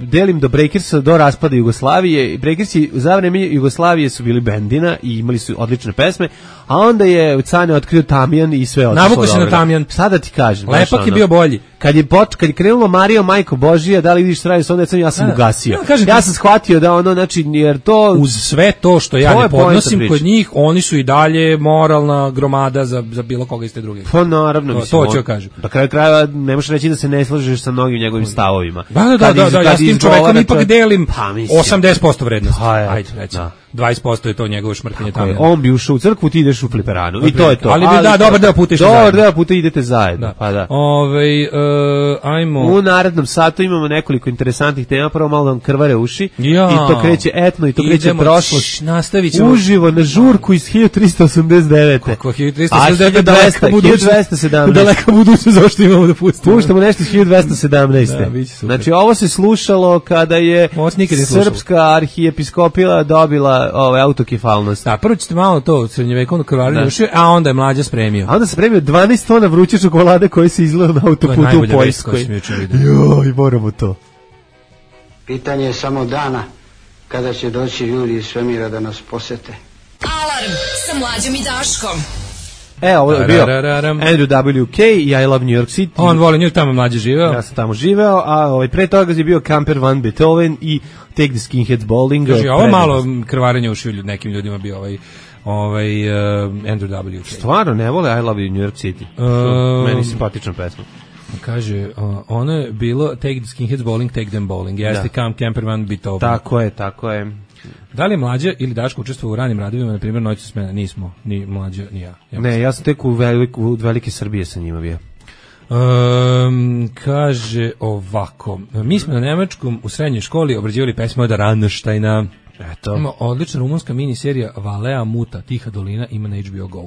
delim do Breakersa do raspada Jugoslavije. Breakersi za vreme Jugoslavije su bili bendina i imali su odlične pesme, a onda je Cane otkrio Tamjan i sve otišlo. Navuko se na Tamjan. Šta da ti kažem? Lepak je bio bolji. Kad je krenulo Mario, Majko Božija, da li vidiš što radi s onda, ja sam ugasio. Ja sam shvatio da ono, znači, jer to... Uz sve to što ja ne podnosim kod njih, oni su i dalje moralna gromada za bilo koga iz te druge. Pa naravno, mislim. To ću kažem. Do kraja ne možeš reći da se ne slažeš sa mnogim njegovim stavovima. Da, ja s tim čovekom ipak delim 80% vrednosti. Ajde, recimo. 20% je to njegovo šmrkanje tamo. On bi ušao u crkvu, ti ideš u fliperanu. I to je to. Ali dobar deo puta išli zajedno. Dobar deo puta idete zajedno. Pa da. Ajmo. U narednom satu imamo nekoliko interesantnih tema. Prvo malo nam krvare uši. I to kreće etno i to kreće prošlost. Nastavit ćemo. Uživo na žurku iz 1389. Kako 1389? 1217. Daleka budućnost, zašto imamo da pustimo. Puštamo nešto iz 1217. Znači ovo se slušalo kada je srpska arhijepiskopija dobila autokefalnost. Da, prvo ćete malo to srednjevekovno krvarenje uši, a onda je Mlađa spremio. A onda se spremio 12 tona vruće čokolade koje se izgleda na autoputu u Poljskoj. Joj, moramo to. Pitanje je samo dana kada će doći ljudi iz svemira da nas posete. Alarm sa Mlađom i Daškom. Ovo je bio Andrew W.K. i I Love New York City. On voli New York, tamo Mlađe živeo. Ja sam tamo živeo, a pre toga je bio Camper Van Beethoven i Take the Skinheads Bowling. Znači, ovo malo krvarenje uši nekim ljudima bio Andrew W.K. Stvarno, ne vole I Love New York City. Meni simpatična pesma. Kaže, ono je bilo Take the Skinheads Bowling, Take them Bowling. Jeste Camper Van Beethoven. Tako je. Da li je Mlađa ili Daško učestvovao u ranim radovima, na primjer Noću smena? Nismo, ni Mlađa, ni ja. Ne, ja sam tek u Velike Srbije sa njima bio. Kaže ovako, mi smo na nemačkom u srednjoj školi obrađivali pesme od Rammsteina. Ima odlična rumunska miniserija Valea Muta, Tiha dolina, ima na HBO Go.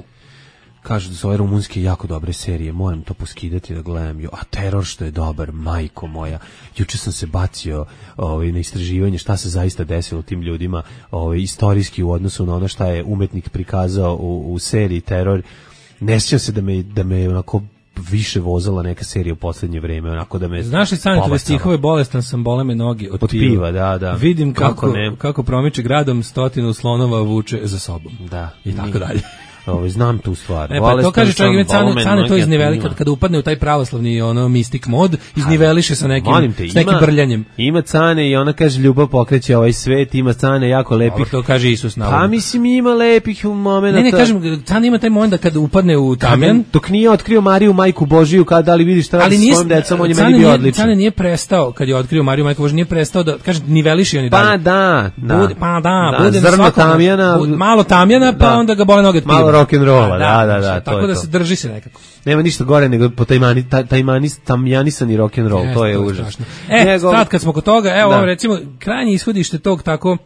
Kažu da su ove rumunske jako dobre serije, moram to poskidati da gledam. A Teror što je dobar, majko moja. Juče sam se bacio na istraživanje šta se zaista desilo tim ljudima istorijski u odnosu na ono šta je umetnik prikazao u seriji Teror. Ne sjećam se da me onako više vozala neka serija u poslednje vreme, onako da me... Znaš li Sanetove stihove, bolestan sam, bole me nogi od piva, da. Vidim kako promiče gradom, 100 slonova vuče za sobom. Da. I tako dalje. Znam tu stvar. To kaže čovjek, Cane to izniveli kada upadne u taj pravoslavni mistik mod, izniveliše sa nekim brljanjem. Ima Cane i ona kaže ljubav pokreće ovaj svet, ima Cane jako lepih. To kaže Isus navodno. Pa mislim ima lepih momenata. Ne, kažem, Cane ima taj moment da kada upadne u Tamjan. Dok nije otkrio Mariju Majku Božiju, da li vidiš šta radi s svojim decom, on je meni bio odličan. Cane nije prestao, kad je otkrio Mariju Majku Božiju, nije prestao da, kaže, niveliše oni dalje. Bude zrno Tamjana. Malo Tamjana, pa onda ga bole noge od piva. Rock'n'rolla, da. Tako da se drži se nekako. Nema ništa gore nego po tamjanisani rock'n'roll, to je užasno. Sad kad smo kod toga, recimo, krajnje ishodište tog tako,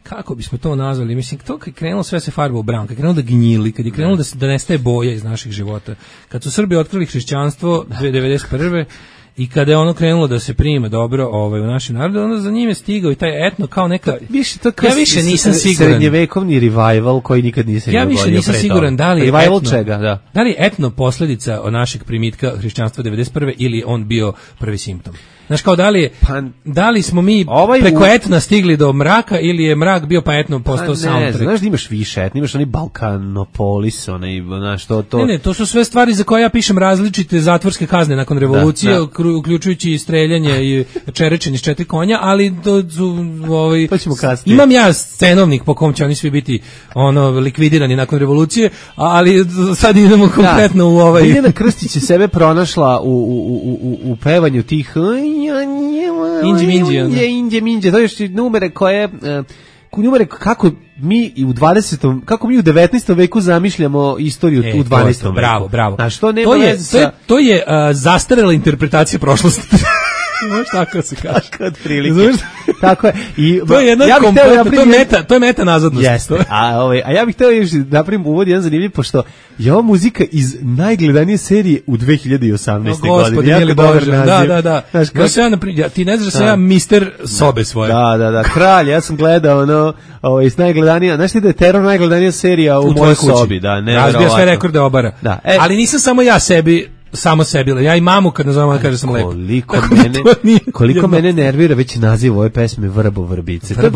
kako bismo to nazvali, mislim, to kad je krenulo sve se farba u brown, kad je krenulo da gnjili, kad je krenulo da nestaje boja iz naših života, kad su Srbi otkrili hrišćanstvo 1991. I kada je ono krenulo da se prime dobro u našem narodu, onda za njim je stigao i taj etno kao neka... Ja više nisam siguran. Srednjevekovni revival koji nikad nisam ja više nisam siguran da li je revival etno, čega, da. Da li je etno posljedica našeg primitka hrišćanstva 1991. ili on bio prvi simptom. Znaš, kao da li smo mi preko etna stigli do mraka ili je mrak bio pa etno postao soundtrack? Znaš da imaš više etna, imaš onaj Balkanopolis, znaš, to... Ne, to su sve stvari za koje ja pišem različite zatvorske kazne nakon revolucije, uključujući streljanje i čerečenje s 4 konja, ali to ćemo kasnije. Imam ja scenovnik po kom će oni svi biti likvidirani nakon revolucije, ali sad idemo konkretno u ovaj... Biljana Krstić je sebe pronašla u pevanju tih... Indje Minđe, to je još numere koje njima rekao kako mi u 20. kako mi u 19. veku zamišljamo istoriju u 12. veku. Bravo. A što nema to je zastarela interpretacija prošlosti. Možeš tako se kaže. Tako je. I to je jedna to je meta nazadnost. Jeste. A ja bih hteo još napravim uvod jedan zanimljiv, pošto je ova muzika iz najgledanije serije u 2018. godine. Jako dobar naziv. Da. Ti ne znaš da sam ja mister sobe svoje. Da. Kralj, ja sam gledao iz najgledanija. Znaš ti da je Teror najgledanija serija u mojoj sobi? Da, razbija sve rekorde obara. Ali nisam samo ja samo sebi, ja i mamu kad nazovem kaže sam lepo. Koliko mene nervira već naziv ove pesme Vrbo vrbice. To je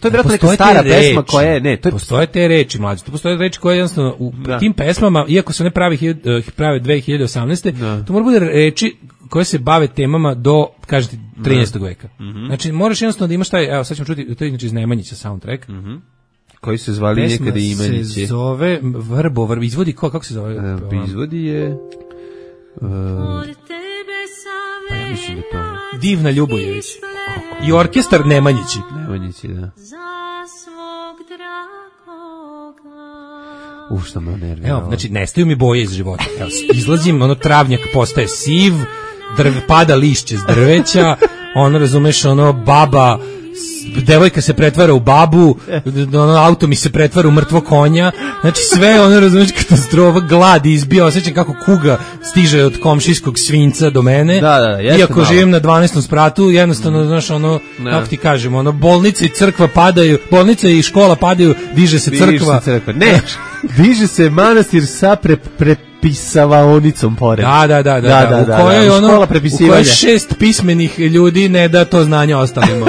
vjerojatno neka stara pesma koja je, postoje te reči, mlađe. To postoje reči koje jednostavno u tim pesmama, iako se ne prave 2018. To mora bude reči koje se bave temama do, kažete, 13. veka. Znači, moraš jednostavno da imaš taj, evo sad ćemo čuti, to je inače iz Nemanjića soundtrack. Koji se zvali nekada Imenići. Pesma se zove Vrbo, izvodi kako se zove? Izvodi je... ja mislim da to Divna Ljubojević i orkestar Nemanjići, da. Šta me nervira. Evo, znači, nestaju mi boje iz života. Evo, izlazim, travnjak postaje siv, pada lišće s drveća, razumeš, baba, devojka se pretvara u babu, auto mi se pretvara u mrtvo konja, znači sve razumeš, katastrofa, glad izbija, osjećam kako kuga stiže od komšijskog svinca do mene, iako živim na 12. spratu, jednostavno, znaš, kako ti kažem, bolnica i crkva padaju, bolnica i škola padaju, diže se crkva. Ne, diže se manastir sa prepisavaonicom pored. Da. U kojoj u kojoj 6 pismenih ljudi ne da to znanje ostalima.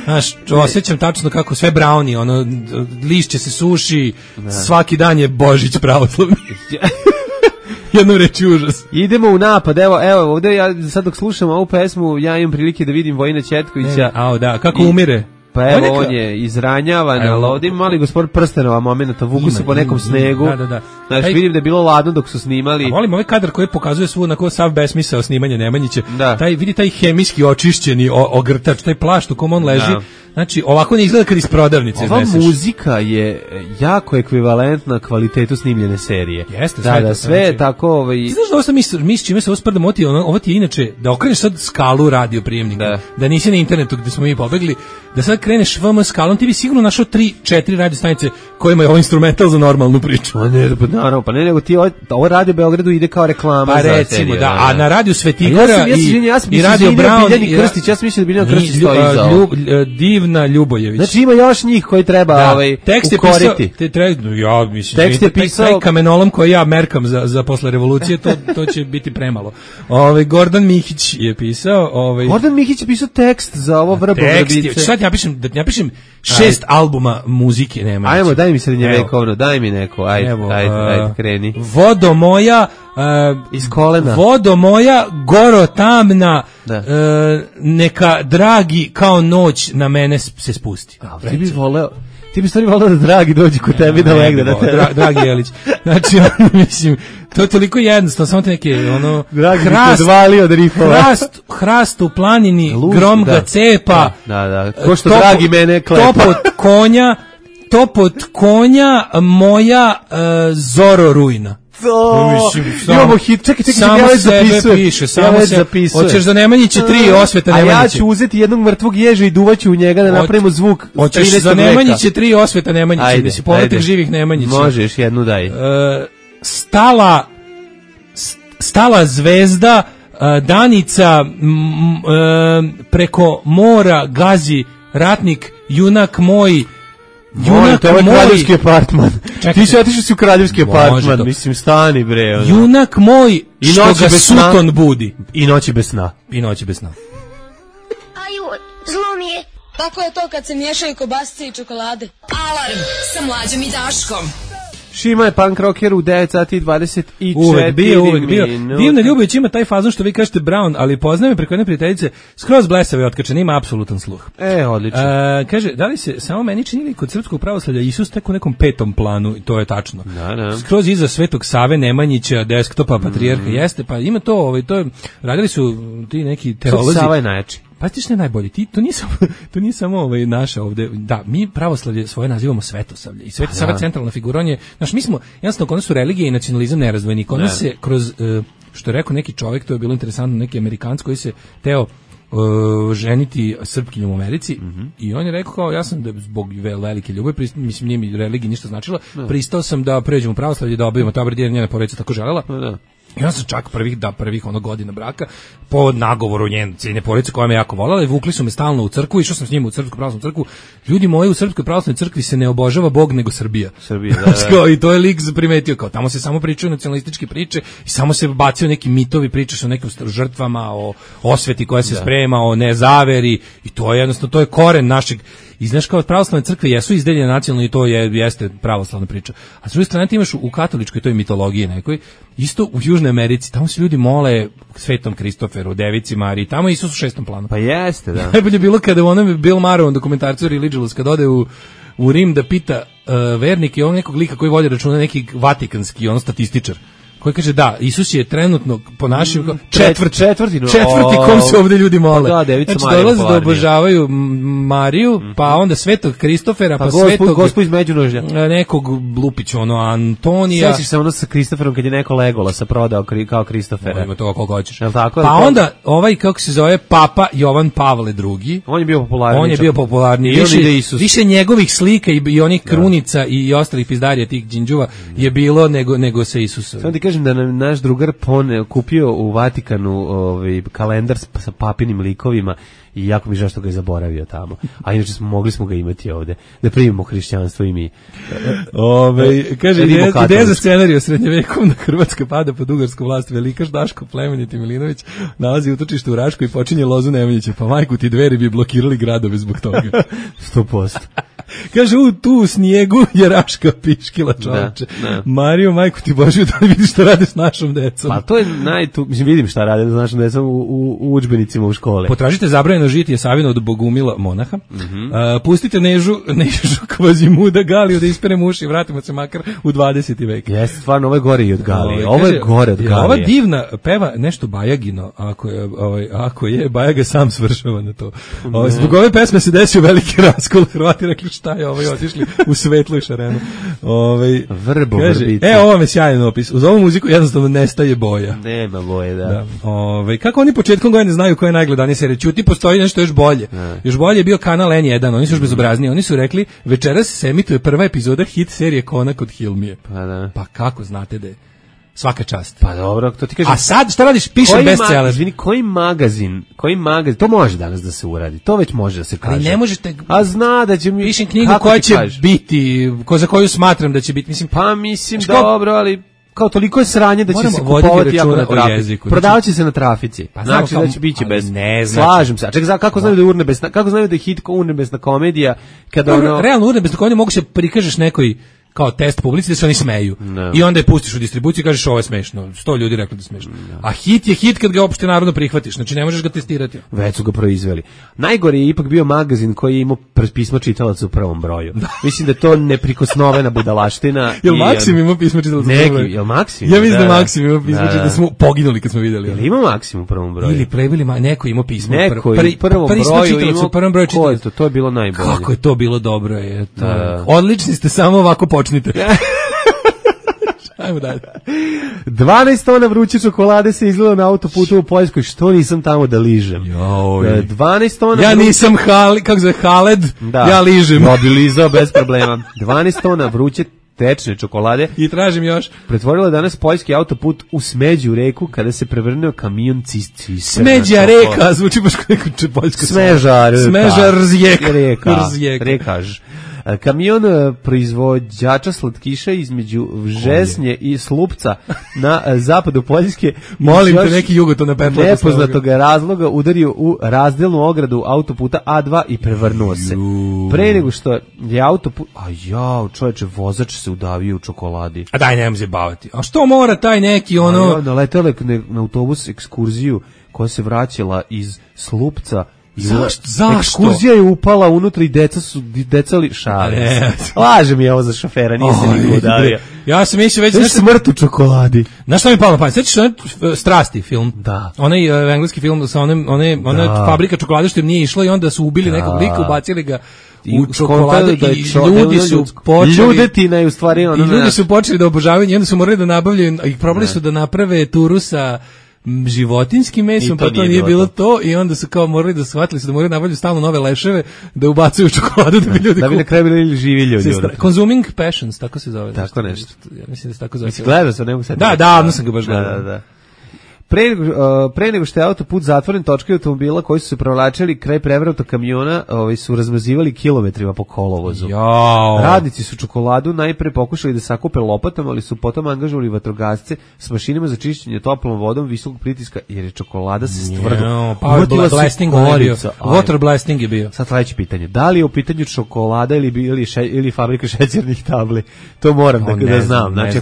Znaš, osjećam tačno kako sve browni, lišće se suši, svaki dan je Božić pravoslavni. Jedno reći užas. Idemo u napad, evo ovdje ja sad dok slušam ovu pesmu, ja imam prilike da vidim Vojina Ćetkovića. Kako umire. Pa evo, on je izranjavan, ali ovdje ima mali gospodin Prstenova momenta, vuku se po nekom snegu. Znaš, vidim da je bilo ladno dok su snimali. Volim ovaj kadar koji pokazuje svu onako sav besmisao snimanja Nemanjića. Vidi taj hemijski očišćeni ogrtač, taj plašt u kom on leži. Znači, ovako ne izgleda kad iz prodavnice izneseš. Ova muzika je jako ekvivalentna kvalitetu snimljene serije. Jeste, sve je tako... Ti znaš da ovo sam mi s čime se ovo sprdamo, ovo ti je inače, da okreneš sad skalu radio prijemnika, da nisi na internetu gde smo mi pobegli, da sad kreneš VM skalom, ti bi sigurno našao 3-4 radio stanice kojima je ovo instrumental za normalnu priču. Naravno, pa ne, nego ti ovo Radio Beogradu ide kao reklama za seriju. Pa recimo, a na Radio Svetigora i Radio Brown... Ja sam mislio da Biljana Krstić stoji za ovo. Divna Ljubojević. Znači ima još njih koji treba ukoriti. Tekst je pisao taj kamenolom koji ja merkam za posle revolucije, to će biti premalo. Gordon Mihić je pisao. Gordon Mihić je pisao tekst za ovo Vrbo vrbice. Sad ja pišem 6 albuma muzike Nemanjića. Ajmo, daj mi srednjevekovno, daj mi neko. Ajde, kreni. Vodo moja iz kolena. Vodo moja goro tamna, neka dragi kao noć na mene se spusti. Ti bi stvari volao da Dragi dođi kod tebi da legne na tebe. Dragi Jelić. Znači, mislim, to je toliko jednostavno, samo te neke, hrast u planini, grom ga cepa. Ko što Dragi mene klepa. Topot konja moja Zoro rujna. Imamo hit, čekaj, ja već zapisujem. Hoćeš da Nemanjiće 3 osveta Nemanjiće. A ja ću uzeti jednog mrtvog ježa i duvaću u njega da napravimo zvuk. Hoćeš za Nemanjiće 3 osveta Nemanjiće, da si povratak živih Nemanjića. Možeš, jednu daj. Stala zvezda, Danica, preko mora gazi ratnik, junak moj. To je kraljevski apartman. Ti si otišao si u kraljevski apartman. Mislim, stani bre. Junak moj, što ga suton budi. I noći bez sna. Aju, zlo mi je. Tako je to kad se miješaju kobasice i čokolade. Alarm sa Mlađom i Daškom. Šima je punk rocker u 9 sati 24 uvek bio. Divna Ljubović ima taj fazon što vi kažete Brown, ali poznaje me preko jedne prijateljice, skroz blesave i otkačen, ima apsolutan sluh. Odlično. Kaže, da li se samo meni čini kod srpskog pravoslavlja Isus tek u nekom 5. planu, i to je tačno. Skroz iza Svetog Save Nemanjića, desktopa patrijarha, jeste, pa ima to, to je, radili su ti neki teolozi. Sava je najjači. Pa ti što je najbolje, to nije samo naša ovde, da, mi pravoslavlje svoje nazivamo svetosavlje i Svetosava centralna figura, on je, znaš, mi smo, jednostavno, kod nas su religije i nacionalizam nerazdvojeni, kod nas se kroz, što je rekao neki čovjek, to je bilo interesantno, neki Amerikanac koji se teo ženiti Srpkinjom u Americi i on je rekao kao, ja sam da zbog velike ljubavi, mislim nije mi religija ništa značila, pristao sam da pređem u pravoslavlje, da obavimo tabor, jer njena porodica tako želela. I on sam čak prvih godina braka po nagovoru njene porodice koja me jako voljela i vukli su me stalno u crkvu, išao sam s njima u Srpsku pravoslavnu crkvu. Ljudi moji, u Srpskoj pravoslavnoj crkvi se ne obožava Bog nego Srbija. Da. I to je lik primetio, kao tamo se samo pričaju nacionalističke priče i samo se bacio neki mitovi, priče su o nekim žrtvama, o osveti koja se sprema, o nezaveri i to je jednostavno, to je koren našeg. I znaš, kao pravoslavne crkve jesu izdeljene nacionalno i to jeste pravoslavna priča. A s druge strane ti imaš u katoličkoj toj mitologiji nekoj, isto u Južnoj Americi, tamo se ljudi mole Svetom Kristoferu, Devici Mariji, tamo Isus u 6. planu. Pa jeste, da. Najbolje bilo kada u onom Bill Maher dokumentarcu Religious, kada ode u Rim da pita vernike i on nekog lika koji vodi računa, neki vatikanski, on statističar, koji kaže da, Isus je trenutno po našim četvrti kom se ovde ljudi mole. Da, Devica znači, Marija dolaze da obožavaju Mariju, pa onda Svetog Kristofera, pa Svetog Gospu iz Međunožja. Nekog Lupića, Antonija. Sećaš se sa Kristoferom kad je neko Legolasa prodao kao Kristofera. Ima toga koliko hoćeš. Tako, pa onda kako se zove Papa Jovan Pavle II. On je bio popularniji. Više njegovih slika i onih krunica i ostalih pizdarija tih đinđuva je bilo nego sa Isusom. Samo ti kažem da nam naš drugar kupio u Vatikanu kalendar sa papinim likovima i jako mi žao što ga je zaboravio tamo. A inače mogli smo ga imati ovde, da primimo hrišćanstvo i mi. Kaže, ideja za scenariju srednjevekovna Hrvatska pada pod ugarsku vlast, velikaš Daško Plemeniti Milinović nalazi utočište u Rašku i počinje lozu Nemanjića, pa majku ti Dveri bi blokirali gradove zbog toga. 100%. Kaže, tu u snijegu je Raška piškila, čovječe. Mario, majku ti Božiju, da vidiš šta rade s našom decom. Pa to je mislim, vidim šta rade s našom decom u udžbenicima u škole. Potražite zabranjeno žitije Savina od Bogumila monaha. Pustite Nežu Kvazimuda Galiju da ispere muši i vratimo se makar u 20. vek. Jeste, stvarno, ovo je gore i od Galije. Ovo je gore od Galije. Ova divna peva nešto Bajagino, ako je Bajaga sam svršava na to. Zbog ove pesme se desio veliki raskol, Hrvati rekli šta je otišli u svetlu i šarenu. Vrbo, vrbice. Ovo vam je sjajan opis. Uz ovu muziku jednostavno nestaje boja. Nema boje, da. Kako oni početkom godine znaju koja je najgledanija serija? Ćuti, postoji nešto još bolje. Još bolje je bio kanal N1, oni su još bezobrazniji. Oni su rekli, večeras se emituje prva epizoda hit serije Konak od Hilmije. Pa kako znate da je? Svaka čast. Pa dobro, to ti kažem. A sad šta radiš? Pišem bestseller. Izvini, koji magazin, to može danas da se uradi. To već može da se kaže. Ali ne možete. A zna da će mi pišem knjigu koja će biti, za koju smatram da će biti, mislim. Pa mislim dobro, ali kao toliko je sranje da će se kupovati jako na trafici. Prodavaće se na trafici. Pa znači da će biće bez. Slažem se. A čekaj, kako znaju da je urnebesna, kako znaju da je hit urnebesna komedija kada realno urnebesna komedija mogu se prikažeš nekoj kao test publici da se oni smeju. I onda je pustiš u distribuciju i kažeš ovo je smešno. 100 ljudi rekli da je smešno. A hit je hit kad ga opšte narodno prihvatiš. Znači ne možeš ga testirati. Već su ga proizveli. Najgore je ipak bio magazin koji je imao pismo čitalaca u prvom broju. Mislim da je to neprikosnovena budalaština. Jel Maksim imao pismo čitalaca u prvom broju? Jel Maksim? Ja mislim da Maksim imao pismo čitalaca, da smo poginuli kad smo vidjeli. Jel ima Maksim u prvom broju? Ili prebili, neko imao pismo u prvom broju. U prvom broju čitalaca. To je bilo najbolje. Kako je to bilo dobro. Odlični ste, samo ovako počnite. Ajmo dalje. 12 tona vruće čokolade se izlilo na autoputu u Poljskoj. Što nisam tamo da ližem? 12 tona. Ja nisam Haled, ja ližem. No, bi lizao bez problema. 12 tona vruće tečne čokolade. I tražim još. Pretvorila danas poljski autoput u smeđu reku kada se prevrnuo kamion Smeđa reka, zvuči baš kao neko poljsko. Smeža reka. Rekaž. Kamion proizvođača slatkiša između Žesnje i Slupca na zapadu Poljske molim te neki jugo to na petlaku nepoznatog razloga udario u razdelnu ogradu autoputa A2 i prevrnuo se. Pre nego što je autoput čoveče, vozač se udavio u čokoladi. A daj, nemoj se baviti. A što mora taj neki naletele na autobus ekskurziju koja se vraćala iz Slupca Zašto? Ekskurzija je upala unutra i deca li šale. Laže mi je ovo za šofera, nije se niko udario. Ja sam mislio već... Znaš smrt u čokoladi. Znaš što mi je palo na pamet? Sveći što Strasti film. Da. Onaj engleski film sa ona fabrika čokolade što im nije išlo i onda su ubili nekog lika, ubacili ga u čokoladu i ljudi su počeli... Ljudetina je u stvari ono... I ljudi su počeli da obožavaju i onda su morali da nabavljaju, i probali su da naprave turu sa životinskim mesom, pa to nije bilo to i onda su kao morali da shvatili su da moraju nabavljati stalno nove leševe da ubacuju u čokoladu da bi ljudi da bi na kraju bili živi ljudi. Consuming passions, tako se zove. Tako nešto. Ja mislim da se tako zove. Gledao sam, ne mogu sad. Da, davno sam ga baš gledao. Da. Pre nego što je autoput zatvoren, točke automobila koji su se provlačili kraj prevrata kamiona su razmazivali kilometrima po kolovozu. Jao. Radnici su čokoladu najpre pokušali da sakupe lopatama, ali su potom angažovali vatrogasce s mašinama za čišćenje toplom vodom visokog pritiska, jer je čokolada se stvrdila. Water blasting je bio. Sad sledeće pitanje. Da li je u pitanju čokolada ili fabrika šećernih tabli? To moram da znam. Znači,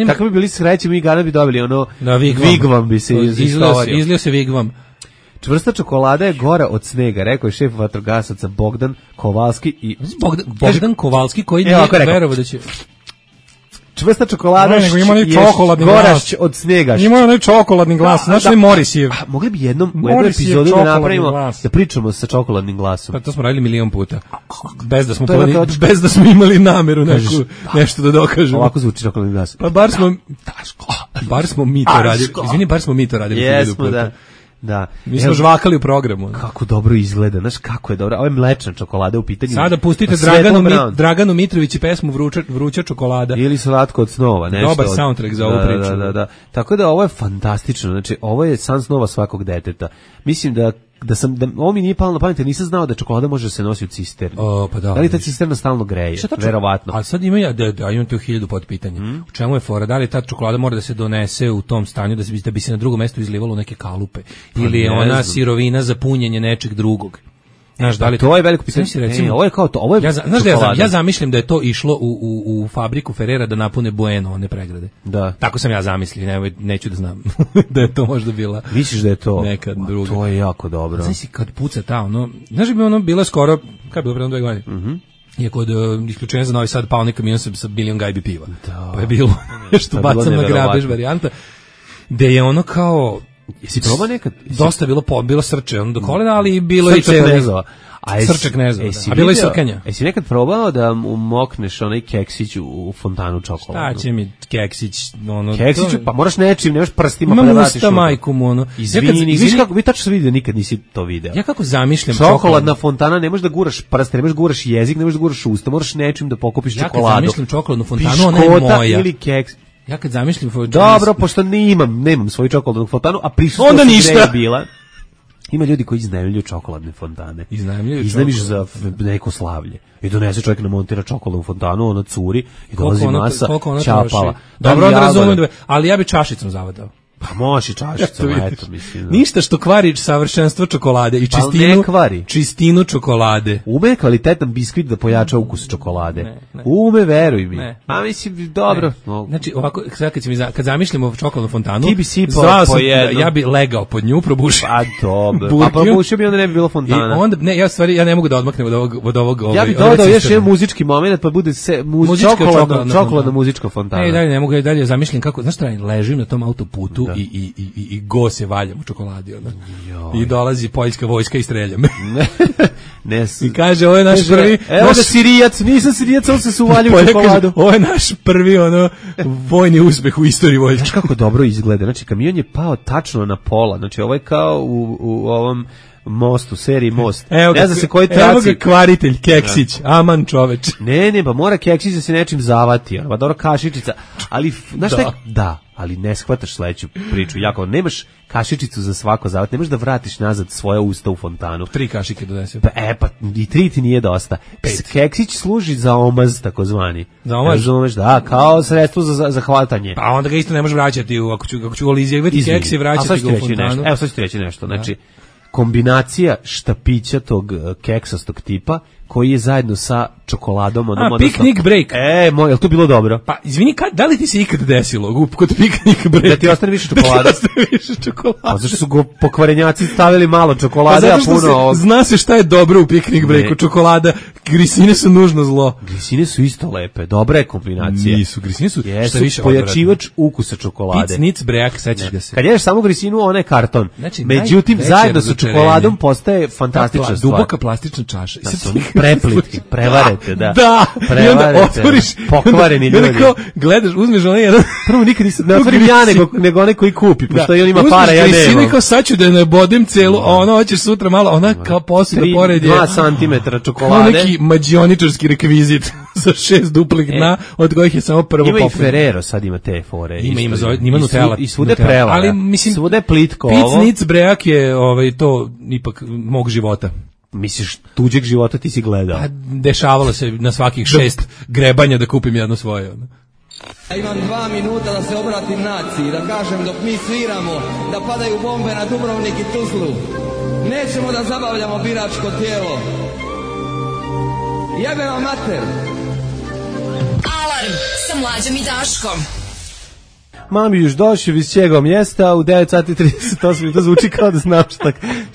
kako bi bili sreći, mi gana bi dobili ono Vigvam bi se izlio se Vigvam. Čvrsta čokolada je gora od snega, rekao je šef vatrogasaca Bogdan Kovalski i Bogdan Kovalski koji nije verovao da će čvrsta čokolada je gora od snega. Ima onaj čokoladni glas, znači li Morisijev. Mogli bi jednom u jednoj epizodi da napravimo da pričamo sa čokoladnim glasom. Pa to smo radili milion puta. Bez da smo imali nameru nešto da dokažemo. Ovako zvuči čokoladni glas. Pa bar smo mi to radili. Izvini, bar smo mi to radili. Jesmo, da. Mi smo žvakali u programu. Kako dobro izgleda, znaš kako je dobro. Ovo je mlečna čokolada u pitanju. Sada pustite Draganu Mitrović i pesmu Vruća čokolada. Ili Slatko od snova. Nešto dobar soundtrack za ovu priču. Da. Tako da ovo je fantastično. Znači, ovo je san snova svakog deteta. Mislim da ovo mi nije palo na pamet, jer nisam znao da čokolada može se nosi u cisterni. Pa da li ta cisterna stalno greje? Verovatno. A sad imam tu 1000 podpitanja. U čemu je fora? Da li ta čokolada mora da se donese u tom stanju da bi se na drugom mestu izlivalo neke kalupe? Ili je ona sirovina za punjenje nečeg drugog? Znaš, da li to je veliko pitanje. Ovo je kao to, ovo je ja zamišljam da je to išlo u fabriku Ferrera da napune Bueno, one pregrade. Da. Tako sam ja zamislio, neću da znam da je to možda bila. Misliš da je to neka druga. To je jako dobro. Znaš si kad puca ta znaš bi ono bila skoro, kad je bilo pre 2 godine. Je kod isključenja za Novi Sad pao neki kamion sa milion gajbi piva. Da. Pa je bilo nešto bacam na grabež varijanta. Gde je ono kao jesi probao nekad? Dosta bilo srče, do kolena, ali bilo i knezova. Srče knezova, a bilo i srkanja. Jesi nekad probao da mokneš onaj keksić u fontanu čokoladu? Šta će mi keksić? Keksiću, pa moraš nečim, nemaš prstima pa da vratiš. Imam usta majkom, Izvini, viš kako, mi tačno se vidi da nikad nisi to video. Ja kako zamišljam čokoladna fontana, ne možeš da guraš prste, ne možeš da guraš jezik, ne možeš da guraš usta, moraš nečim da pokupiš čokoladu. Ja kad zamišljam čokoladnu fontanu, ona je moja. Ili keks. Ja kad zamišljam... Dobro, pošto nemam svoju čokoladnu fontanu, a prisutno onda ništa bila. Ima ljudi koji iznajmljuju čokoladne fontane. Iznajmiš za neko slavlje. I donese čovjek namontira čokoladnu fontanu, ona curi i dolazi masa čapala. Dobro, onda razumem, ali ja bi čašicom zavadao. Pa možeš i čašicom, eto mislim. Ništa što kvari savršenstvo čokolade i čistinu čokolade. Ume kvalitetan biskvit da pojača ukus čokolade. Ume, veruj mi. A mislim, dobro. Znači, ovako, kad zamišljamo čokoladnu fontanu, ti bi sipao po jednom. Ja bi legao pod nju, probušio. Pa dobro. Pa probušio bi, onda ne bi bilo fontana. Ja ne mogu da odmaknem od ovog. Ja bih dodao još jedan muzički moment, pa bude čokoladna muzička fontana. Ne, dalje ne mogu, dalje zamišljam kako, znaš šta, ležim na tom autoputu i go se valjam u čokoladi. I dolazi poljska vojska i strelja me. I kaže, ovo je naš prvi... Evo da Sirijac, nisam Sirijac, on se uvalio u čokoladu. Ovo je naš prvi vojni uspeh u istoriji vojske. Znaš kako dobro izgleda, znači kamion je pao tačno na pola, znači ovo je kao u ovom mostu, seriji Most. Ne zna se koji traci. Evo ga kvaritelj, keksić, aman čoveč. Ne, pa mora keksić da se nečim zavati, pa dobro kašičica, ali, znaš šta, ali ne shvataš sledeću priču, jako, nemaš kašičicu za svako zavat, nemaš da vratiš nazad svoja usta u fontanu. 3 kašike donesem. Pa i 3 ti nije dosta. 5. Keksić služi za omaz, takozvani. Za omaz? Razumeš, da, kao sredstvo za hvatanje. Pa onda ga isto ne možeš vraćati, ako ću olizijevati keks i vraćati ga u fontanu. Evo sad ću ti reći nešto, znači, kombinacija štapića tog keksastog tipa koji je zajedno sa čokoladom. Picnic break. Jel to bilo dobro? Pa, izvini, da li ti se ikad desilo kod picnic break? Da ti ostane više čokolade? Pa zašto su go pokvarenjaci stavili malo čokolade, a puno... Zna se šta je dobro u picnic breaku, čokolada. Grisine su nužno zlo. Grisine su isto lepe, dobra je kombinacija. Nisu, grisine su šta više pojačivač ukusa čokolade. Picnic break, sećaš ga se. Kad ješ samo grisinu, ona je karton. Znači, međutim, zajedno sa čokoladom postaje fantastična stvar. Duboka plastična čaša. Preplitki, prevarete, da. Da, i onda otvoriš, pokvareni ljudi. Gledaš, uzmeš onaj jedan... Prvo nikad nisam, ne otvorim ja, nego onaj koji kupi, pošto on ima para, ja nemam. Uzmeš grisinu kao sad ću da ne bodem celu, a ono hoćeš sutra malo, ona kao posle da pored je... 2 cm čokolade. Neki mađioničarski rekvizit sa 6 duplih dna, od kojih je samo prvo poput. Ima i Ferrero, sad ima te fore. Ima Nutella. I svude prela, ali mislim, svude je plitko ovo. Picnic break je to ipak mog života. Misliš, tuđeg života ti si gledao? Pa, dešavalo se na svakih 6 grebanja da kupim jedno svoje. Ja imam 2 minuta da se obratim naciji, da kažem dok mi sviramo, da padaju bombe na Dubrovnik i Tuzlu. Nećemo da zabavljamo biračko tijelo. Jebe vam mater. Alarm sa Mlađom i Daškom. Mami još došao iz čega mjesta u 9:38, to zvuči kao da znam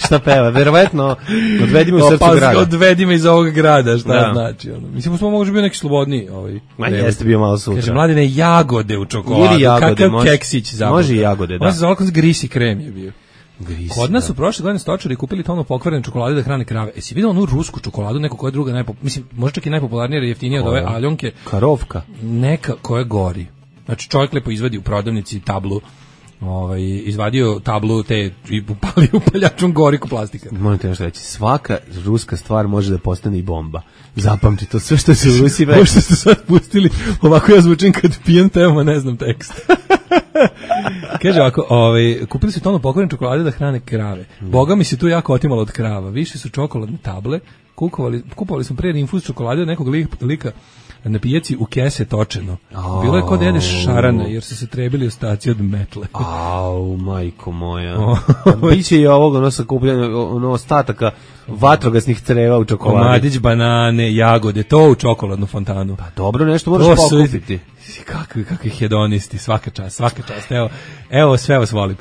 šta peva. Verovatno, odvedi me u srcu grada. Odvedi me iz ovog grada, šta znači. Mislim, smo možda bio neki slobodniji. Jeste bio malo sutra. Kaže, Mladine, jagode u čokoladu. Ili jagode, kakav keksić zapravo. Može i jagode, da. Može za ovako grisi krem je bio. Kod nas su prošle godine stočari kupili tonu pokvarene čokolade da hrane krave. Jesi vidio onu rusku čokoladu, neku koja je druga, mislim, možda čak i najpopularnija, jer jeftinija od ove Aljonke. Karovka. Neka koja gori. Znači čovjek lepo izvadi u prodavnici tablu, izvadio tablu te i upali upaljačom goriku plastika. Moram te nešto reći, svaka ruska stvar može da postane i bomba. Zapamti to, sve što se u Rusiji već. Možda ste sad pustili, ovako ja zvučim kad pijem temo, ne znam tekst. Kaže ovako, kupili su tonu pokvarene čokolade da hrane krave. Boga mi se tu jako otimalo od krava. Više su čokoladne table, kupovali smo prije infuz čokolade od nekog lika na pijaci u kese točeno. Bilo je kod da jedeš šarana, jer su se trebili ostaci od metle. Au, majko moja. Biće i ovog sakupljanja ostataka vatrogasnih creva u čokoladi. Komadić, banane, jagode, to u čokoladnu fontanu. Pa dobro, nešto moraš pokupiti. Kakvi hedonisti, svaka čast. Evo, sve vas volim.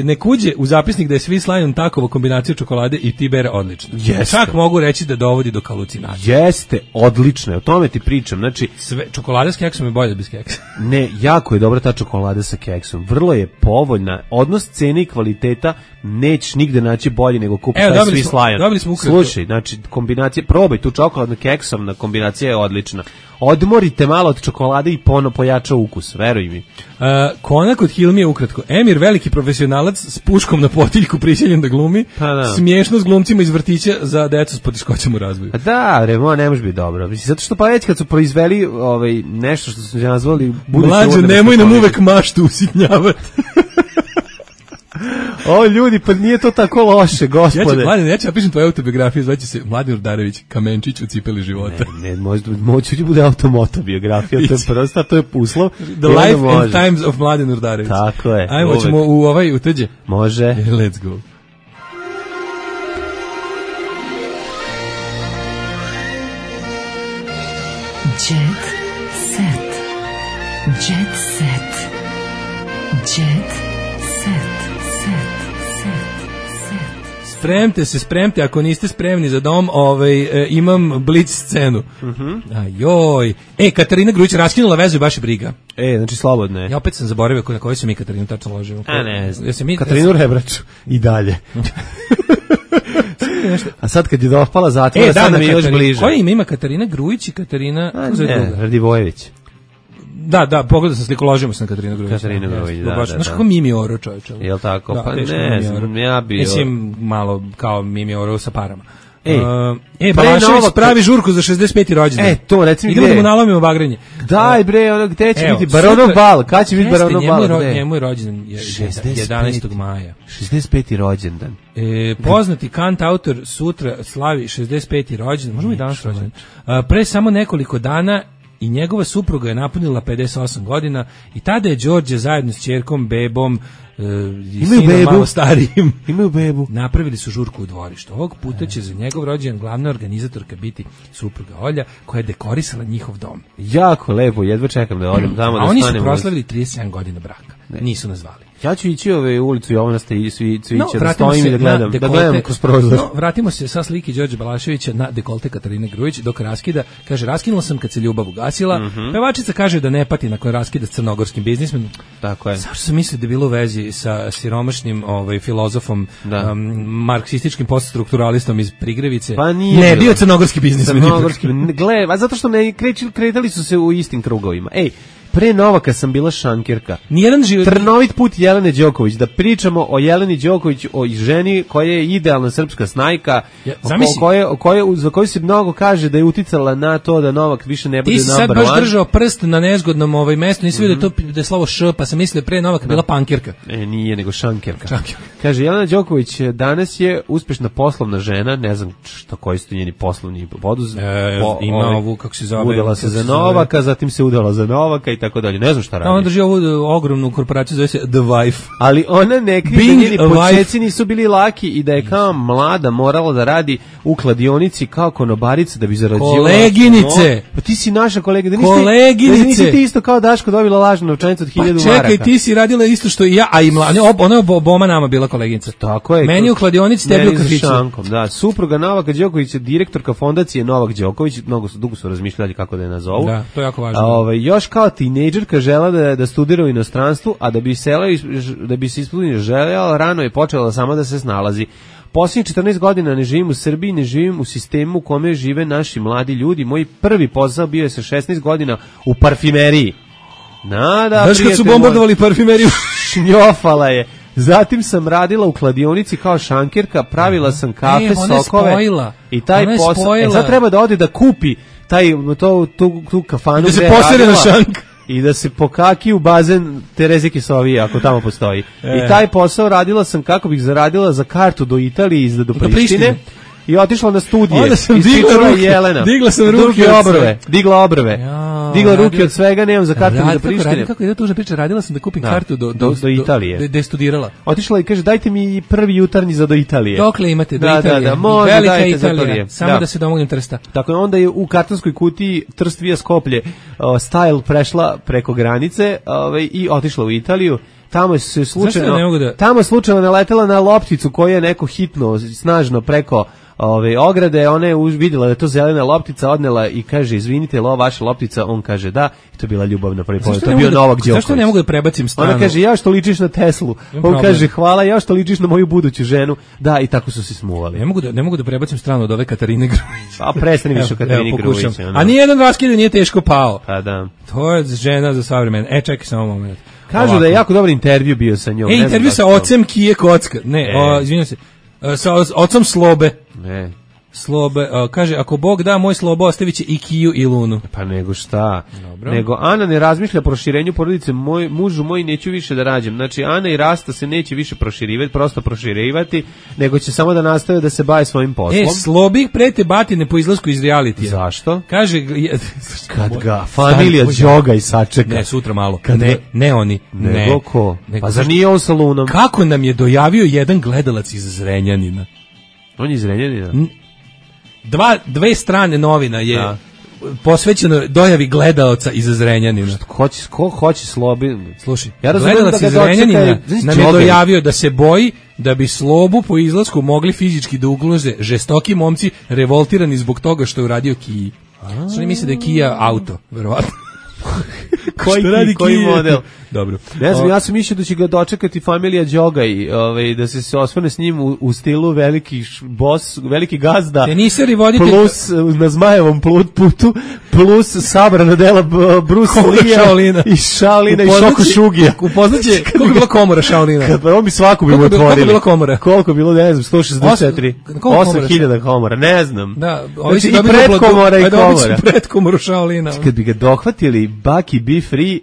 Nek uđe u zapisnik da je svi Slajon takovo kombinacija čokolade i Tibera odlična. Čak mogu reći da dovodi do halucinacije. Jeste, odlično, o tome ti pričam. Znači, čokolada s keksom je bolje bez keksa. Ne, jako je dobra ta čokolada sa keksom. Vrlo je povoljna. Odnos cene i kvaliteta nećeš nigde naći bolji nego kupiti taj svi Slajon. Dobili smo ukratko. Slušaj, znači, kombinacija, probaj tu čokoladnu keksovna kombinacija je odlična. Odmorite malo od čokolade i pojača ukus, veruj mi. Konak od Hilmije ukratko. Emir, veliki profesionalac s puškom na potiljku prisiljen da glumi. Smiješno s glumcima iz vrtića za decu s poteškoćama u razvoju. Da, ne može biti dobro. Mislim, zato što pa već kad su proizveli nešto što su nazvali Mlađe, nemoj nam uvek maštu usitnjavati. O ljudi, pa nije to tako loše, gospode. Ja ću napišem tvoju autobiografiju, zvaće se Mladen Urdarević, Kamenčić u cipeli života. Ne, moći da bude automotobiografija, to je prosta, to je uslov. The Life and Times of Mladen Urdarević. Tako je. Ajmo, ćemo u tuđe? Može. Let's go. Jet set. Jet set. Jet Spremte, ako niste spremni za dom, imam blic scenu. Ajoj. Katarina Grujić raskinula vezu i baš je briga. Znači slobodno je. Ja opet sam zaboravio na kojoj se mi Katarinu tačno ložimo. Ne znam. Katarinu Rebraču i dalje. A sad kad je dopala zatvora, sad nam je još bliže. Koje ima Katarina Grujić i Katarina... Radivojević. Da, pogledao sam sliku, ložimo se na Katarinu Grujić. Katarina Grujić, da. Znaš kako Mimi Oro, čovječe? Jel' tako? Pa ne znam, ja bi... Mislim, malo kao Mimi Oro sa parama. Balašević pravi žurku za 65. rođendan. To, recimo, idemo da mu nalomimo bagrenje. Daj bre, gde će biti Baronov bal? Kad će biti Baronov bal? Njemu je rođendan 11. maja. 65. rođendan. Poznati kant autor sutra slavi 65. rođendan. Možemo i danas rođendan. Pre samo nekoliko dana i njegova supruga je napunila 58 godina i tada je Đorđe zajedno s ćerkom, bebom i sinom malo starijim imaju bebu. Napravili su žurku u dvorištu. Ovog puta će za njegov rođendan glavna organizatorka biti supruga Olja, koja je dekorisala njihov dom. Jako lepo, jedva čekam da odem tamo da oni stanem. Su proslavili 37 godina braka. Nisu nazvali. Ja ću ići ulicu Jovana Cvijića da stojim i da gledam kroz prozor. Vratimo se sa slike Đorđe Balaševića na dekolte Katarine Grujić dok raskida. Kaže, raskinula sam kad se ljubav ugasila. Pevačica kaže da ne pati nakon raskida s crnogorskim biznismenom. Tako je. Zašto sam mislio da je bilo u vezi sa siromašnim filozofom, marksističkim poststrukturalistom iz Prigrevice? Pa nije. Ne, bio crnogorski biznismen. Gle, a zato što ne kretali su se u istim krugovima. Ej, pre Novaka sam bila šankirka. Trnovit put Jelene Đoković. Da pričamo o Jeleni Đoković, o ženi koja je idealna srpska snajka, za koju se mnogo kaže da je uticala na to da Novak više ne bude number one. Ti si sad baš držao prst na nezgodnom mestu, nisi vidio da je slovo š, pa sam mislio pre Novaka bila pankirka. Nije, nego šankirka. Kaže, Jelena Đoković danas je uspešna poslovna žena, ne znam koji su njeni poslovni poduz. Ima ovu, kako se zove. Udala se za Novaka, zatim se udala za Novaka i tako dalje. Ne znam šta radi. Ona drži ovu ogromnu korporaciju, zove se The Wife. Ali ona ne krije da njeni počeci nisu bili laki i da je kao mlada morala da radi u kladionici kao konobarica da bi zarađivala. Koleginice! Pa ti si naša kolega. Koleginice! Nisi ti isto kao Daško dobila lažnu novčanicu od 1000 maraka. Čekaj, ti si radila isto što i ja, a i ona je oboma nama bila koleginica. Tako je. Meni u kladionici, tebi u kafiću. Da, supruga Novaka Đoković je direktorka fondacije Novak Đoković, dugo su razmišljali kako da je nazovu. Da, to je jako važno. Još kao tinejdžerka žela da studira u inostranstvu, a da bi se ispunila želja, rano je počela sama da se snalazi. Posljednjih 14 godina ne živim u Srbiji, ne živim u sistemu u kome žive naši mladi ljudi. Moj prvi posao bio je sa 16 godina u parfimeriji. Znaš kad su bombardovali parfimeriju? Šnjofala je. Zatim sam radila u kladionici kao šankirka, pravila sam kafe, sokove. I taj posao. Sad treba da ode da kupi tu kafanu. Da se posere na šank. I da se pokaki u bazen Tereze Kisovije, ako tamo postoji. I taj posao radila sam kako bih zaradila za kartu do Italije i do Prištine. I otišla na studije. Onda sam digla sam ruke digla obrve. Digla ruke od svega, nemam za kartu do Prištine. Kako je tužna priča, radila sam da kupim kartu do Italije. Da je studirala. Otišla i kaže, dajte mi prvi jutarnji za do Italije. Dokle imate do Italije? Velika Italija, samo da se domognem Trsta. Tako je, onda je u kartonskoj kutiji Trst via Skoplje style prešla preko granice i otišla u Italiju. Tamo se slučajno naletela na lopticu koju je neko hitno, snažno preko ograde, ona je vidjela da je to zelena loptica, odnela i kaže, izvinite, je li ovo vaša loptica? On kaže da, i to je bila ljubav na prvi pogled. To je bio Novak Đoković. Zašto ne mogu da prebacim stranu? Ona kaže, ja što ličiš na Teslu. On kaže, hvala, ja što ličiš na moju buduću ženu. Da, i tako su se smuvali. Ne mogu da prebacim stranu od ove Katarine Grujić. A prestani više o Katarini Grujić. A nijedan raskid nije teško pao. Pa da. To je žena za savremena. Čekaj samo moment. Kažu da je jako dobar intervju bio sa njom. Intervju sa ocem Kije Kocka. Izvinjam se. Sa ocom Slobe. Ne. Slobe, kaže, ako Bog da, moj Slobo ostavit će i Kiju i Lunu. Pa nego šta? Nego Ana ne razmišlja o proširenju porodice, mužu moj neću više da rađem. Znači, Ana i Rasta se neće više proširivati, nego će samo da nastave da se bave svojim poslom. Slobi prete batine po izlasku iz realitija. Zašto? Kaže, kad ga familija Đoga i sačeka. Ne, sutra malo. Ne oni. Nego ko? Pa zar nije on sa Lunom? Kako nam je dojavio jedan gledalac iz Zrenjanina? On je iz Zrenjanina? Dve strane novina je posvećeno dojavi gledaoca iz Zrenjanina. Ko hoće Slobi? Slušaj, gledalac iz Zrenjanina nam je dojavio da se boji da bi Slobu po izlasku mogli fizički da ugroze žestoki momci revoltirani zbog toga što je uradio Kiji. Što ne misle da je Kija auto, verovatno. Koji model? Dobro. Ne znam, ja sam mislio da će ga dočekati familija Đoga i da se osvrne s njim u stilu veliki boss, veliki gazda. Teniseri voditelj plus na Zmajevom putu plus sabrana dela Bruce Lee i Shaolina i Shoko Shugija. Upoznaće koliko je bila komora Shaolina. On bi svaku bi mu otvorili. Koliko je bila komora? Koliko je bilo, ne znam, 164. 8.000 komora, ne znam. Da, znači i predkomora i komora. Predkomoru Shaolina. Kad bi ga dohvatili Bucky Be Free,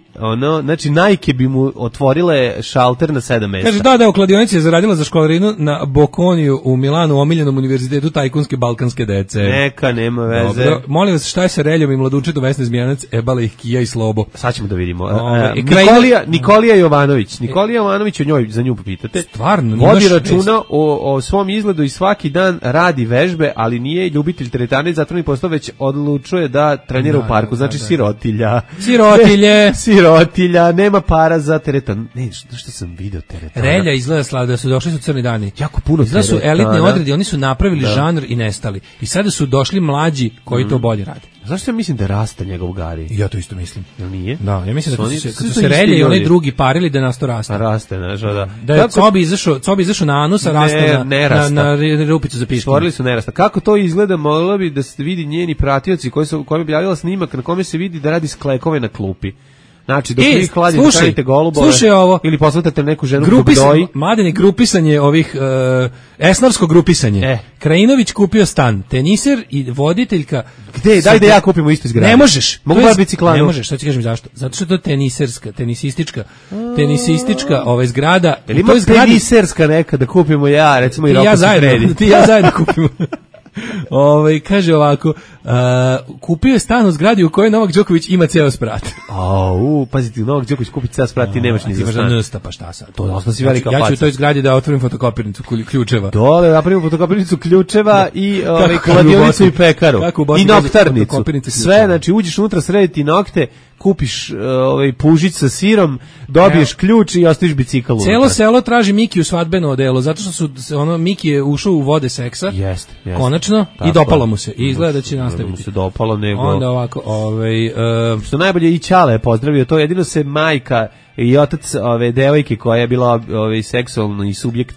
znači majke bi mu otvorile šalter na 7 mesta. Kaže, da, u kladionici je zaradila za školarinu na Bocconiju u Milanu, omiljenom univerzitetu tajkunske balkanske dece. Neka, nema veze. Dobro, molim vas, šta je sa Reljom i mladučetom Vesne Zmijanac, ebala ih Kija i Slobo. Sad ćemo da vidimo. Nikolija Jovanović. Nikolija Jovanović, za nju pitate. Stvarno, vodi računa o svom izgledu i svaki dan radi vežbe, ali nije ljubitelj teretane, zato mi postao već odlučuje da trenira u parku. Znači sirotilja. Sirotilja, nema para za teretan. Ne, što sam video teretana. Relja izgleda slada, su došli su crni dani. Jako puno teretana. Izgleda su elitni odredi, oni su napravili žanr i nestali. I sada su došli mlađi koji to bolje rade. Zašto ja mislim da raste njegov Gari? Ja to isto mislim. Nije? Da, ja mislim da su se Relje i oni drugi parili da nas to raste. Raste, znaš, da. Da je Cobi izašao na anus, a raste na rupicu za piškinu. Stvorili su nerasta. Kako to izgleda, moglo bi da se vidi njeni pratioci koji bi objavila snimak na kome se vidi da radi sklekove na klupi. Znači, dok vi hladite, stavite golubove ili posvatate neku ženu dok doji. Mladine, grupisanje ovih, esnarsko grupisanje. Krajinović kupio stan, teniser i voditeljka. Gde? Daj da ja kupimo isto izgradu. Ne možeš. Mogu bar biciklanu. Ne možeš, sad ti kažem zašto. Zato što je to tenisistička zgrada. Ili ima teniserska neka da kupimo recimo i Roko Sikredi. Ti ja zajedno kupimo. Kaže ovako, kupio je stan u zgradi u kojoj Novak Đoković ima ceo sprat. Pazite, Novak Đoković kupi ceo sprat, ti nemaš ni za stan. Pa šta sad? To dosta si velika faca. Ja ću u toj zgradi da otvorim fotokopirnicu ključeva. Dole, napravimo fotokopirnicu ključeva i kladionicu i pekaru. I noktarnicu. Sve, znači uđeš unutra, srediti nokte, kupiš pužić sa sirom, dobiješ ključ i ostaviš bicikl unutra. Celo selo traži Miki u svadbeno odelo, zato što Miki je ušao u vode seksa. Jeste. Konačno, i dopalo mu se. I izgleda da će nastaviti. Mu se dopalo, nego... Onda ovako, što najbolje i Ćale je pozdravio, to jedino se majka i otac ove devojke koja je bila seksualni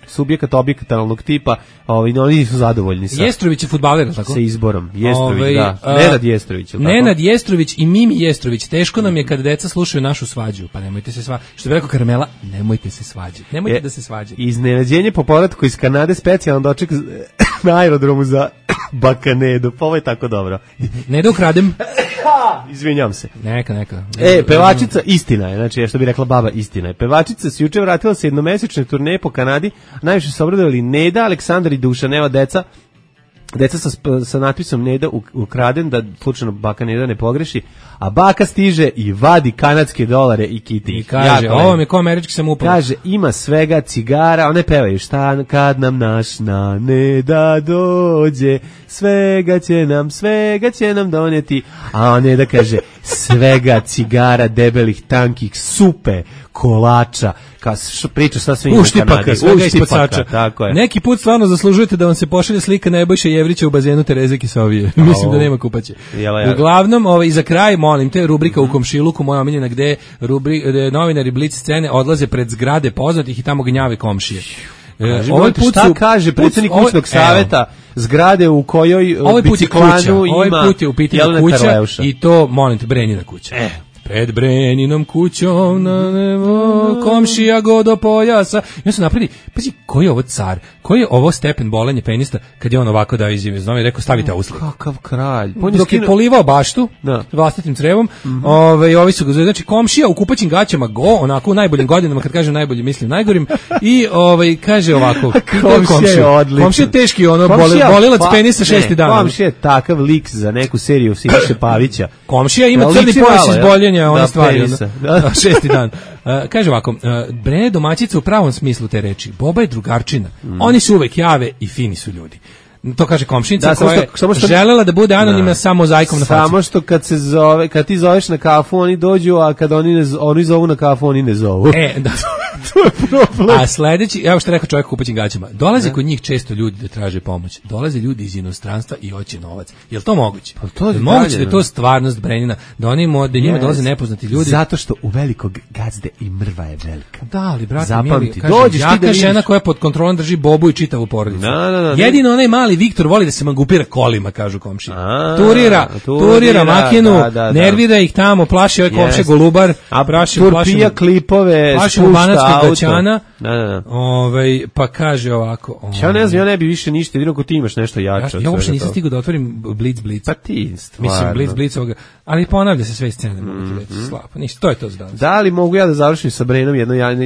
subjekat objektalnog tipa, oni nisu zadovoljni sa. Jestrović je fudbaler, tako? Sa izborom. Jestrović, da. Nenad Jestrović, Nenad Jestrović i Mimi Jestrović. Teško nam je kad deca slušaju našu svađu, pa nemojte se svađati. Što bi rekao Karmela, nemojte se svađati. Nemojte da se svađate. Iznenađenje po povratku iz Kanade, specijalan doček na aerodromu za Bakanedu. Pa ovo je tako dobro. Ne da ukradem. Izvinjam se. Neka. Pevačica, istina je, znači što bi rekla baba, istina je. Pevačica se juče vratila sa jednomesečne turneje po Kanadi, najviše se obradovali Neda, Aleksandar i Dušan, evo deca sa natpisom Neda ukraden, da slučajno baka Neda ne pogreši, a baka stiže i vadi kanadske dolare i kiti. I kaže, ovo mi je ko američki samouprav. Kaže, ima svega, cigara, one pevaju, šta kad nam naš na Neda dođe, svega će nam doneti, a Neda kaže, svega, cigara, debelih, tankih, supe, kolača, priča šta sve ima u Kanadi. Uštipaka, tako je. Neki put stvarno zaslužujete da vam se pošalje slika Nebojše Jevrića u bazenu Tereze Kisovije. Mislim da nema kupaće. Uglavnom, i za kraj, molim te, rubrika u komšiluku, moja omiljena, gde novinari Blic scene odlaze pred zgrade poznatih i tamo gnjave komšije. Šta kaže predsjednik kućnog saveta zgrade u kojoj biciklanu ima ovaj put je u pitanju kuća i to, molim te, Brenjina kuća. Pred Breninom kućom na nebo, komšija go do pojasa. Ja sam napravili, pazi, koji je ovo car, koji je ovo stepen bolenje penista, kad je on ovako dao izjave, znam je rekao, stavite uslik. Kakav kralj. Dok je polivao baštu, vlastitim crevom, ovi su ga, znači komšija u kupaćim gaćama onako u najboljim godinama, kad kažem najbolji, mislim najgorim, i kaže ovako, komšija je teški, bolilac penisa 6. dan. Komšija je takav lik za neku seriju Siniše Pavića. Komšija ima crni pojas iz boljenja, ona stvari, 6. dan. Kaže ovako, Brene domaćica u pravom smislu te reči, Boba je drugarčina, oni su uvek jave i fini su ljudi. To kaže komšinica koja je želela da bude anonimna sa mozaikom na faci. Samo što kad ti zoveš na kafu, oni dođu, a kad oni zovu na kafu, oni ne zovu. Da. To je problem. A sledeći, evo što rekao čovjek u kupaćim gaćama, dolaze kod njih često ljudi da traže pomoć. Dolaze ljudi iz inostranstva i hoće novac. Je li to moguće? Pa to je moguće da je to stvarnost Brenjina, da njima dolaze nepoznati ljudi. Zato što u velikog gazde i mrva je velika. Da, ali brate, mili, jaka žena koja pod kontrolom drži Bobu i čitavu porodicu. Jedino onaj mali Viktor voli da se mangupira kolima, kažu komšije. Turira makinu, nervira ih tamo, plaši ovaj komšija golubar, turpija klipove, plaši banatskog gaćana, Da. Pa kaže ovako. Ja ne znam, ja ne bi više ništa, jedino ako ti imaš nešto jače. Ja uopšte nisam stigao da otvorim Blitz. Pa ti, stvarno. Mislim, Blitz ovoga, ali ponavlja se sve scene, slabo. Ništa, to je to za danas. Da li mogu ja da završim sa Brenom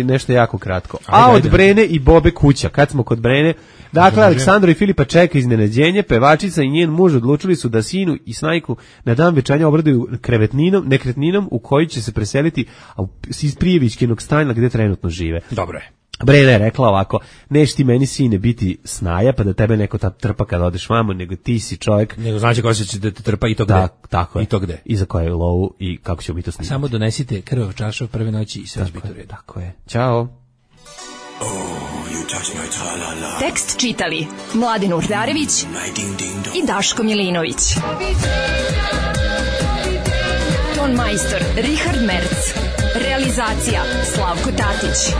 nešto jako kratko? Od Brene i Bobe kuća, kad smo kod Brene, dakle, Aleksandro i Filipa čeka iznenađenje, pevačica i njen muž odlučili su da sinu i snajku na dan venčanja obraduju nekretninom u kojoj će se preseliti iz Prijevićkinog stana gde trenutno žive. Dobro je. Brena je rekla ovako, neš ti meni sine biti snaja, pa da tebe neko trpa kada odeš vamo, nego ti si čovjek. Nego znači ko će da te trpa i to gde. Tako je. I to gde. I za koje lovu i kako ćemo mi to snimati. Samo donesite krvav čaršav prve noći i sve će biti u redu. Tako je. Ćao. Tekst čitali Mladen Urdarević i Daško Milinović. Ton majstor Richard Merc. Realizacija Slavko Tatić.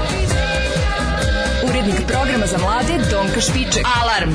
Urednik programa za mlade Donka Špiček. Alarm!